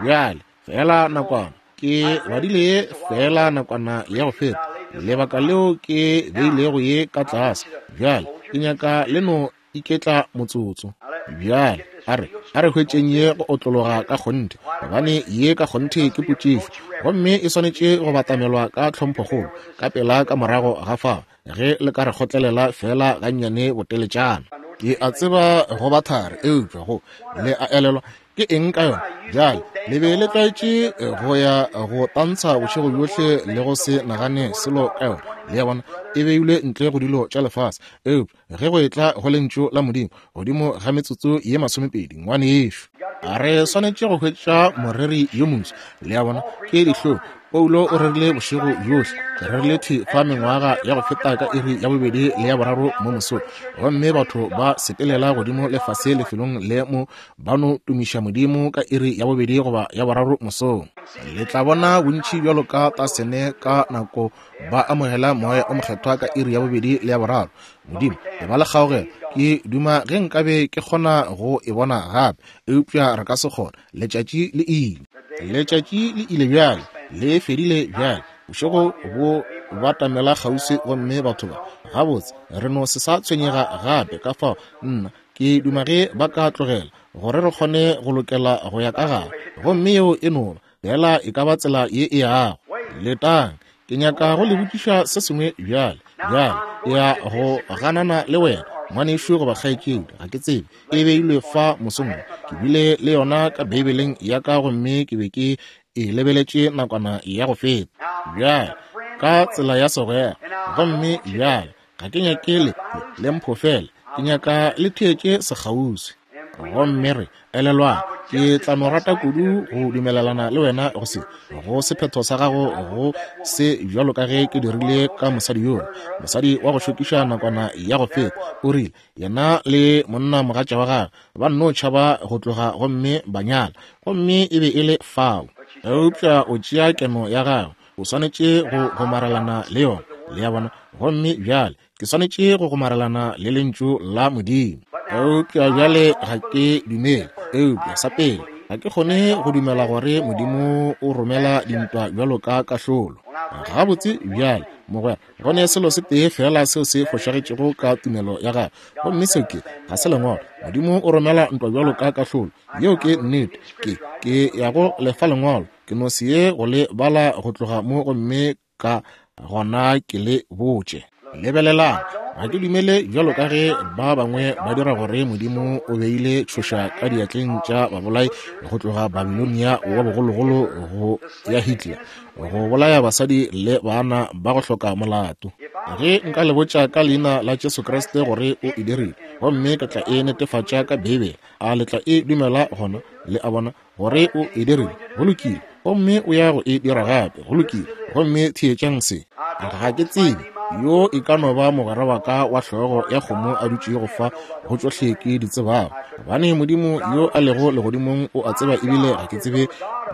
Bjale, feela nakwana, ke badile ye feela nakwana ya go feta, lebaka leo ke beilego ye ka tlase. Bjale, ke nyaka le no iketla motsotso. Bjale, a re, a re hwetšeng ye go otlologa ka kgonthe, gobane ye ka kgonthe ke potšišo, gomme e swanetše go batamelwa ka tlhomphokgolo, ka pela ka morago ga fao, ge le ka re kgotlelela feela gannyane boteletšana. Ke a tseba go ba thari, eupša go, le a elelwa, ke eng ka yona? Bjale, le be le tlwaetše go ya go tantsha bošego bjohle le go se nagane selo ka yona. Le a bona, e beilwe ntle go dilo tša lefase. Eupša ge go etla go Lentšu la Modimo, godimo ga metsotso ye masomepedi, ngwanešu, a re swanetše go hwetša moreri yo moswa. Le a bona, ke dihlong. Paulo o rerile bošego bjohle. Ke rerile thwi fa mengwaga ya go feta ka iri ya bobedi le ya boraro mo mosong, gomme batho ba sepelela godimo le fase lefelong le mo ba no tumiša Modimo ka iri ya bobedi goba ya boraro mosong. Le tla bona bontši bjalo ka tasene ka nako ba amogela Moya o Mokgethwa ka iri ya bobedi le ya boraro. Modimo, e ba le kgaogelo. Ke duma ge nkabe ke kgona go e bona gape, eupša re ka se kgone. Letšatši le ile. Letšatši le ile bjale, le fedile bjale. Bošego bo batamela kgauswi gomme batho ba, gabotse, re no se sa tshwenyega gape. Ka fao, nna, ke duma ge ba ka tlogela, gore re kgone go lokela go ya ka gare. Gomme yeo e no ba, fela e ka ba tsela ye e yago. Letang, ke nyaka go le botšiša se sengwe bjale. Bjale, ke ya go ganana le wena, ngwanešu goba kgaetšedi, ga ke tsebe. E beilwe fa mosong wo. Ke bile le yona ka Beibeleng ya ka gomme ke be ke e lebeletše nakwana ya go feta. Bjale, ka tsela ya segwera. Gomme bjale, ga ke nyake le, le mphofele, ke nyaka le theetše sekgauswi. Gomme re, elelwang, ke tla no rata kudu go dumelelana le wena go se, go sephetho sa gago go se bjalo ka ge ke dirile ka mosadi yola, mosadi wa go šokiša nakwana ya go feta. O rile, yena le monna mogatša wa gagwe ba nno tšhaba go tloga gomme ba nyala, gomme e be e le fao. Eupša o tšea keno ya gagwe, o swanetše go gomarelana le yona, le a bona. Gomme bjale ke swanetše go gomarelana le Lentšu la Modimo. Eupša bjale ga ke dumele, eupša sa pele ga ke kgone go dumela gore Modimo o romela dintwa bjalo ka kahlolo. Gabotse bjale, mogwera, go ne selo se tee feela seo se fošagetšego ka tumelo ya gago, gomme seo ke, ga se Lengwalo. Modimo o romela ntwa bjalo ka kahlolo. Yeo ke nnete. Ke, ke ya go lefa Lengwalo. Ke no se ye go le bala go tloga mo gomme ka gona ke le botše. Lebelelang. Ga ke dumele bjalo ka ge ba bangwe ba dira gore Modimo o beile tšhoša ka diatleng tša babolai go tloga Babilonia wa bogologolo go ya Hitler, go bolaya basadi le baana ba go hloka molato. Ge nka le botša ka leina la Jesu Kriste gore o e dirile, gomme ka tla e netefatša ka Beibele, a le tla e dumela gona? Le a bona gore o e dirile. Go lokile. Gomme o ya go e dira gape. Go lokile. Gomme theetšang se. Ga ke tsebe yo e ka no ba mogwera wa ka wa hlogo ya kgomo a dutšego fa go tšohle ke di tsebago, gobane Modimo yo a lego legodimong o a tseba, ebile ga ke tsebe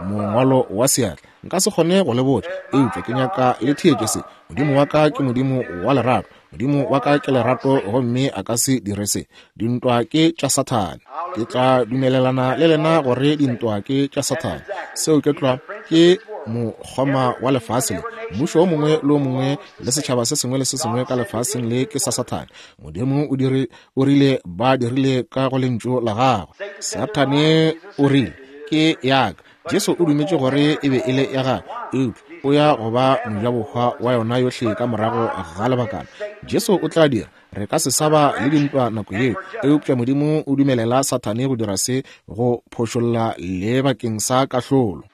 mongwalo wa seatla. Nka se kgone go le botša, eupša ke nyaka le theetše se. Modimo wa ka ke Modimo wa lerato. Modimo wa ka ke lerato, gomme a ka se dire se. Dintwa ke tša Sathane. Ke tla dumelelana le lena gore dintwa ke tša Sathane. Seo ke tlwa, ke mokgoma wa lefase le. Mmušo o mongwe le o mongwe le setšhaba se sengwe le se sengwe ka lefaseng le ke sa Sathane. Modimo o dire, o rile ba dirile ka go lentšu la gagwe. Sathane o rile, Ke ya ka. Jesu o dumetše gore e be e le ya gagwe, eupša o ya go ba mojabohwa wa yona yohle ka morago ga lebakana. Jesu o tla dira. Re ka se sa ba le dintwa nako yeo, eupša Modimo o dumelela Sathane go dira se go phošolla le bakeng sa kahlolo.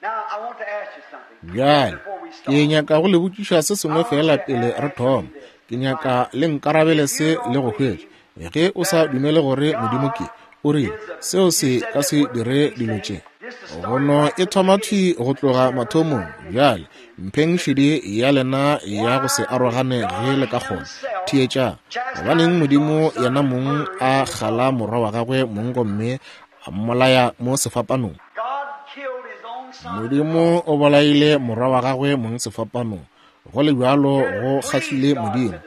Bjale, ke nyaka go le botšiša se sengwe feela pele re thoma. Ke nyaka le nkarabele se le go hwetša. Ge o sa dumele gore Modimo ke, o rile, seo se ka se dire dilo tše. Gono e thoma thwi go tloga mathomong. Bjale, mpheng šedi ya lena ya go se arogane ge le ka kgona. Theetšang. Gobaneng Modimo yena mong a kgala morwa wa gagwe mong gomme a mmolaya mo sefapanong? Modimo o bolaile morwa wa gagwe mong sefapanong. Go le bjalo go kgahlile Modimo,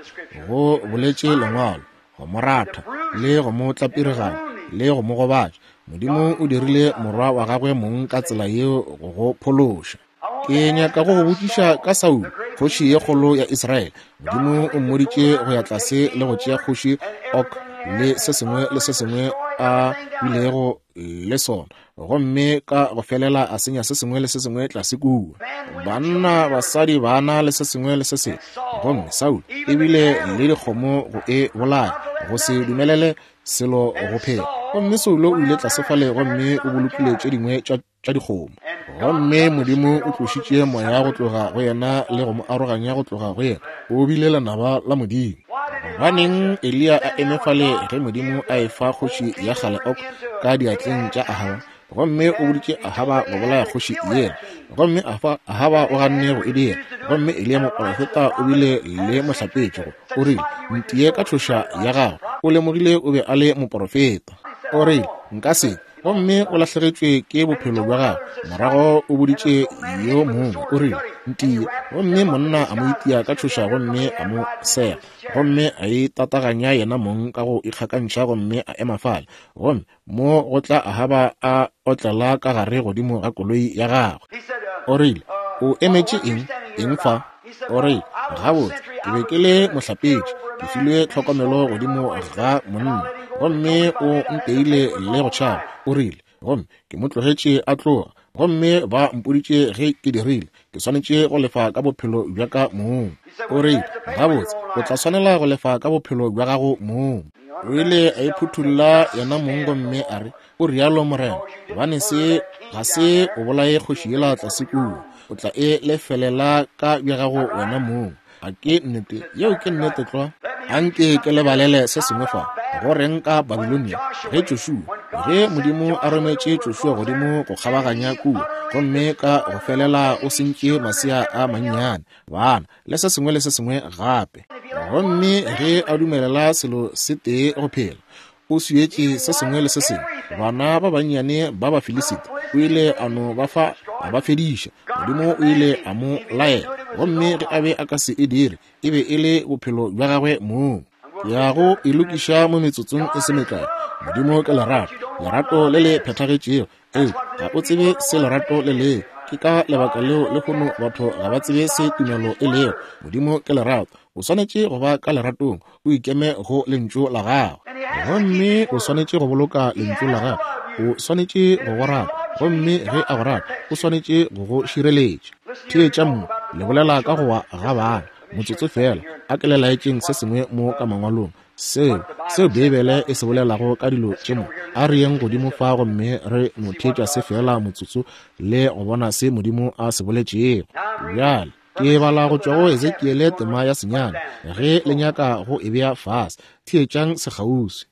go boletše Lengwalo, go mo ratha, le go mo tlapiriganya, le go mo gobatša. Modimo o dirile morwa wa gagwe mong ka tsela yeo go go phološa. Ke nyaka go go botšiša ka Saulo, kgoši ye kgolo ya Israele. Modimo o mmoditše go ya tlase le go tšea kgoši Og le se sengwe le se sengwe a bilego le sona, gomme ka go felela a senya se sengwe le se sengwe tlase kua, banna, basadi, bana le se sengwe le se sengwe. Gomme Saulo ebile le dikgomo go e bolaya, go se dumelele selo go phela. Gomme Saulo o ile tlase fale gomme o bolokile tše dingwe tša dikgomo. Gomme Modimo o tlošitše moya go tloga go yena le go mo aroganya go tloga go yena. O bile lenaba la Modimo. Gobaneng Eliya a eme fale ge Modimo a efa kgoši ya kgale Ok ka diatleng tša Ahaba, gomme o boditše Ahaba go bolaya kgoši yela, gomme Ahaba o ganne go e dira, gomme Eliya moprofeta o bile le mohlapetši go, o rile, Ntie ka tšhoša ya gago. O lemogile o be a le moprofeta. O rile, Nka se. Gomme o lahlegetšwe ke bophelo bja gagwe. Morago o boditše yo mongwe, o rile, Ntie. Gomme monna a mo itia ka tšhoša gomme a mo sega, gomme a itataganya yena mong ka go ikgakantšha gomme a ema fale. Gomme mo go tla Ahaba a otlela ka gare godimo ga koloi ya gagwe. O rile, O emetše eng? Eng fa? O rile, Gabotse, ke be ke le mohlapetši, ke filwe tlhokomelo godimo ga monna, gomme o nteile le go tšhaba. O rile, Gomme ke mo tlogetše a tloga, gomme ba mpoditše ge ke dirile, ke swanetše go lefa ka bophelo bja ka mong. O rile, Gabotse, o tla swanela go lefa ka bophelo bja gago mong. O ile a iphuthulla yena mong gomme a re, O rialo Morena, gobane se ga se o bolaye kgoši yela tlase kua, o tla e lefelela ka bja gago wena mong. A ke nnete? Yeo ke nnete tlwa. Anke ke le balele se sengwe fa. Go reng ka Babilonia? Ge Joshua, ge Modimo a rometše Joshua godimo go kgabaganya kua, gomme ka go felela o sentše masea a mannyane, bana, le se sengwe le se sengwe gape. Gomme ge a dumelela selo se tee go phela, o swietše se sengwe le se sengwe. Bana ba bannyane ba Bafilisita o ile a no ba fa a ba fediša. Modimo o ile a mo laela, gomme ge a be a ka se e dire, e be e le bophelo bja gagwe mong. Ke ya go e lokiša mo metsotsong e se mekae. Modimo ke lerato, lerato le le phethagetšego. Ee, ga o tsebe se lerato le lego. Ke ka lebaka leo lehono batho ga ba tsebe se tumelo e lego. Modimo ke lerato. O swanetše go ba ka leratong, o ikeme go Lentšu la Gagwe. Gomme o swanetše go boloka Lentšu la Gagwe. O swanetše go go rata. Gomme ge a go rata, o swanetše go go šireletša. Theetša mo, le bolela ka go wa ga bana. Motsotso feela. A ke le laetšeng se sengwe mo ka Mangwalong, seo, seo Beibele e se bolelago ka dilo tše mo. A re yeng godimo fa gomme re no theetša se feela motsotso le go bona se Modimo a se boletšego. Bjale, ke bala go tšwa go Ezekiele tema ya senyane, ge le nyaka go e bea fase. Theetšang sekgauswi.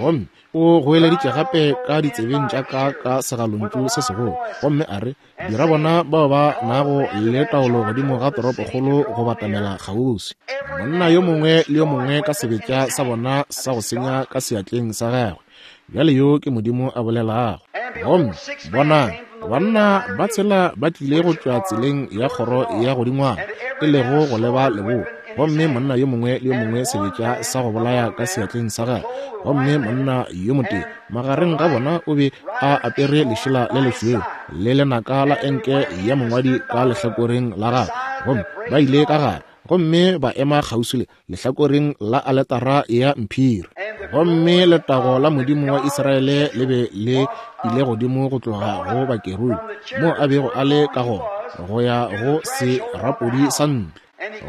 Gomme o goeleditše gape ka ditsebeng tša ka ka segalontšu se segolo, gomme a re, Dira bona bao ba nago le taolo godimo ga toropokgolo go batamela kgauswi, monna yo mongwe le yo mongwe ka sebetša sa bona sa go senya ka seatleng sa gagwe. Bjale yo ke Modimo a bolelago. Gomme bonang, banna ba tshela ba tlile go tšwa tseleng ya kgoro ya godingwana, e lego go leba leboa, gomme monna yo mongwe le yo mongwe sebetša sa go bolaya ka seatleng sa gagwe, gomme monna yo motee magareng ga bona o be a apere lešela le lešweu le lenaka la enke ya mongwadi ka lehlakoreng la gagwe, gomme ba ile ka gare gomme ba ema kgauswi le lehlakoreng la aletara ya mphiri. Gomme letago la Modimo wa Israele le be le ile godimo go tloga go bakerubi mo a bego a le ka gona go ya go serapodi sa ntlo.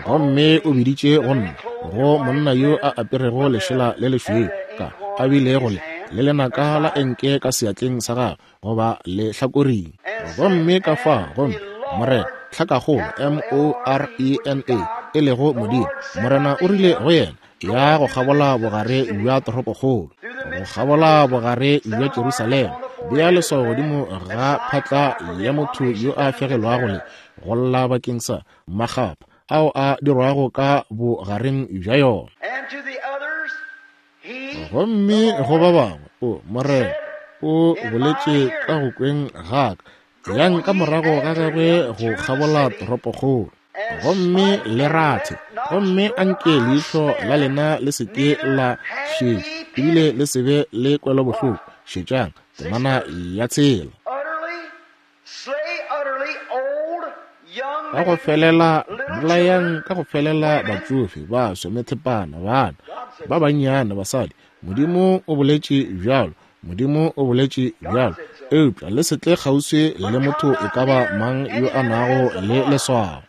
Gomme o biditše go nna, go monna yo a aperego lešela le lešweu, ka a bilego le le lenaka la enke ka seatleng sa gagwe, goba lehlakoring. Gomme ka fa, gomme Morena, tlhakakgolo, M-O-R-E-N-A, e lego Modimo, Morena o rile go yena, Ya go kgabola bogare bja toropokgolo, go kgabola bogare bja Jerusalema, bea leswao godimo ga phatla ya motho yo a fegelwago le go lla bakeng sa makgapha ao a dirwago ka bogareng bja yona. Gomme go ba bangwe, o Morena o boletše ka go kweng ga ka, yang ka morago ga gagwe go kgabola toropokgolo, gomme le rathe, gomme anke leihlo la lena le se ke la šetša, ebile le se be le kwelobohloko. Šetšang temana ya tshela. Ka go felela, bolayang ka go felela batšofe, baswa, methepana, bana ba bannyane, basadi. Modimo o boletše bjalo. Modimo o boletše bjalo. Eupša le se tle kgauswi le motho e ka ba mang yo a nago le leswao.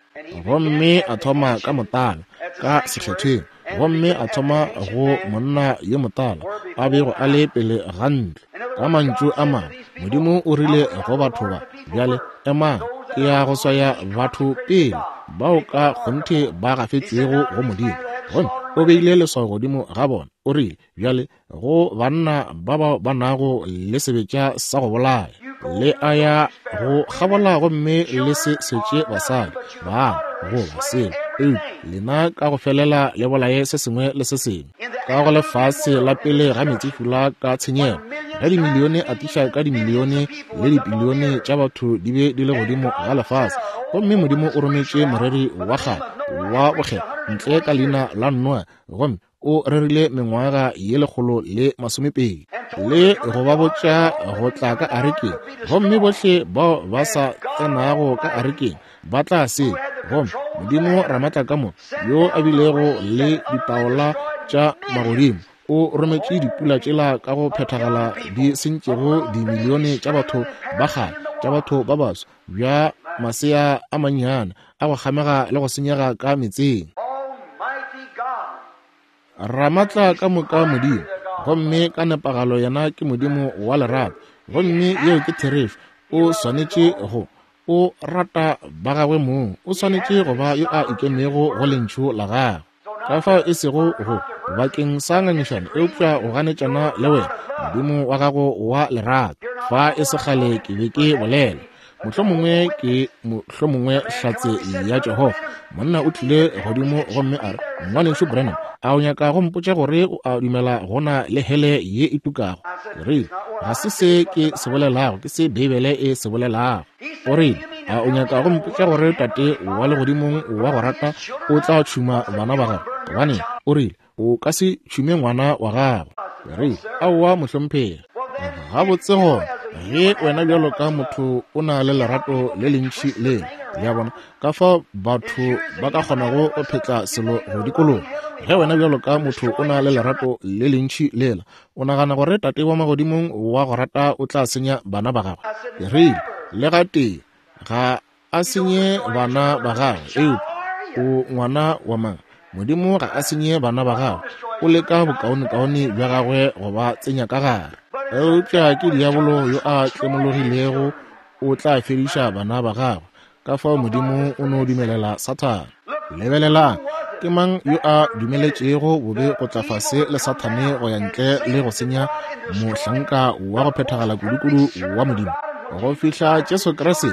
Gomme a thoma ka motala, ka sekgethweng, gomme a thoma go monna yo motala a bego a le pele ga ntlo. Ka mantšu a mangwe, Modimo o rile go batho ba, Bjale emang, ke ya go swaya batho pele bao ka kgonthe ba gafetšwego go Modimo. Gomme o beile leswao godimo ga bona, o rile, Bjale go banna ba bao ba nago le sebetša sa go bolaya, le a ya go kgabola gomme le se setše basadi, bana, goba selo, eupša lena ka go felela le bolaye se sengwe le se sengwe. Ka go lefase la pele ga meetsefula ka tshenyego, ge dimilione atiša ka dimilione le dipilione tša batho di be di le godimo ga lefase, gomme Modimo o rometše moreri wa kgale wa bokgethwa ntle ka leina la Noa, gomme o rerile mengwaga ye 120 le go ba botša go tla ka arekeng, gomme bohle bao ba sa tsenago ka arekeng ba tla se. Gomme Modimo Ramatlakamoka, yo a bilego le ditaola tša magodimo, o rometše dipula tšela ka go phethagala di sentšego dimilione tša batho ba kgale, tša batho ba baso, bja masea a mannyane a go kgamega le go senyega ka metseng. Ramatla ka moka Modimo, gomme ka nepagalo yena ke Modimo wa lerato, gomme yeo ke therešo. O swanetše go, o rata ba gagwe mong, o swanetše go ba yo a ikemego go lentšu la gagwe. Ka fao e sego go bakeng sa ngangišano, eupša go ganetšana le wena, Modimo wa gago wa lerato. Fa e se kgale ke be ke bolela, mohlomongwe ke mohlomongwe hlatse ya Jehofa. Monna o tlile godimo gomme a re, Ngwanešu Branham, a o nyaka go mpotša gore o a dumela go na le hele ye e tukago? Ke rile, Ga se se ke se bolelago, ke se Beibele e se bolelago. O rile, A o nyaka go mpotša gore Tate wa Legodimong wa go rata o tla tšhuma bana ba gago? Gobane, o rile, o ka se tšhume ngwana wa gago. Ke rile, Aowa, mohlomphegi. Gabotse gona, ge wena bjalo ka motho o na le lerato le lentši lela, le a bona, ka fao batho ba ka kgonago go phetla selo go dikologa. Ge wena bjalo ka motho o na le lerato le lentši lela, O nagana gore Tate wa Magodimong wa go rata o tla senya bana ba gagwe? Ke rile, Le gatee ga a senye bana ba gagwe, eupša o ngwana wa mang? Modimo ga a senye bana ba gagwe, o leka bokaonekaone bja gagwe go ba tsenya ka gare. Eupša ke diabolo yo a tlemologilego o tla fediša bana ba gagwe. Ka fao Modimo o no dumelela Sathane. Lebelelang, ke mang yo a dumeletšego bobe go tla fase le Sathane go ya ntle le go senya mohlanka wa go phethagala kudukudu wa Modimo? Go fihla Jesu Kriste,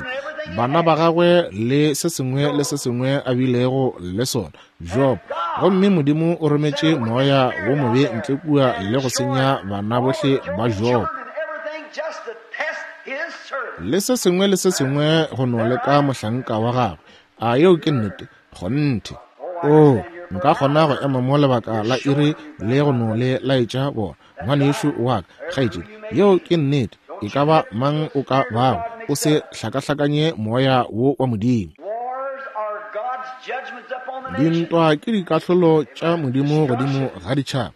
bana ba gagwe le se sengwe le se sengwe a bilego le sona, Job. Gomme Modimo o rometše moya wo mobe ntle kua le go senya bana bohle ba Job. Le se sengwe le se sengwe go no leka mohlanka wa gagwe. A yeo ke nnete? Kgonthe. Oo, nka kgona go ema mo lebaka la iri le go no le laetša bona, ngwanešu wa ka, kgaetšedi. Yeo ke nnete. E ka ba mang o ka bago, o se hlakahlakanye moya wo wa Modimo. Dintwa ke dikahlolo tša Modimo godimo ga ditšhaba.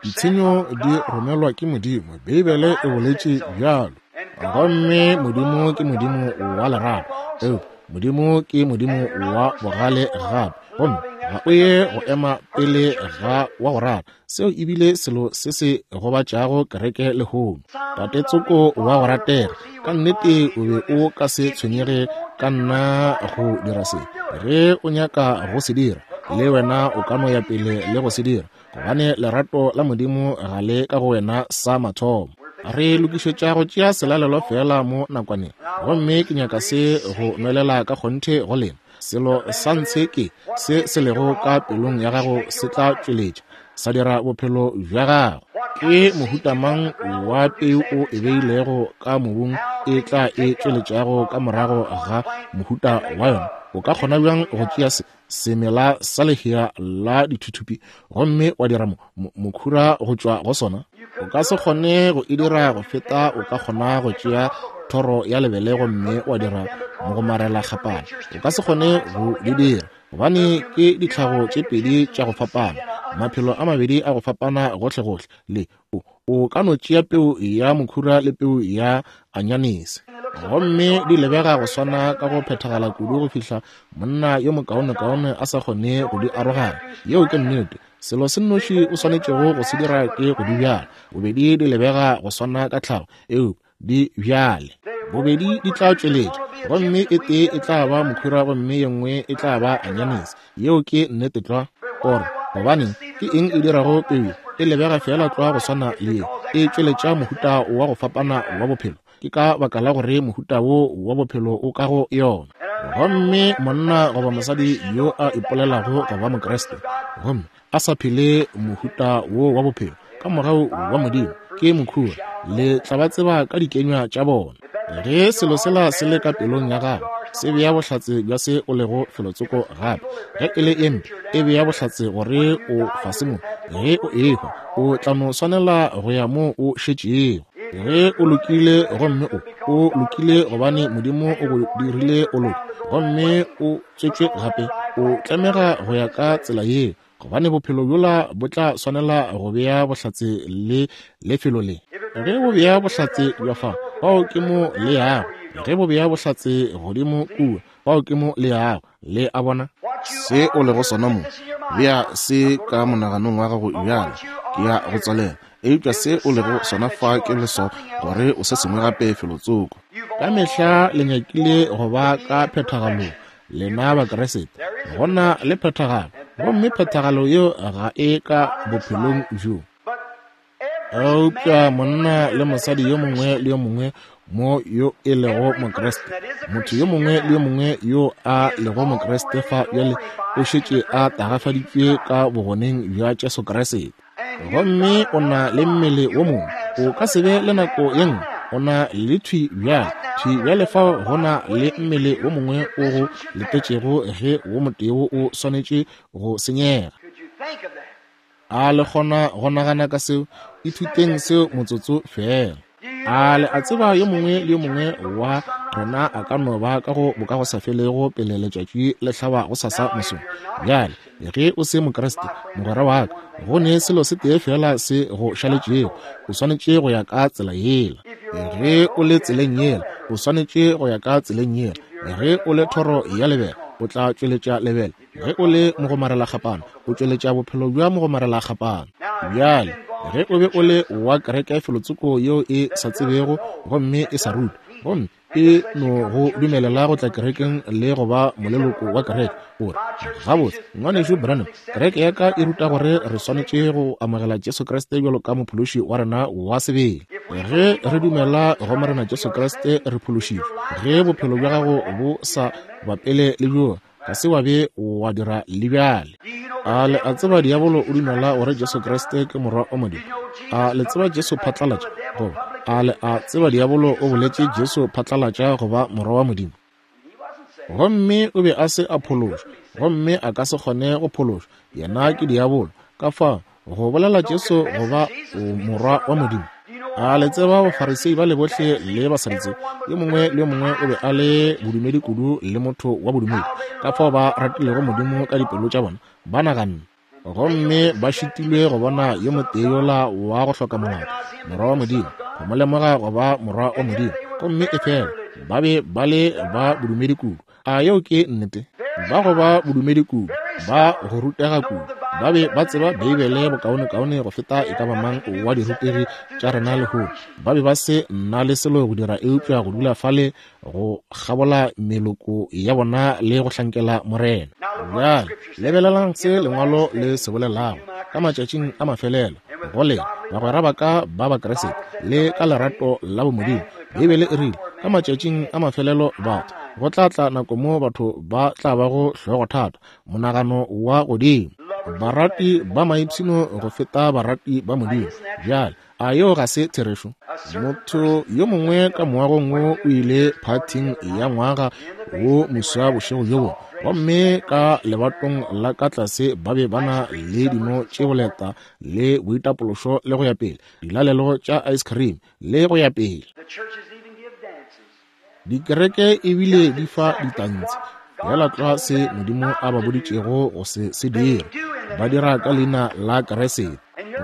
Ditshenyo di romelwa ke Modimo, Beibele e boletše bjalo. Gomme Modimo ke Modimo wa lerato, eupša Modimo ke Modimo wa bogale gape. Gomme ga o ye go ema pele ga wa go rata. Seo e bile selo se se gobatšago kereke lehono. Tate tsoko wa go ratega, ka nnete o be o ka se tshwenyege ka nna go dira se. Ge o nyaka go se dira, le wena o ka no ya pele le go se dira, gobane lerato la Modimo ga le ka go wena sa mathomo. Re lokišetša go tšea selalelo feela mo nakwaneng, gomme ke nyaka se go nwelela ka kgonthe go lena. Selo sa ntshe ke se se lego ka pelong ya gago se tla tšweletša sa dira bophelo bja gago. Ke mohuta mang wa peu o e beilego ka mobung e tla e tšweletšago ka morago ga mohuta wa yona? O ka kgona bjang go tšea se semela sa lehea la dithuthupi gomme wa dira mokhura go tšwa go sona? O ka se kgone go e dira go feta o ka kgona go tšea thoro ya lebele gomme wa dira mogomarela kgapana. O ka se kgone go di dira gobane ke ditlhago tše pedi tša go fapana, maphelo a mabedi a go fapana gohlegohle. Le o ka no tšea peu ya mokhura le peu ya anyanese gomme di lebega go swana ka go phethagala kudu go fihla monna yo mokaonekaone a sa kgone go di aroganya. Yeo ke nnete. Selo se nnoši o swanetšego go se dira ke go di bjala. Bobedi di lebega go swana ka tlhago, eupša di bjale. Bobedi di tla tšweletša, gomme e tee e tla ba mokhura gomme ye nngwe e tla ba anyanese. Yeo ke nnete tlwa. O re, Gobaneng, ke eng e dirago peu ye? E lebega feela tlwa go swana le ye. E tšweletša mohuta wa go fapana wa bophelo. Ke ka baka la gore mohuta wo wa bophelo o ka go yona. Gomme monna goba mosadi yo a ipolelago go ba Mokriste gomme a sa phele mohuta wo wa bophelo ka mogau wa Modimo ke mokhura, le tla ba tseba ka dikenywa tša bona. Ge selo sela se le ka pelong ya gago, se bea bohlatse bja se o lego felotsoko gape. Ge e le e mpe, e bea bohlatse gore o fase mo. Ge o ehwa, o tla no swanela go ya moo o šetšego. Ge o lokile, gomme o, o lokile gobane Modimo o go dirile o loke, gomme o tswetšwe gape, o tlamega go ya ka tsela yeo, gobane bophelo bjola bo tla swanela go bea bohlatse le lefelo le. Ge bo bea bohlatse bja fa, fao ke mo le yago. Ge bo bea bohlatse godimo kua, fao ke mo le yago. Le a bona? Se o lego sona mo, bea se ka monaganong wa gago bjale. Ke ya go tswalela. Eupša se o lego sona fa ke leswao gore o se sengwe gape felotsoko. Ka mehla le nyakile go ba ka phethagalong, lena Bakriste. Go na le phethagalo, gomme phethagalo yeo ga e ka bophelong bjo. Eupša monna le mosadi yo mongwe le yo mongwe mo yo e lego Mokriste, motho yo mongwe le yo mongwe yo a lego Mokriste fa bjale o šetše a tagafaditšwe ka bogoneng bja Jesu Kriste. Gomme o na le mmele wo mongwe, o ka se be le nako ye nngwe o na le thwi bjale, thwi bjale fao go na le mmele wo mongwe o go letetšego ge wo motee o swanetše go senyega. A le kgona go nagana ka seo? Ithuteng seo motsotso feela. A le a tseba yo mongwe le yo mongwe wa rena a ka no ba ka go bokagosafelego pele letšatši le hlaba gosasa mosong? Bjale, ge o se Mokriste, mogwera wa ka, go ne selo se tee feela se go šaletšego. O swanetše go ya ka tsela yela. Ge o le tseleng yela, o swanetše go ya ka tseleng yela. Ge o le thoro ya lebele, O tla tšweletša lebele. Ge o le mogomarelakgapana, o tšweletša bophelo bja mogomarelakgapana. Bjale, ge o be o le wa kereke felotsoko yeo e sa tsebego gomme e sa rute, gomme e no go dumelela go tla kerekeng le go ba moleloko wa kereke, o re, Gabotse, Ngwanešu Branham, kereke ya ka e ruta gore re swanetše go amogela Jesu Kriste bjalo ka Mophološi wa rena wa sebele. Ge re dumela go Morena Jesu Kriste, re phološitšwe. Ge bophelo bja gago bo sa bapele le bjoa, ga se wa be wa dira le bjale. A le a tseba diabolo o dumela gore Jesu Kriste ke Morwa wa Modimo? A le tseba Jesu phatlalatša? Goba a le a tseba diabolo o boletše Jesu phatlalatša go ba Morwa wa Modimo? Gomme o be a se a phološwa, gomme a ka se kgone go phološwa. Yena ke diabolo. Ka fao, go bolela Jesu go ba Morwa wa Modimo. A le tseba Bafarisei ba le bohle le Basadutsei, yo mongwe le yo mongwe o be a le bodumedi kudu le motho wa bodumedi, ka fao ba ratilego Modimo ka dipelo tša bona, ba naganne. Gomme ba šitilwe go bona yo motee yola wa go hloka molato, Morwa wa Modimo, go mo lemoga go ba Morwa wa Modimo. Gomme efela ba be ba le ba bodumedi kudu. A yeo ke nnete? Ba go ba bodumedi kudu, ba go rutega kudu, ba be ba tseba Beibele bokaonekaone go feta e ka ba mang wa dirutegi tša rena lehono. Ba be ba se na le selo go dira eupša go dula fale go kgabola meloko ya bona le go hlankela Morena. Bjale lebelelang se Lengwalo le se bolelago ka matšatšing a mafelelo go lena bagwera ba ka ba Bakriste le ka lerato la bomodimo. Beibele e rile ka matšatšing a mafelelo batho go tla tla nako mo batho ba tla bago hlogothata, monagano wa godimo, barati ba maipshino go feta barati ba Modimo. Bjale a yeo ga se therešo? Motho yo mongwe ka moagong wo o ile phathing ya ngwaga wo moswa bošego bjo bongwe, gomme ka lebatong la ka tlase ba be ba na le dino tše boleta le boitapološo le go ya pele, dilalelo tša ice cream le go ya pele. Dikereke ebile di fa ditantshi feela tlwa se Modimo a ba boditšego go se se dira. Ba dira ka leina la Kriste.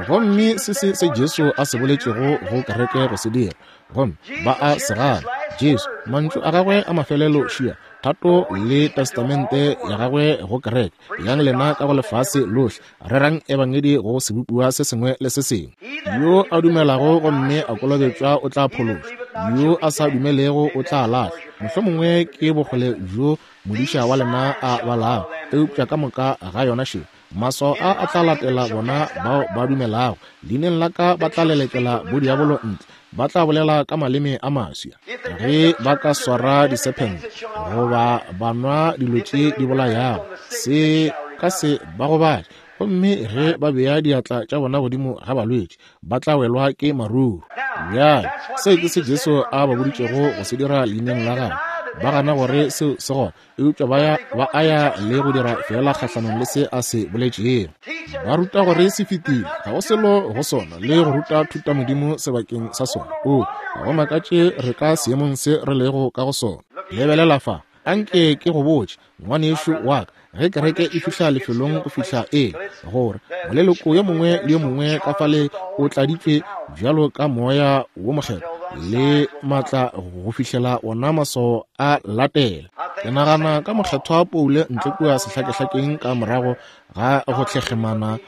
Gomme se se se Jesu a se boletšego go kereke go se dira, gomme ba a se gana. Jesu, mantšu a gagwe a mafelelo šia, thato le testamente ya gagwe go kereke, yang lena ka go lefase lohle, rerang ebangedi go sebopiwa se sengwe le se sengwe. Yo a dumelago gomme a kolobetšwa o tla phološwa, yo a sa dumelego o tla lahlwa. Mohlomongwe ke bokgole bjo modiša wa lena a balago, eupša ka moka ga yona še. Maswao a a tla latela bona bao ba dumelago. Leineng la ka ba tla lelekela bodiabolo ntle, ba tla bolela ka maleme a maswa. Ge ba ka swara disephente goba ba nwa dilo tše di bolayago, se ka se ba gobatše. Gomme ge ba bea diatla tša bona godimo ga balwetši, ba tla welwa ke maruru. Bjale, seo ke se Jesu a ba boditšego go se dira leineng la gagwe. Ba gana gore seo se gona, eupša ba ya ba a ya le go dira fela kgahlanong le se a se boletšego. Ba ruta gore se fetile, ga go selo go sona, le go ruta thutamodimo sebakeng sa sona. Oo, ga go makatše re ka seemong se re lego ka go sona. Lebelela fa, anke ke go botše, ngwanešu wa ka, ge kereke e fihla lefelong go fihla e gore moleloko yo mongwe le yo mongwe ka fale o tladitšwe bjalo ka Moya wo Mokgethwa le maatla go fihlela ona maswao a latela. Ke nagana ka Mokgethwa Paulo ntle kua sehlakehlakeng ka morago ga go tlhekgemana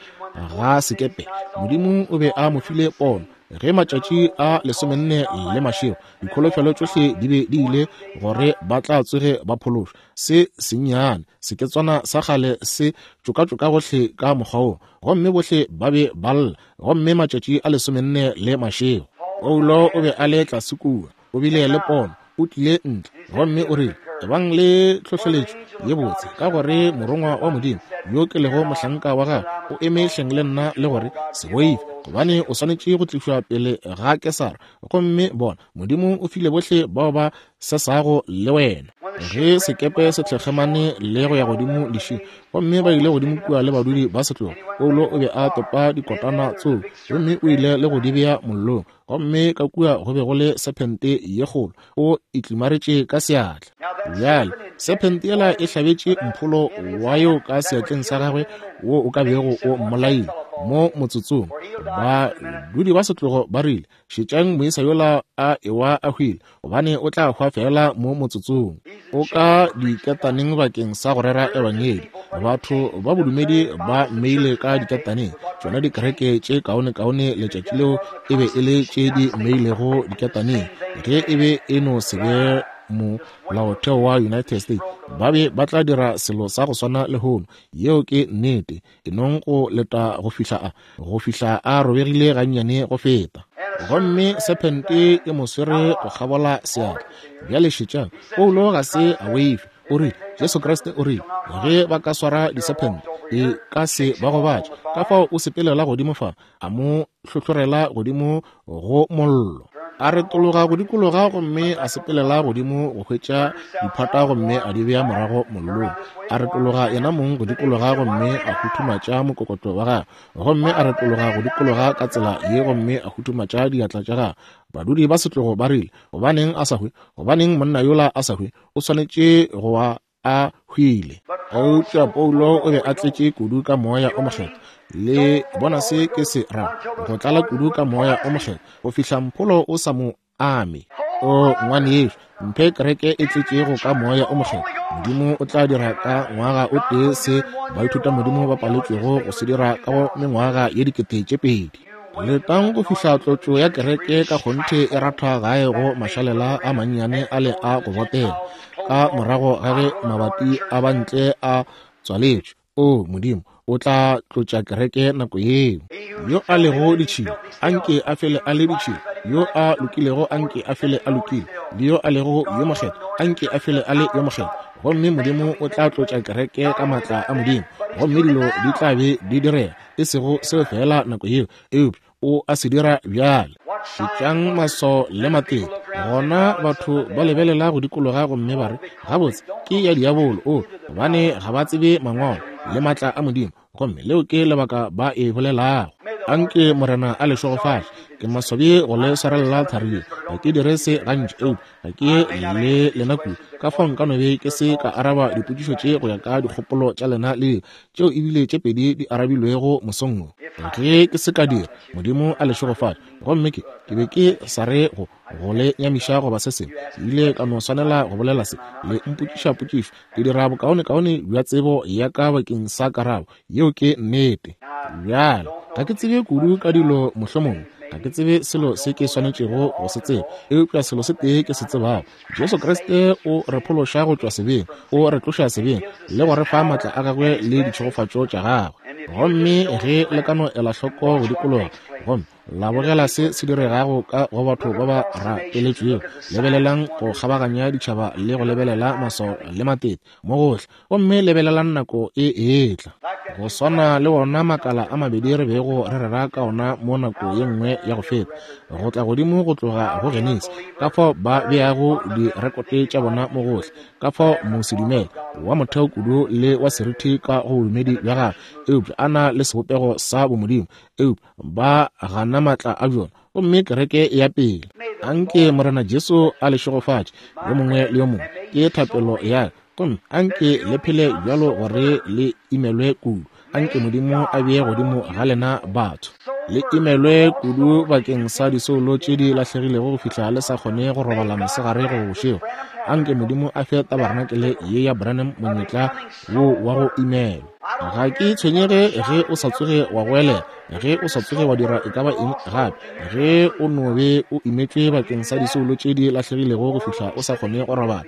ga sekepe. Modimo o be a mo file pono ge matšatši a 14 le mašego dikholofelo tšohle di be di ile gore ba tla tsoge ba phološwa. Se sennyane seketswana sa kgale se tšokatšoka gohle ka mokgwa wo, gomme bohle ba be ba lla, gomme matšatši a 14 le mašego. Paulo o be a le tlase kua, o bile le pono, o tlile ntle, gomme o rile, Ebang le tlhohleletšo ye botse, ka gore morongwa wa Modimo, yo ke lego mohlanka wa gagwe, o eme hleng le nna le gore, Se boife, gobane o swanetše go tlišwa pele ga Kesara, gomme bona, Modimo o file bohle bao ba sesago le wena. Ge sekepe se tlhekgemane le go ya godimo lešing, gomme ba ile godimo kua le badudi ba setlogo, Paulo o be a topa dikotana tseo gomme o ile le go di bea mollong, gomme ka kua go be go le sephente ye kgolo, o e tlimaretše ka seatla. Bjale sephente yela e hlabetše mpholo wa yo ka seatleng sa gagwe wo o ka bego o mmolaile mo motsotsong. Badudi ba setlogo ba rile, Šetšang moisa yola a ewa a hwile, gobane o tla hwa feela mo motsotsong. O ka diketaneng bakeng sa go rera Ebangedi. Batho ba bodumedi ba mmeile ka diketaneng. Tšona dikereke tše kaonekaone letšatši leo e be e le tše di mmeilego diketaneng. Ge e be e no se be molaotheo wa United States, ba be ba tla dira selo sa go swana lehono. Yeo ke nnete. E nong go leta go fihla a, go fihla a robegile gannyane go feta. Gomme sephente e mo swere go kgabola seatla. Bjale šetšang, Paulo ga se a boife. O rile, Jesu Kriste o rile, ge ba ka swara disephente, e ka se ba gobatše. Ka fao o sepelela godimo fa, a mo hlohlorela godimo go mollo. A retologa go dikologa gomme a sepelela godimo go hwetša diphata gomme a di bea morago mollong. A retologa yena mong go dikologa gomme a huthumatša mokokotlo wa gagwe, gomme a retologa go dikologa ka tsela ye gomme a huthumatša diatla tša gagwe. Badudi ba setlogo ba rile, Gobaneng a sa hwe? Gobaneng monna yola a sa hwe? O swanetše go wa a hwile. Eupša Paulo o be a tletše kudu ka Moya o Mokgethwa. Le bona se ke se ra go tlala kudu ka Moya o Mokgethwa go fihla mpholo o sa mo ame. O ngwanešu, mphe kereke e tletšego ka Moya o Mokgethwa. Modimo o tla dira ka ngwaga o tee se baithutamodimo ba paletšwego go se dira ka go mengwaga ye 2000. Letang go fihla tlotšo ya kereke ka kgonthe e rathwa gae go mašalela a mannyane a le a go botega, ka morago ga ge mabati a bantle a tswaletšwe. O Modimo, o tla tlotša kereke nako yeo. Yo a lego ditšhila, a nke a fele a le ditšhila. Yo a lokilego, a nke a fele a lokile. Le yo a lego yo mokgethwa, a nke a fele a le yo mokgethwa. Gomme Modimo o tla tlotša kereke ka maatla a Modimo, gomme dilo di tla be di direga. E sego seo feela nako yeo, eupša o a se dira bjale. Šetšang maswao le matete. Gona batho ba lebelela go dikologa gomme ba re, Gabotse, ke ya diabolo. O, gobane ga ba tsebe Mangwalo le maatla a Modimo, gomme leo ke lebaka ba e bolelago. Anke Morena a le šegofatše. Ke maswabi go le swarelela thari ye. Ga ke dire se gantši, eupša ga ke le lena kudu. Ka fao nka no be ke se ka araba dipotšišo tše go ya ka dikgopolo tša lena le tšeo ebile tše pedi di arabilwego mosong wo. Ge ke se ka dira, Modimo a le šegofatše. Gomme ke, ke be ke sa re go, go le nyamiša goba se sengwe. Ke ile ka no swanela go bolela se. Le mpotšiša potšišo, ke dira bokaonekaone bja tsebo ya ka bakeng sa karabo. Yeo ke nnete. Bjale, ga ke tsebe kudu ka dilo mohlomongwe. Ga ke tsebe selo se ke swanetšego go se tseba. Eupša selo se tee ke se tsebago, Jesu Kriste o re phološa go tšwa sebeng, o re tloša sebeng le go re fa maatla a gagwe le ditšhegofatšo tša gagwe. Gomme ge le ka no ela hloko go dikologa gomme la bogela se se diregago ka go batho ba ba rapeletšwego, lebelelang go kgabaganya ditšhaba le go lebelela maswao le matete mo gohle, gomme lebelelang nako e etla. Go swana le wona makala a mabedi re bego re rera ka ona mo nako ye nngwe ya go feta, go tla godimo go tloga go Genesi, ka fao ba beago direkote tša bona mo gohle, ka fao mosedumele wa motheo kudu le wa seriti ka go bodumedi bja gagwe, eupša a na le sebopego sa bomodimo, eupša ba gana maatla a bjona, gomme kereke e ya pele. Anke Morena Jesu a le šegofatše, yo mongwe le yo mongwe, ke thapelo ya ka. Gomme anke le phele bjalo gore le imelwe kudu. Anke Modimo a bee godimo ga lena batho. Le imelwe kudu bakeng sa disoulo tše di lahlegilego go fihla le sa kgone go robala mosegare goba bošego. Anke Modimo a fe tabarenakele ye ya Branham monyetla wo wa go imelwa. Ga ke tshwenyege ge o sa tsoge wa goelela, ge o sa tsoge wa dira e ka ba eng gape, ge o no be o imetšwe bakeng sa disoulo tše di lahlegilego go fihla o sa kgone go robala.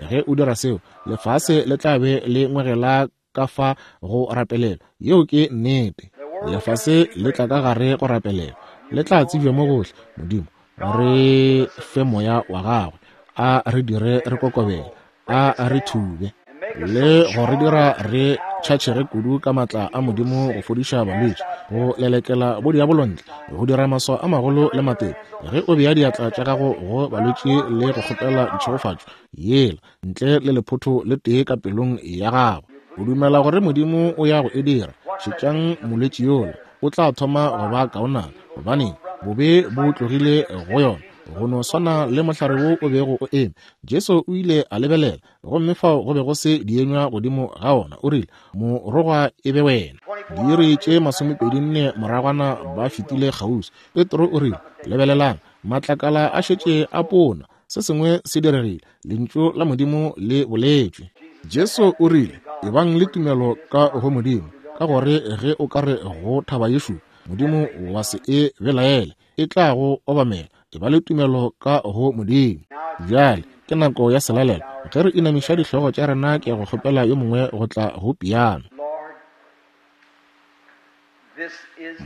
Ge o dira seo, lefase le tla be le ngwegela ka fa go rapelela. Yeo ke nnete. Lefase le tla ka gare go rapelela. Le tla tsebja mo gohle. Modimo, re fe Moya wa Gagwe. A re dire re kokobele. A re thube le go re dira re tšhatšhege kudu ka maatla a Modimo go fodiša balwetši, go lelekela bodiabolo ntle, go dira maswao a magolo le matete. Ge o bea diatla tša gago go balwetši le go kgopela ditšhegofatšo yela ntle le lephotho le tee ka pelong ya gago, o dumela gore Modimo o ya go e dira, šetšang molwetši yola, o tla thoma go ba kaonana, gobane bobe bo tlogile go yona, go no swana le mohlare wo o bego o eme. Jesu o ile a lebelela, gomme fao go be go se dienywa godimo ga ona. O rile, Morogwa e be wena. Diiri tše 24 moragwana ba fetile kgauswi. Petro o rile, Lebelelang, Matlakala a šetše a pona. Se sengwe se diregile. Lentšu la Modimo le boletšwe. Jesu o rile, Ebang le tumelo ka go Modimo, ka gore ge o ka re go thaba yešo, Modimo wa se e belaele, e tla go obamela. Eba le tumelo ka go Modimo. Bjale ke nako ya selalelo. Ge re inamiša dihlogo tša rena, ke ya go kgopela yo mongwe go tla go piano.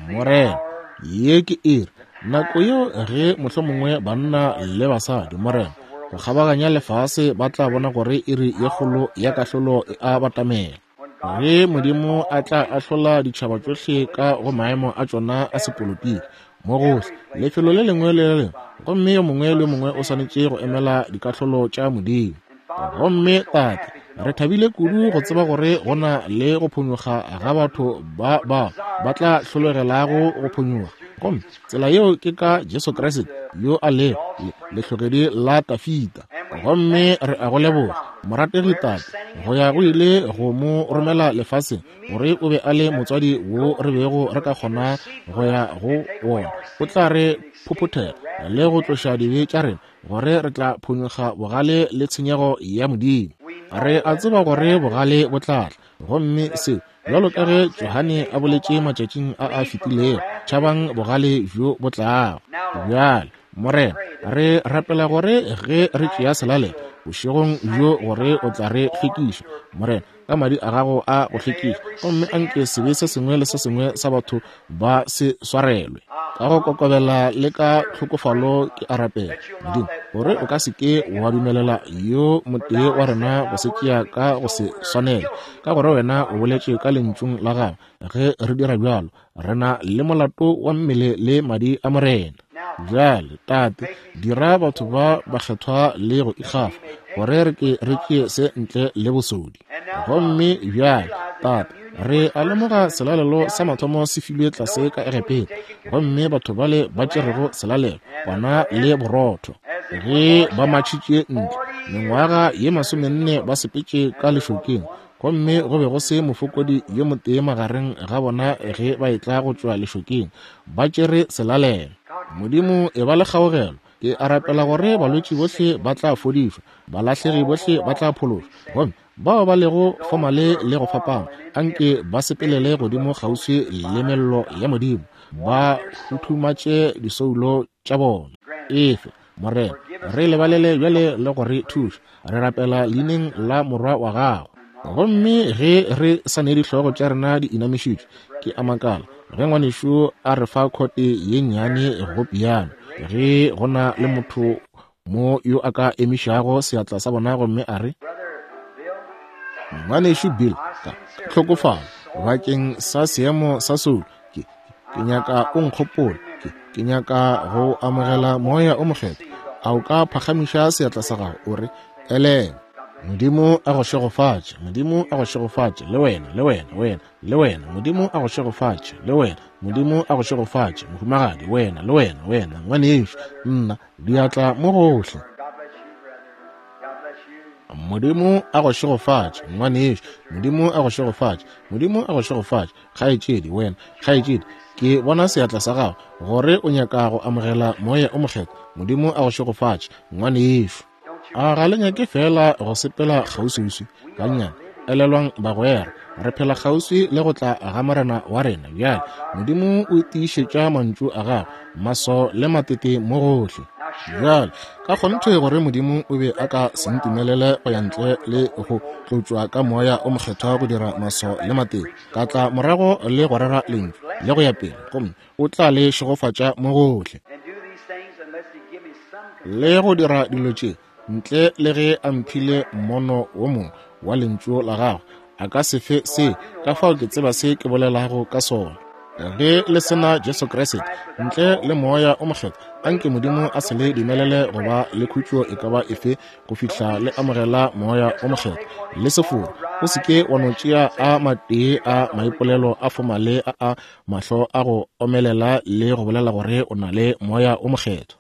Morena, ye ke iri, nako yeo ge mohlomongwe banna le basadi, Morena, go kgabaganya lefase ba tla bona gore iri ye kgolo ya kahlolo e a batamela. Ge Modimo a tla ahlola ditšhaba tšohle ka go maemo a tšona a sepolotiki, mo gohle, lefelo le lengwe le le lengwe, gomme yo mongwe le yo mongwe o swanetše go emela dikahlolo tša Modimo. Gomme, Tate, re thabile kudu go tseba gore go na le go phonyokga ga batho ba bao ba tla hlologelago go phonyokga. Gomme tsela yeo ke ka Jesu Kriste yo a lego lehlogedi la Dafida. Gomme re a go leboga, morategi Tate, go ya go ile go mo romela lefaseng gore o be a le motswadi wo re bego re ka kgona go ya go wona. O tla re phophothela le go tloša dibe tša rena, gore re tla phonyokga bogale le tshenyego ya Modimo. Re a tseba gore bogale bo tla tla, gomme seo, bjalo ka ge Johane a boletše matšatšing a a fetilego, tšhabang bogale bjo bo tlago. Bjale, Morena, re rapela gore ge re tšea selalelo bošegong bjo gore o tla re hlwekiša, Morena, ka madi a gago a go hlwekiša, gomme anke sebe se sengwe le se sengwe sa batho ba se swarelwe. Ka go kokobela le ka tlhokofalo ke a rapela, Modimo, gore o ka se ke wa dumelela yo motee wa rena go se tšea ka go se swanele, ka gore wena o boletše ka lentšung la gago, ge re dira bjalo, re na le molato wa mmele le madi a Morena. Bjale, Tate, dira batho ba bakgethwa le go ikgafa, gore re ke re tšee se ntle le bosodi. Gomme bjale, Tate, re a lemoga selalelo sa mathomo se filwe tlase ka Egepeta, gomme batho bale ba tšerego selalelo, kwana le borotho, ge ba matšhitše ntle, mengwaga ye 40 ba sepetše ka lešokeng, gomme go be go se mofokodi yo motee magareng ga bona ge ba etla go tšwa lešokeng, ba tšere selalelo. Modimo, e ba le kgaogelo. Ke a rapela gore balwetši bohle ba tla fodišwa, balahlegi bohle ba tla phološwa, gomme bao ba lego fomale le go fapana, anke ba sepelele godimo kgauswi le mello ya Modimo, ba huthumatše disoulo tša bona. Efe, Morena, re lebalele bjale le go re thuša. Re rapela leineng la Morwa wa Gago. Gomme ge re sa ne dihlogo tša rena di inamišitšwe, ke a makala ge ngwanešu a re fa khote ye nnyane go piano, ge go na le motho mo yo a ka emišago seatla sa bona gomme a re, Ngwanešu Bill, ka tlhokofalo bakeng sa seemo sa soulo, ke, ke nyaka o nkgopole, ke, ke nyaka go amogela Moya o Mokgethwa. A o ka phagamiša seatla sa gago, o re, Elena, Modimo a go šegofatše, Modimo a go šegofatše, le wena, le wena, wena, le wena, Modimo a go šegofatše, le wena, Modimo a go šegofatše, mohumagadi, wena, le wena, wena, ngwanešu, nna, diatla mo gohle. Modimo a go šegofatše, ngwanešu, Modimo a go šegofatše, Modimo a go šegofatše, kgaetšedi, wena, kgaetšedi, ke bona seatla sa gago, gore o nyaka go amogela Moya o Mokgethwa. Modimo a go šegofatše, ngwanešu. A ga le nyake feela go sepela kgauswiuswi gannyane? Elelwang, bagwera, re phela kgauswi le go tla ga Morena wa rena bjale. Modimo o tiišetša mantšu a gagwe, maswao le matete mo gohle. Bjale, ka kgonthe gore Modimo o be a ka se ntumelele go ya ntle le go tlotšwa ka Moya o Mokgethwa go dira maswao le matete, ka tla morago le go rera Lentšu le go ya pele, gomme o tla le šegofatša mo gohle le go dira dilo tše ntle le ge a mphile mmono wo mongwe wa lentšu la gagwe. A ka se fe se, ka fao ke tseba se ke bolelago ka sona. Ge le se na Jesu Kriste, ntle le Moya o Mokgethwa, anke Modimo a se le dumelele go ba le khutšo e ka ba efe go fihla le amogela Moya o Mokgethwa. Le se fore, o se ke wa no tšea a matee a maipolelo a fomale a a mahlo a go omelela le go bolela gore o na le Moya o Mokgethwa.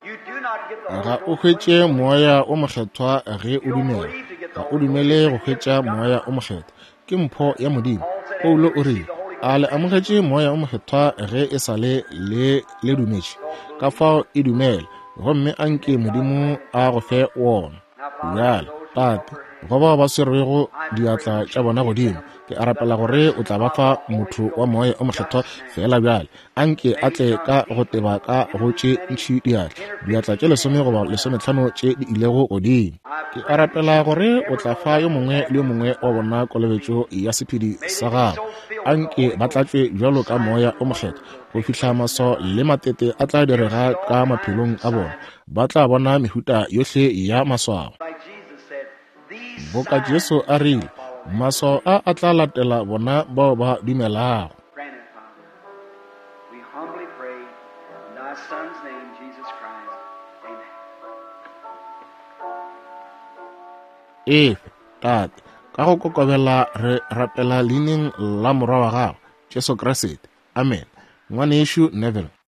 Ga o hwetše Moya o Mokgethwa ge o dumela. Ga o dumele go hwetša Moya o Mokgethwa. Ke mpho ya Modimo. Paulo o rile, A le amogetše Moya o Mokgethwa ge e sa le le le dumetše? Ka fao e dumele. Gomme a nke Modimo a go fe wona. Bjale, Tate, go bao ba swerwego diatla tša bona godimo, ke a rapela gore o tla ba fa motho wa Moya o Mokgethwa feela bjale. A nke a tle ka go teba ka go tše ntši diatla, diatla tše lesome goba lesometlhano tše di ilego godimo. Ke a rapela gore o tla fa yo mongwe le yo mongwe wa bona kolobetšo ya sephedi sa gago. A nke ba tlatšwe bjalo ka Moya o Mokgethwa go fihla maswao le matete a tla direga ka maphelong a bona. Ba tla bona mehuta yohle ya maswao. Boka Jesu a rile, Maswao a a tla latela bona bao ba dumelago. Efe, Tate, ka go kokobela re rapela Leineng la Morwa wa Gago, Jesu Kriste. Amene. Ngwanešu Neville.